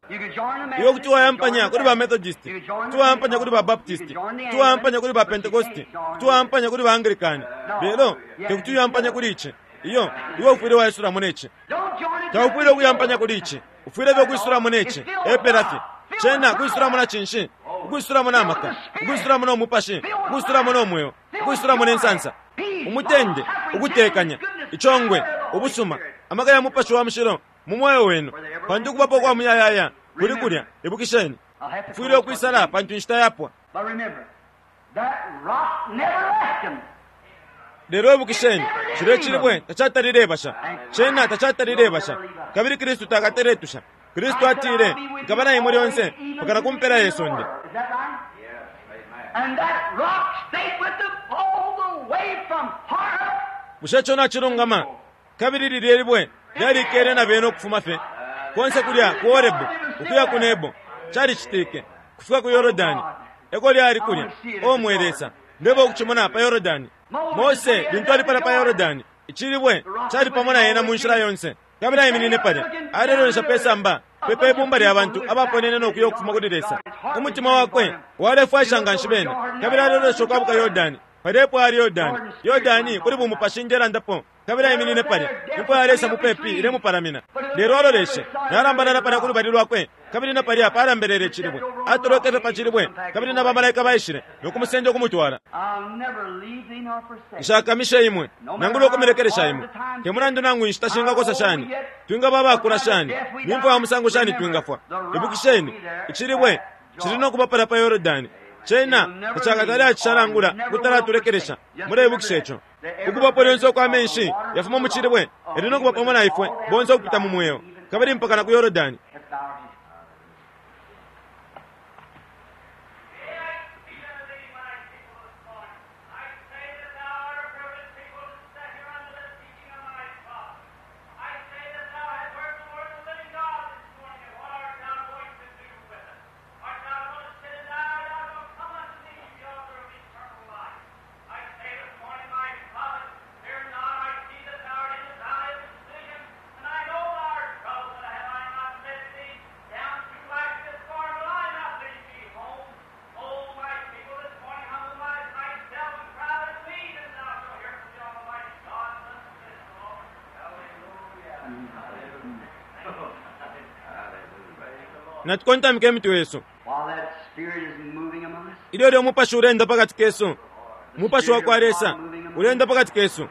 Iwe kuti wayampanya kuli ba Methodist, kuti wayampanya kuli ba Baptist, kuti wayampanya kuli ba Pentecost, kuti wayampanya kuli ba Anglican. Lelo tekuti uyampanye kuli ici. Iyo, iwe ufwile waisulamo neci. Taufwile ukuyampanya kuli ici. Ufwile fye ukwisulamo neci. Epela fye. Cena kwisulamo na cinshi? Ukwisulamo na maka, ukwisulamo no mupashi, ukwisulamo no mweo, ukwisulamo ne nsansa, umutende, ukutekanya, icongwe, ubusuma, amaka ya Mupashi wa Mushilo mu mweo wenu, pantu ukubapo kwa muyayaya kuli kulya. Ibukisheni, ufwile ukwisala pantu inshita yapwa. But remember, that rock never left them. Lelo ibukisheni, cilya cilibwe tacatalile basha. Cena tacatalile basha. Kabili Kristu takateletusha. Kristu atile, nkaba na imwe lyonse mpaka na kumpela ye sonde. Is that right? And that rock stayed with them all the way from Horeb. Bushe ico nacilungama? Kabili lilye libwe lyalikele na bena ukufuma fye konse kulya ku Horebu ukuya ku Nebo. Calicitike kufika ku Yorodani. Eko lyali kulya. O mwe Lesa, ndebo ukucimona pa Yorodani. Mose lintu ali pala pa Yorodani, icilibwe cali pamo na yena mu nshila yonse. Kabili aiminine palya, alelolesha pe samba pepe ibumba lya bantu abaponene no kuya ukufuma kuli Lesa. Umutima wakwe walefwaisha nga nshi bena, kabili alelolesha ukwabuka Yorodani. Palya ali Yorodani, Yorodani kuli bumupashi njelandapo. Kabili aiminine palya, imfwa ya Lesa mupepi ilemupalamina. Lelo aloleshe, nalambalala palya ku lubali lwakwe, kabili na palya palambelele icilibwe. Atolokele fye pa cilibwe, kabili na bamalaika baishile no kumusenda ukumutwala. I'll never leave thee nor forsake thee. Nshakamishe imwe, nangula ukumilekelesha imwe. Te mulandu nangu inshita shingakosa shani, twingaba abakula shani, ni mfwa ya musango shani twingafwa. Ibukisheni, icilibwe cili no kuba palya pa Yorodani. Cena tacakatale acishalangula kutalatulekeleesha. Muleibukisha ico. Ukubapo lyonse ukwa menshi yafuma mu cilibwe yali no kuba pamo na ifwe bonse ukupita mu mweo, kabili mpaka na ku Yorodani. Let's bow our heads. I say that thou art a privileged people to sit here under the teaching of my father. I say that thou hast heard the word of the living God this morning, and what art thou Natukontamike imitwe yesu. While that Spirit is moving among us, Ilyo lyo umupashi ulenda pakati kesu, umupashi wa kwa Lesa ulenda pakati kesu.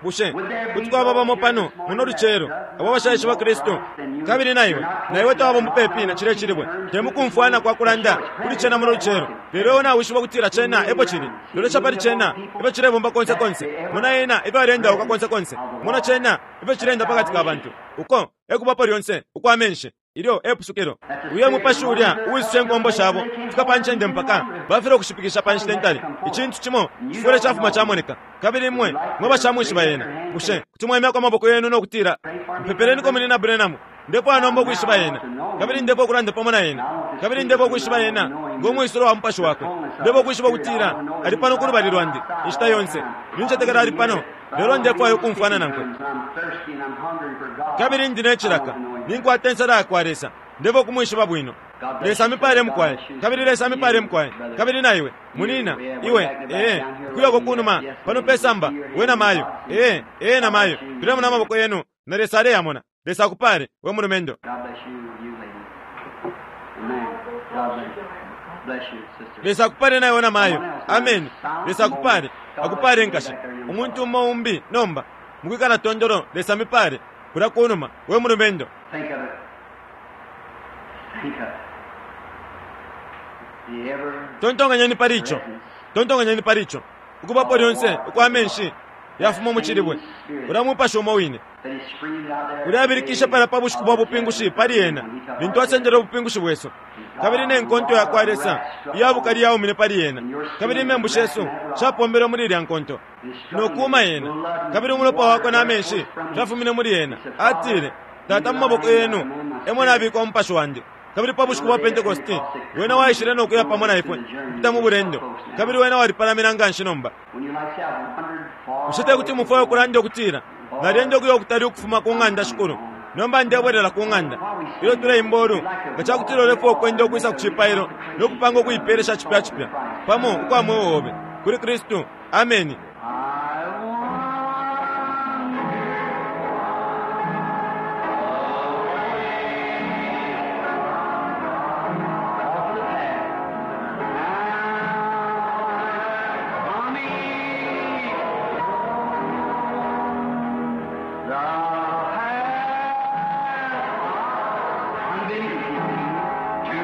Bushe kuti kwaba bamo pano muno lucelo abo abashaishiba Kristu, kabili naiwe naiwe tawaba mupepi na chile chilibwe, temukumfwana kwa kulanda kuli chena muno lucelo, lelo iwe nawishiba kutila chena epo chili, lolesha pali chena ifyo chilebomba konse konse, mona ena ifyo alendauka konse konse, mona chena ifyo chilenda pakati ka bantu, uko ekubapo lyonse ukwa menshi ilyo epusukilo. Uyo mupashi ulya uwisuse nkombo shabo fika pa ncende mpaka bafile ukushipikisha pa nshita ntali. Icintu cimo chifwile chafuma chamoneka, kabili imwe mwe bashamwishiba yena. Bushe kuti mwemyako amaboko yenu nokutila, mpepeleniko munina Branham, ndipo anomba ukwishiba yena, kabili ndipo ukulanda pamo na yena, kabili ndipo ukwishiba yena ng'omwisilo wa mupashi wakwe, ndipo ukwishiba ukutila ali pano ku lubali lwandi inshita yonse, nincetekela ali pano, lelo ndefwayo ukumfwana nankwe. I'm thirsty and I'm hungry for God. Kabili ndine chilaka, ninkwata ensala yakwa Lesa, ndipo kumwishiba bwino. Lesa amipale mukwaye, kabili Lesa amipale mukwaye, kabili naiwe munina iwe ee kuyoko kunuma pano pesamba we na mayo ee ee na mayo tulemona amaboko yenu na Lesa aleyamona. Lesa akupale we mulumendo. God bless you, you lady. Amen. God bless you. Bless you, sister. Lesa akupale naiwe na mayo. Amen. Lesa akupale, akupale nkashi. Umuntu umo umbi nomba mukwikala tondolo. Lesa amipale kula kunuma we mulumendo. Think of it. Think of it. The ever Tontonganyeni pali ico, tontonganyeni pali ico, ukubapo lyonse ukwa menshi yafuma mu chilibwe, ula mupashi umo wine that he screamed out there. ulyabilikisha pala pa bushiku bwa bupingushi pali ena lintu asendele ubupingushi bwesu, kabili ne nkonto ya kwa Lesa iya bukali yaumine pali ena, kabili imembu shesu shapombelwe muli ilya nkonto nokuuma yena, kabili umulopa wakwe na menshi fyafumine muli yena. Atile, Tata, mu maboko yenu emo nabika umupashi wandi. Kabili pa bushiku bwa Pentekosti wena waishile nokuya pamo na ifwe kupita mu bulendo, kabili wena walipalamina nganshi nomba. When you like say, I've wandered far Bushe te kuti mufwaye ukulanda ukutila, nalyenda ukuya ukutali ukufuma ku ng'anda shikulu, nomba ndebwelela ku ng'anda. Ilyo tuleimba olu, nga cakutila ulefwa ukwenda ukwisa ku cipailo nokupanga ukuipeelesha cipya cipya pamo ukwa mweo obe kuli Kristu. Ameni. I wander off the path. Now I'm coming. The path I'm been to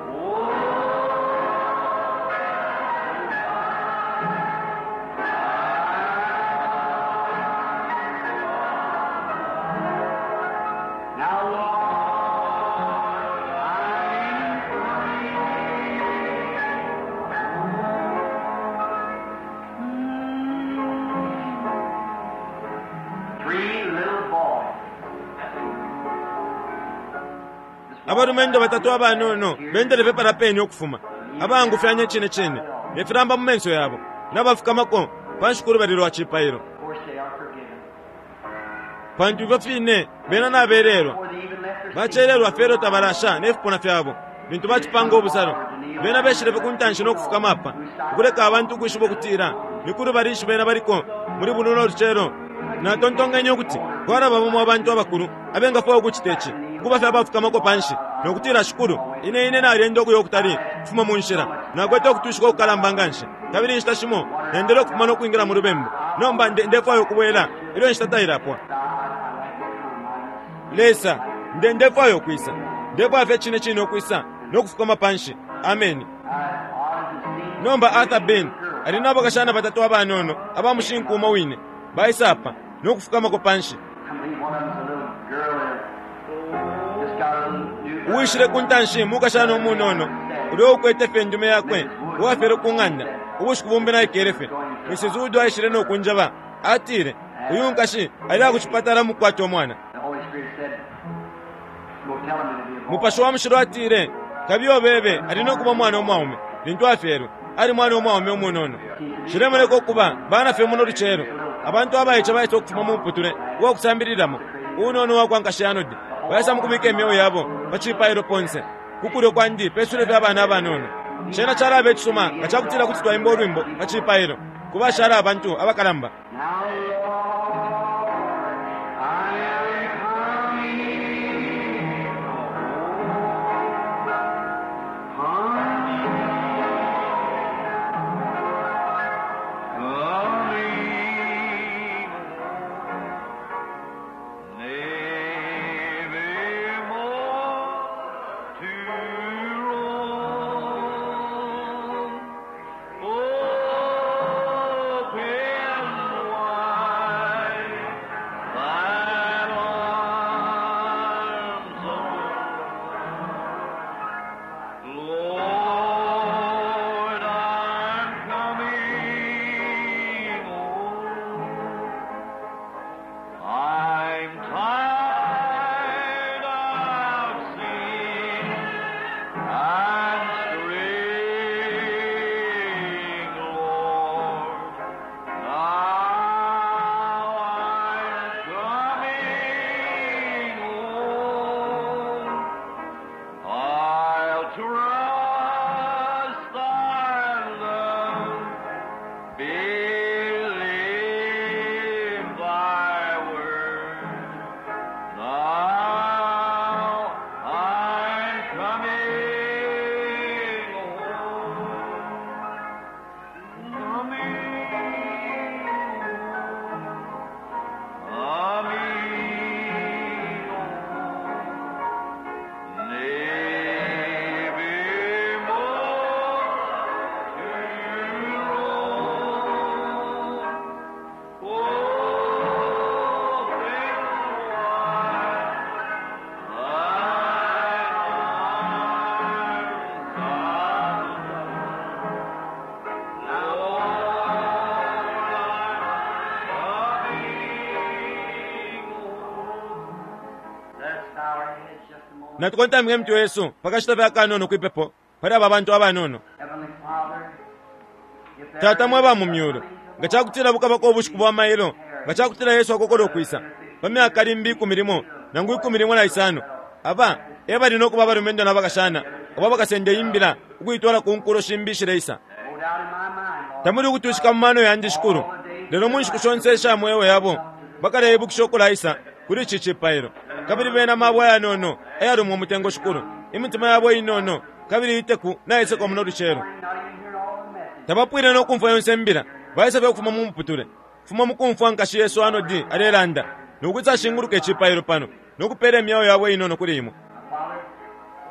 who Now, Lord, I'm Three little boys. Abalumendo batatu abanono bendele pepala peni ukufuma abangufyanya cine cine ne filamba mu menso yabo nabafukamako panshi ku lubali lwa cipailo, Of course, they are forgiven. pantu ifyo fine bena nabelelwa Before they even left their bacelelwa fye elyo tabalasha ne fipuna fyabo lintu bacipanga ubusalo. Bena beshilefe ku ntanshi nokufukama apa ukuleka abantu ukwishiba ukutila ni ku lubali nshi bena baliko muli buno lucelo. Natontonkenye ukuti kwalaba bamo abantu abakulu abengafwaya ukucita ici, ukuba fye abafukamako panshi nokutila, Shikulu, ine ine nalyenda ukuya ukutali kufuma mu nshila, nakwete ukutushika ukukalamba nganshi, kabili inshita shimo nendele ukufuma nokwingila mu lubembu. Nomba nde- ndefwaya ukubwela ilyo inshita tailapwa. Lesa, nde ndefwaya ukwisa, ndefwaya fye cine cine ukwisa nokufukama panshi. Ameni. Nomba Arthur Ben ali nabo bakashana batatu abanono abamushinku umo wine baisa apa nokufukamako panshi. One of them's a little girl that just got a little new Uwishile ku ntanshi mukashana umunono ulyo ukwete fye ndume yakwe uwafyele ku ng'anda ubushiku bumbi naikele fye. Missus Wood aishile nokunjaba, atile uyu nkashi ali akucipatala mukukwata umwana. The Holy Spirit said, Go tell him it'll be a boy. Mupashi wa mushilo atile kabiyo bebe ali nokuba umwana umwaume lintu afyelwe ali mwana umwaume umunono. Cilemoneka ukuba bana fye muno lucelo abantu abaice baisa ukufuma mu muputule uwa kusambililamo unono wa kwa nkashi Anodi baisa mukubika imyeo yabo pa cipailo ponse ku kulyo kwandi pesule fye abana abanono. Cena calaba icisuma nga cakutila kuti twaimba ulwimbo pa cipailo ku bashala abantu abakalamba. Now, Lord, I am coming Coming nevermore to roam. Open wide thine arms, O Lord, I'm coming home. I'm tired of sin and straying, Lord. Now I'm coming home. I'll trust thy love, believe thy word. Now I'm coming home, coming home, coming home. Nevermore to roam. Open wide thine arms, Lord, I'm coming home. Let's bow our heads just a moment. Natukontamike mitwe yesu pakashita fye akanono kwipepo pali aba bantu abanono. Heavenly Father, if there Tata mwe ba mu is myulu nga cakutila bukabako ubushiku bwa mailo nga cakutila Yesu akokola ukwisa pa myaka limbi ikumi limo nangu ikumi limo na isano aba e bali nokuba abalumendo na bakashana abo bakasenda imbila ukuitwala ku nkulo shimbi ishileisa. No doubt in my mind, Lord, Tamuli ukutushika mu mano yandi shikulu lelo mu nshiku shonse isha mweo yabo bakaleibukisha ukulaisa kuli ici cipailo kabili bena mabwe ayanono ayalumwa umutengo shikulu imitima yabo inono kabili iteku naiseko muno lucelo. not even hearing all the message. Tabapwile nokumfwa yonse mbila baisa fye ukufuma mu muputule fuma mukumfwa nkashi Yesu Anodi alelanda nokuti ashinguluka icipailo pano nokupela imyeo yabo inono kuli imwe. Father,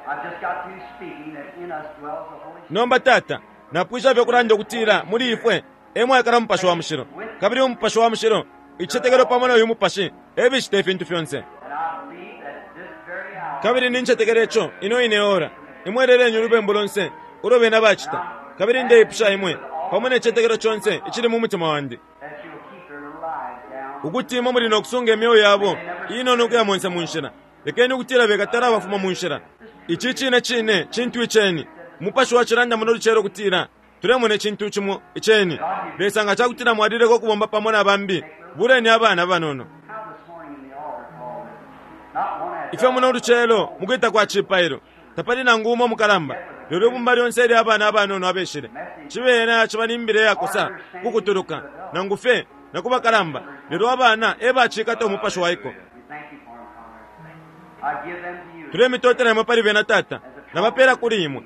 I've just got through speaking that in us dwells the Holy Spirit. Nomba tata napwisha fye kulanda ukutila muli ifwe emwakala mupashi wa mushilo kabili umupashi wa mushilo icicetekelo pamo na uyu mupashi ebicita ifintu fyonse. And I believe that this very hour, Kabili nincetekela ico ino ine ora imweleleni ulubembu lonse ulo bena bacita kabili ndeipusha imwe pamo ne cicetekelo conse icili mu mutima wandi that you'll keep their little lives down. ukuti imwe muli nokusunga imyeo yabo inono ukuya monse mu nshila. Lekeni ukutila bekatala abafuma mu nshila. Ici cine cine cintu iceni umupashi wa cilanda muno lucelo kutila tulemona icintu cimo iceni. Lesa nga cakutila mwalileko ukubomba pamo na bambi buleni abana banono. How this morning in the altar call that not one adult Ifyo muno lucelo mukwita kwa cipailo tapali nangu umo mukalamba lelo ibumba lyonse ilya abana abanono abeshile cibena ciba nimbile yakosa kukutuluka nangu fye nakubakalamba lelo abana e bacikata umupashi waiko. We thank you for them, Father. I give them to you. Tulemitotela imwe pali bena tata nabapela kuli imwe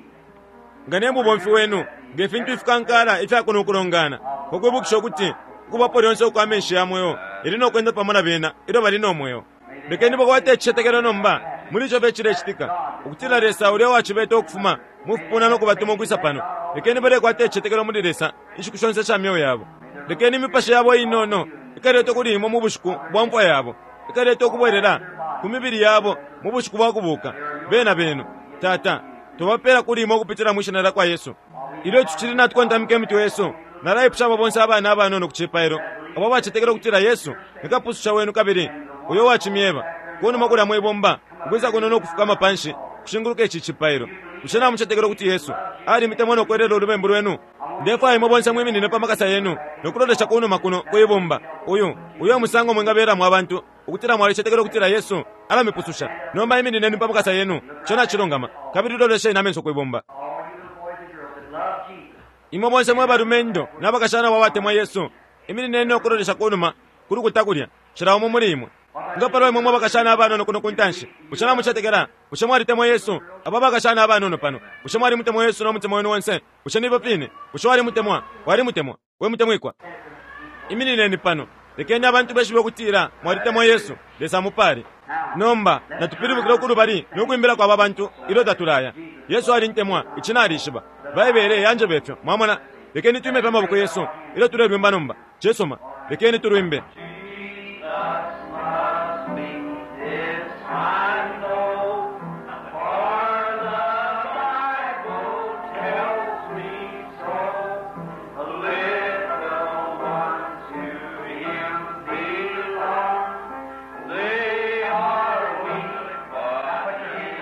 nga ne mubomfi wenu nge fintu ifikankala ifyakuno ukulongana kukwibukisha ukuti ukubapo lyonse ukwa menshi ya mweo ili nokwenda pamo na bena ilyo bali no mweo. Lekeni bakwate icicetekelo nomba muli ico fye cilecitika ukutila Lesa ulya wacibeta ukufuma mufipuna nokubatuma ukwisa pano. Lekeni balekwata icicetekelo muli Lesa inshiku shonse sha myeo yabo. Lekeni imipashi yabo inono ikaleta kuli imwe mu bushiku bwa mfwa yabo ikaleta ukubwelela ku mibili yabo mu bushiku bwa kubuka bena benu. Tata tubapela kuli imwe ukupitila mwi shina lya kwa Yesu. Ilyo tucili natukontamika imitwe yesu nalaipusha abo bonse abana abanono ku cipailo abo bacetekela ukutila Yesu ni kapususha wenu kabili uyo wacimyeba kunuma kulya mwibumba Ukwisa kuno no kufukama panshi kushinguluka ici cipailo. Bushe namucetekela ukuti Yesu alimitemwa no kwelela ulubembu lwenu? Ndefwaya imwe bonse mwiminine pa makasa yenu no kulolesha kunuma kuno kwibumba. Uyu uyo musango mwingabelamo abantu ukutila mwalicetekela ukutila Yesu alamipususha. Nomba iminineni pa makasa yenu, ico nacilungama, kabili lolesheni amenso kwibumba. Imwe bonse mwe balumendo n'abakashana babatemwa Yesu, iminineni no kulolesha kunuma kulukuta kulya, cila umo muli imwe. Nga palwa imwe mwe bakashana abanono kuno kuntanshi, bushe namucetekela? Bushe mwalitemwa Yesu? Aba bakashana abanono pano, bushe mwalimutemwa Yesu no mutima wenu wonse? Bushe nibo fine? Bushe walimutemwa? Walimutemwa? We mutemwikwa, iminineni pano, lekeni abantu beshibe ukutila mwalitemwa Yesu. Lesa amupale. Nomba natupilibukile kulubali no kwimbila kwa aba bantu ilyo tatulaya. Yesu alintemwa, ici nalishiba. Baibele yanjeba ifyo, mwamona. Lekeni twime pa maboko yesu ilyo tulelwimba nomba. Cisuma, lekeni tulwimbe.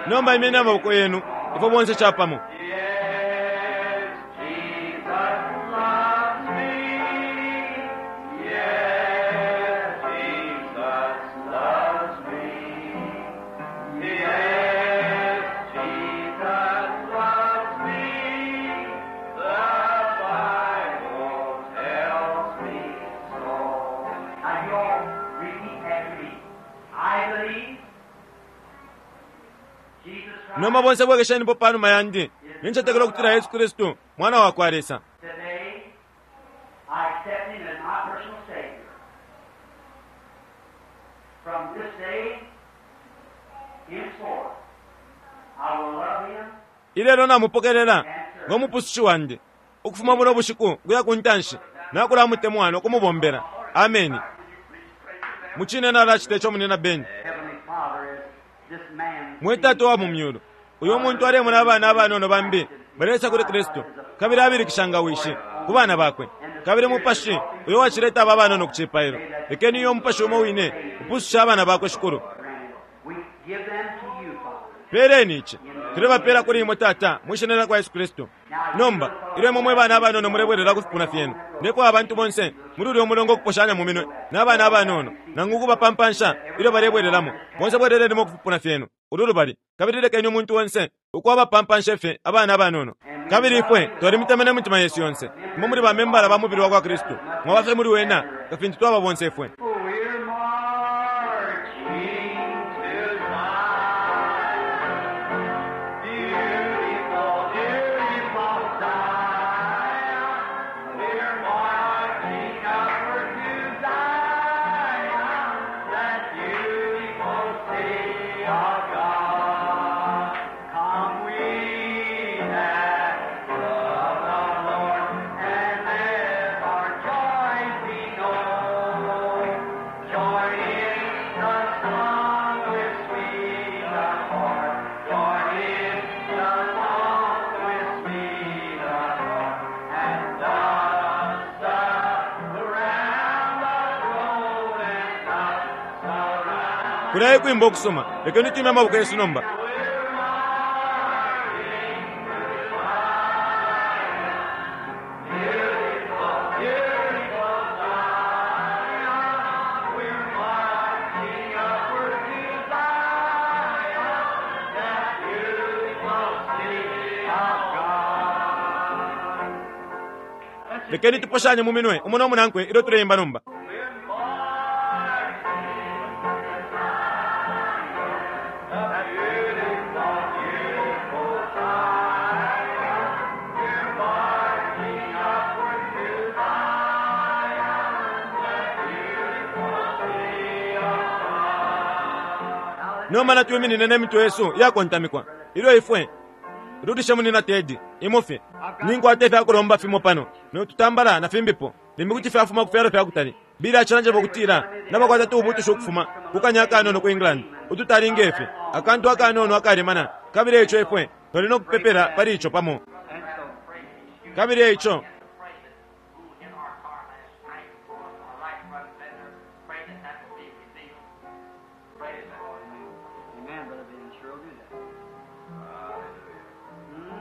Nomba imeni amaboko yenu ifwe bonse chapamo. Now you all repeat after me. I believe Jesus Christ Nomba bonse bwekeshenipo panuma yandi, nincetekela ukutila Yesu Kristu mwana wa kwa Lesa. today. I accept him as my personal Savior. From this day henceforth, I will love him Ilelo namupokelela ngo mupusushi wandi, ukufuma buno bushiku kuya ku ntanshi nakulamutemwa no kumubombela. Ameni. Mucine nalacita ico munina Beni. Heavenly Father as this man Mwe Tata wa mu myulu, uyo muntu alemona abana abanono bambi balesa kuli Kristu, kabili abilikisha nga wishi ku bana bakwe. Kabili mupashi uyo wacileta aba banono ku cipailo, lekeni uyo mupashi umo wine upususha abana bakwe Shikulu. We give them to you, Father. Peleni ici, tulebapela kuli imwe Tata, mwishina lya kwa Yesu Kristu. Nomba ilyo imwe mwe bana abanono mulebwelela ku fipuna fyenu, ndefwaya abantu bonse muli ulya mulongo okuposhanya mu minwe n'abana abanono, nangu ukubapampansha ilyo balebwelelamo. Bonse bwelelelimo ku fipuna fyenu ulu lubali, kabili lekeni umuntu onse ukubapampansha fye abana abanono. Kabili ifwe twalimutemene mutima yesu yonse. Imwe muli bamembala ba mubili wa kwa Kristu, mwaba fye muli wena nga fintu twaba bonse ifwe. We're marching to Zion, beautiful, beautiful Zion. We're marching upward to Zion, that beautiful city of God. Come we that love the Lord, and let our joy be known. Join in the song with sweet accord. Join in the song with sweet accord. And thus surround the throne and thus surround. Kulaye kwimba okusoma, lekeni twime amaboko yesu nomba. Lekeni tuposhanye mu minwe umo n'omunankwe ilyo tuleimba nomba. Nomba natwiminine n'emitwe yesu iyakontamikwa ilyo ifwe rudishe munina Tedi imufi ninkwata ifyakulomba fimo pano notutambala na fimbipo limbi kuti fyafuma ku fyalo fyakutali bili acilanjeba ukutila nabakwata tuubutusha ukufuma ku kanya akanono ku England ututali ngefe akantu akanono akalemana, kabili eico ifwe twali nokupepela pali ico pamo. Kabili eico Amen, Brother Ben.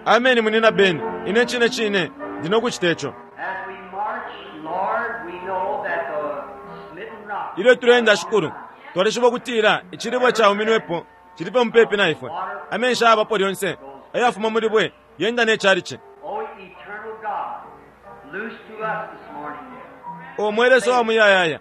Ameni munina Beni, ine cine cine ndi nokuchita ico. As we march, Lord, we know that the smitten rock Ilyo tulenda shikulu, twalishiba ukutila icilibwe cauminwepo cilipe mupepi na ifwe. Amenshi ayabapo lyonse ayafuma muli bwe yenda ne chalichi. O eternal God, loose to us this morning. O mwe Lesa wa muyayaya,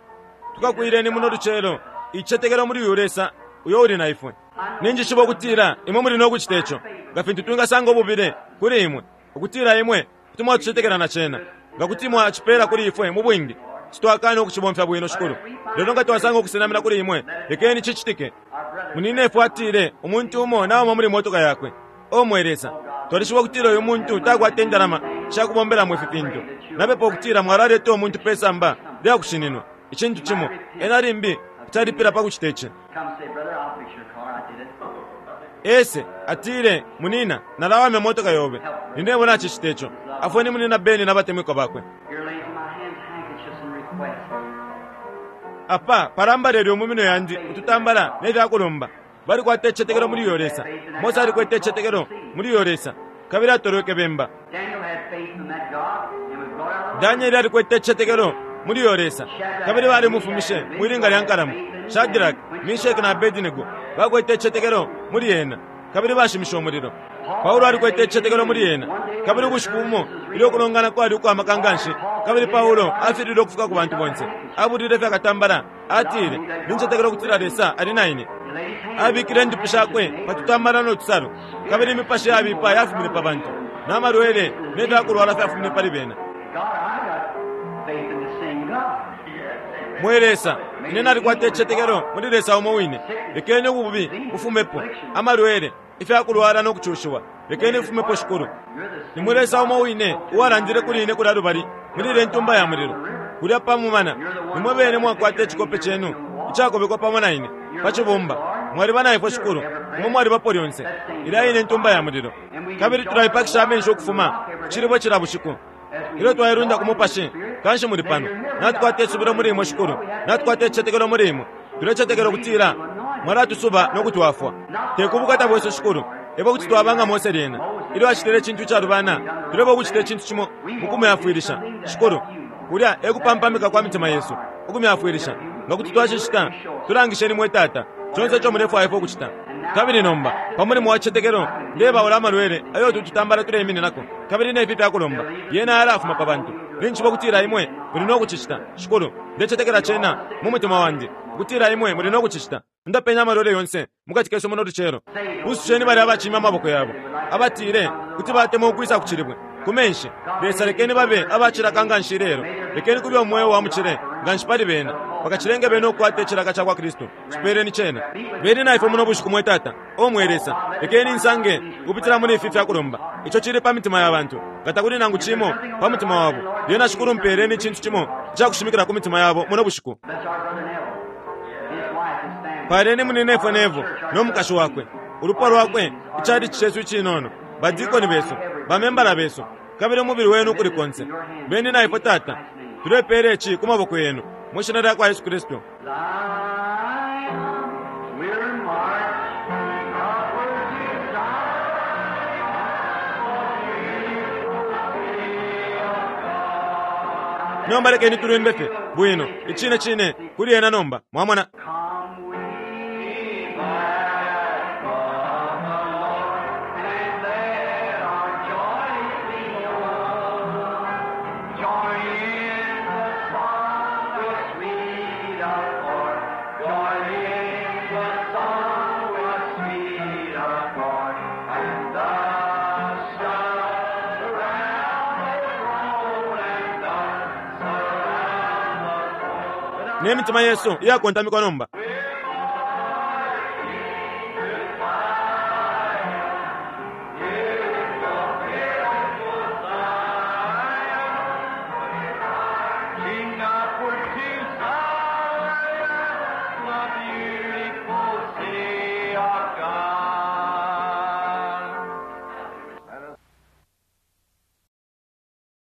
tukakwireni muno lucelo ichicetekelo muli uyu Lesa uyo uli na ifwe. Ninjishiba ukutila imwe muli nokuchita ico, nga fintu twingasanga ububile kuli imwe, ukutila imwe kuti mwatucetekela na cena, nga kuti mwacipela kuli ifwe mu bwingi, sitwakana ukucibomfya bwino shikulu. Lelo nga twasanga ukusenamina kuli imwe, lekeni cicitike. Munine atile umuntu umo nauma muli motoka yakwe. O mwe Lesa, twalishiba ukutila uyu muntu takwata indalama shakubombelamo ifi fintu. Napepa ukutila mwalaleta umuntu pe samba lyakushininwa icintu cimo ena limbi kutalipila pa kuchita ici. Come say, brother, I'll fix your car. I did it. Ese atile munina nalawamya motoka yobe ninebo nachicita ico. Afweni munina Beni n'abatemwikwa bakwe. Here lays in my hands handkerchiefs and requests. Apa palambalele mu yandi ututambala n'ebyakulomba. Balikwata ichicetekelo muli uyo Lesa. Mose alikwete ichicetekelo muli uyo Lesa kabili atolweke bemba. Daniel had faith in that God and was brought out of the Danieli alikwete ichicetekelo muli uyo Lesa kabili balimufumishe mwilinga lya nkalamu. Shadrach, Meshaki na Abednego bakwete ichicetekelo muli ena kabili bashimishe umulilo. Paulo alikwete ichicetekelo muli ena kabili ubushiku bumo ilyo kulongana kwali ukwamaka nganshi kabili Paulo afilile ukufika ku bantu bonse. Abulile fyakatambala atile nincetekelo kutila Lesa ali na ine. He laid his hands Abikile indupi shakwe patutambala n'otusalo kabili imipashi yabipa yafumine pa bantu n'amalwele n'ebyakulwala fyafumine pali bena. God, I got faith in the same God. Mwe Lesa, ine nalikwata ichicetekelo muli Lesa umo wine. Lekeni ububi bufumepo, amalwele, ifyakulwala n'okuchushiwa. Lekeni bufumepo shikulu. You're the Ni mwe Lesa umo wine uwalandile kuli ine kulya lubali muli ile ntumba ya mulilo kulya pamumana. Nimwe bene mwakwata icikope chenu icakobekwa pamo na ine pa cibumba. Mwaliba na ifwe shikulu, imwe mwalibapo lyonse. Ilya ine ntumba ya mulilo kabili tulaipakisha amenshi ukufuma ku cilibwe cila bushiku. Ilyo twailunda ku mupashi kanshi muli pano. Natukwata isubilo muli imwe shikulu, natukwata ichicetekelo muli imwe. Tulecetekela ukutila mwalatusuba n'okutwafwa. Tekubukata bwesu shikulu, ebo kuti twabanga Mose lyena ilyo acitile icintu icalubana, tuleba ukucita icintu cimo mukumyafwilisha shikulu. Kulya ekupampamika kwa mitima yesu ukumyafwilisha. Nga kuti twacicita, tulangisheni mwe Tata conse ico mulefwaya ifwe ukucita. Kabili nomba pa mulimo wa chicetekelo ndebaula amalwele ayo tututambala tuleimininako kabili nefi fyakulomba yena alafuma pa bantu. Ninjiba ukutila imwe muli nokucicita shikulu. Ndecetekela cena mu mutima wandi ukutila imwe muli nokucicita. Ndapenya amalwele yonse mukati kesu muno lucelo. Pususheni bali abacimya amaboko yabo abatile kuti batemwa ukwisa ku cilibwe ku menshi. Lesa lekeni babe abacilaka nganshi lelo. Lekeni kube umweo wa mucile nganshi pali bena bakacilenge bene ukukwata icilaka ca kwa Kristu. Cipeeleni cena. Beni na ifwe muno bushiku mwe Tata. O mwe Lesa, lekeni nsange kupitila muli ifi fyakulomba ico cili pa mitima ya bantu. Nga takuli nangu cimo pa mutima wabo, lyena shikulu mpeeleni icintu cimo icakushimikila ku mitima yabo muno bushiku. Bless our brother Neville, his wife, his family. Paleni munine Nevo n'omukashi wakwe, ulupwa lwakwe, ichalichi chesu icinono, badikoni besu, bamembala besu, kabili umubili wenu ukuli konse. Beni na ifwe Tata, tulepeela ici ku maboko yenu mu shina lya kwa Yesu Kristu. Zion, we're marching upward to Nomba lekeni tulwimbe fye bwino icine cine kuli ena nomba mwamona. Come we back of the Lord, and let our joy be known. Join in the song with sweet accord. Join in the song with sweet accord. And thus surround the throne, and thus surround the throne. N'emitima yesu iyakontamikwa nomba.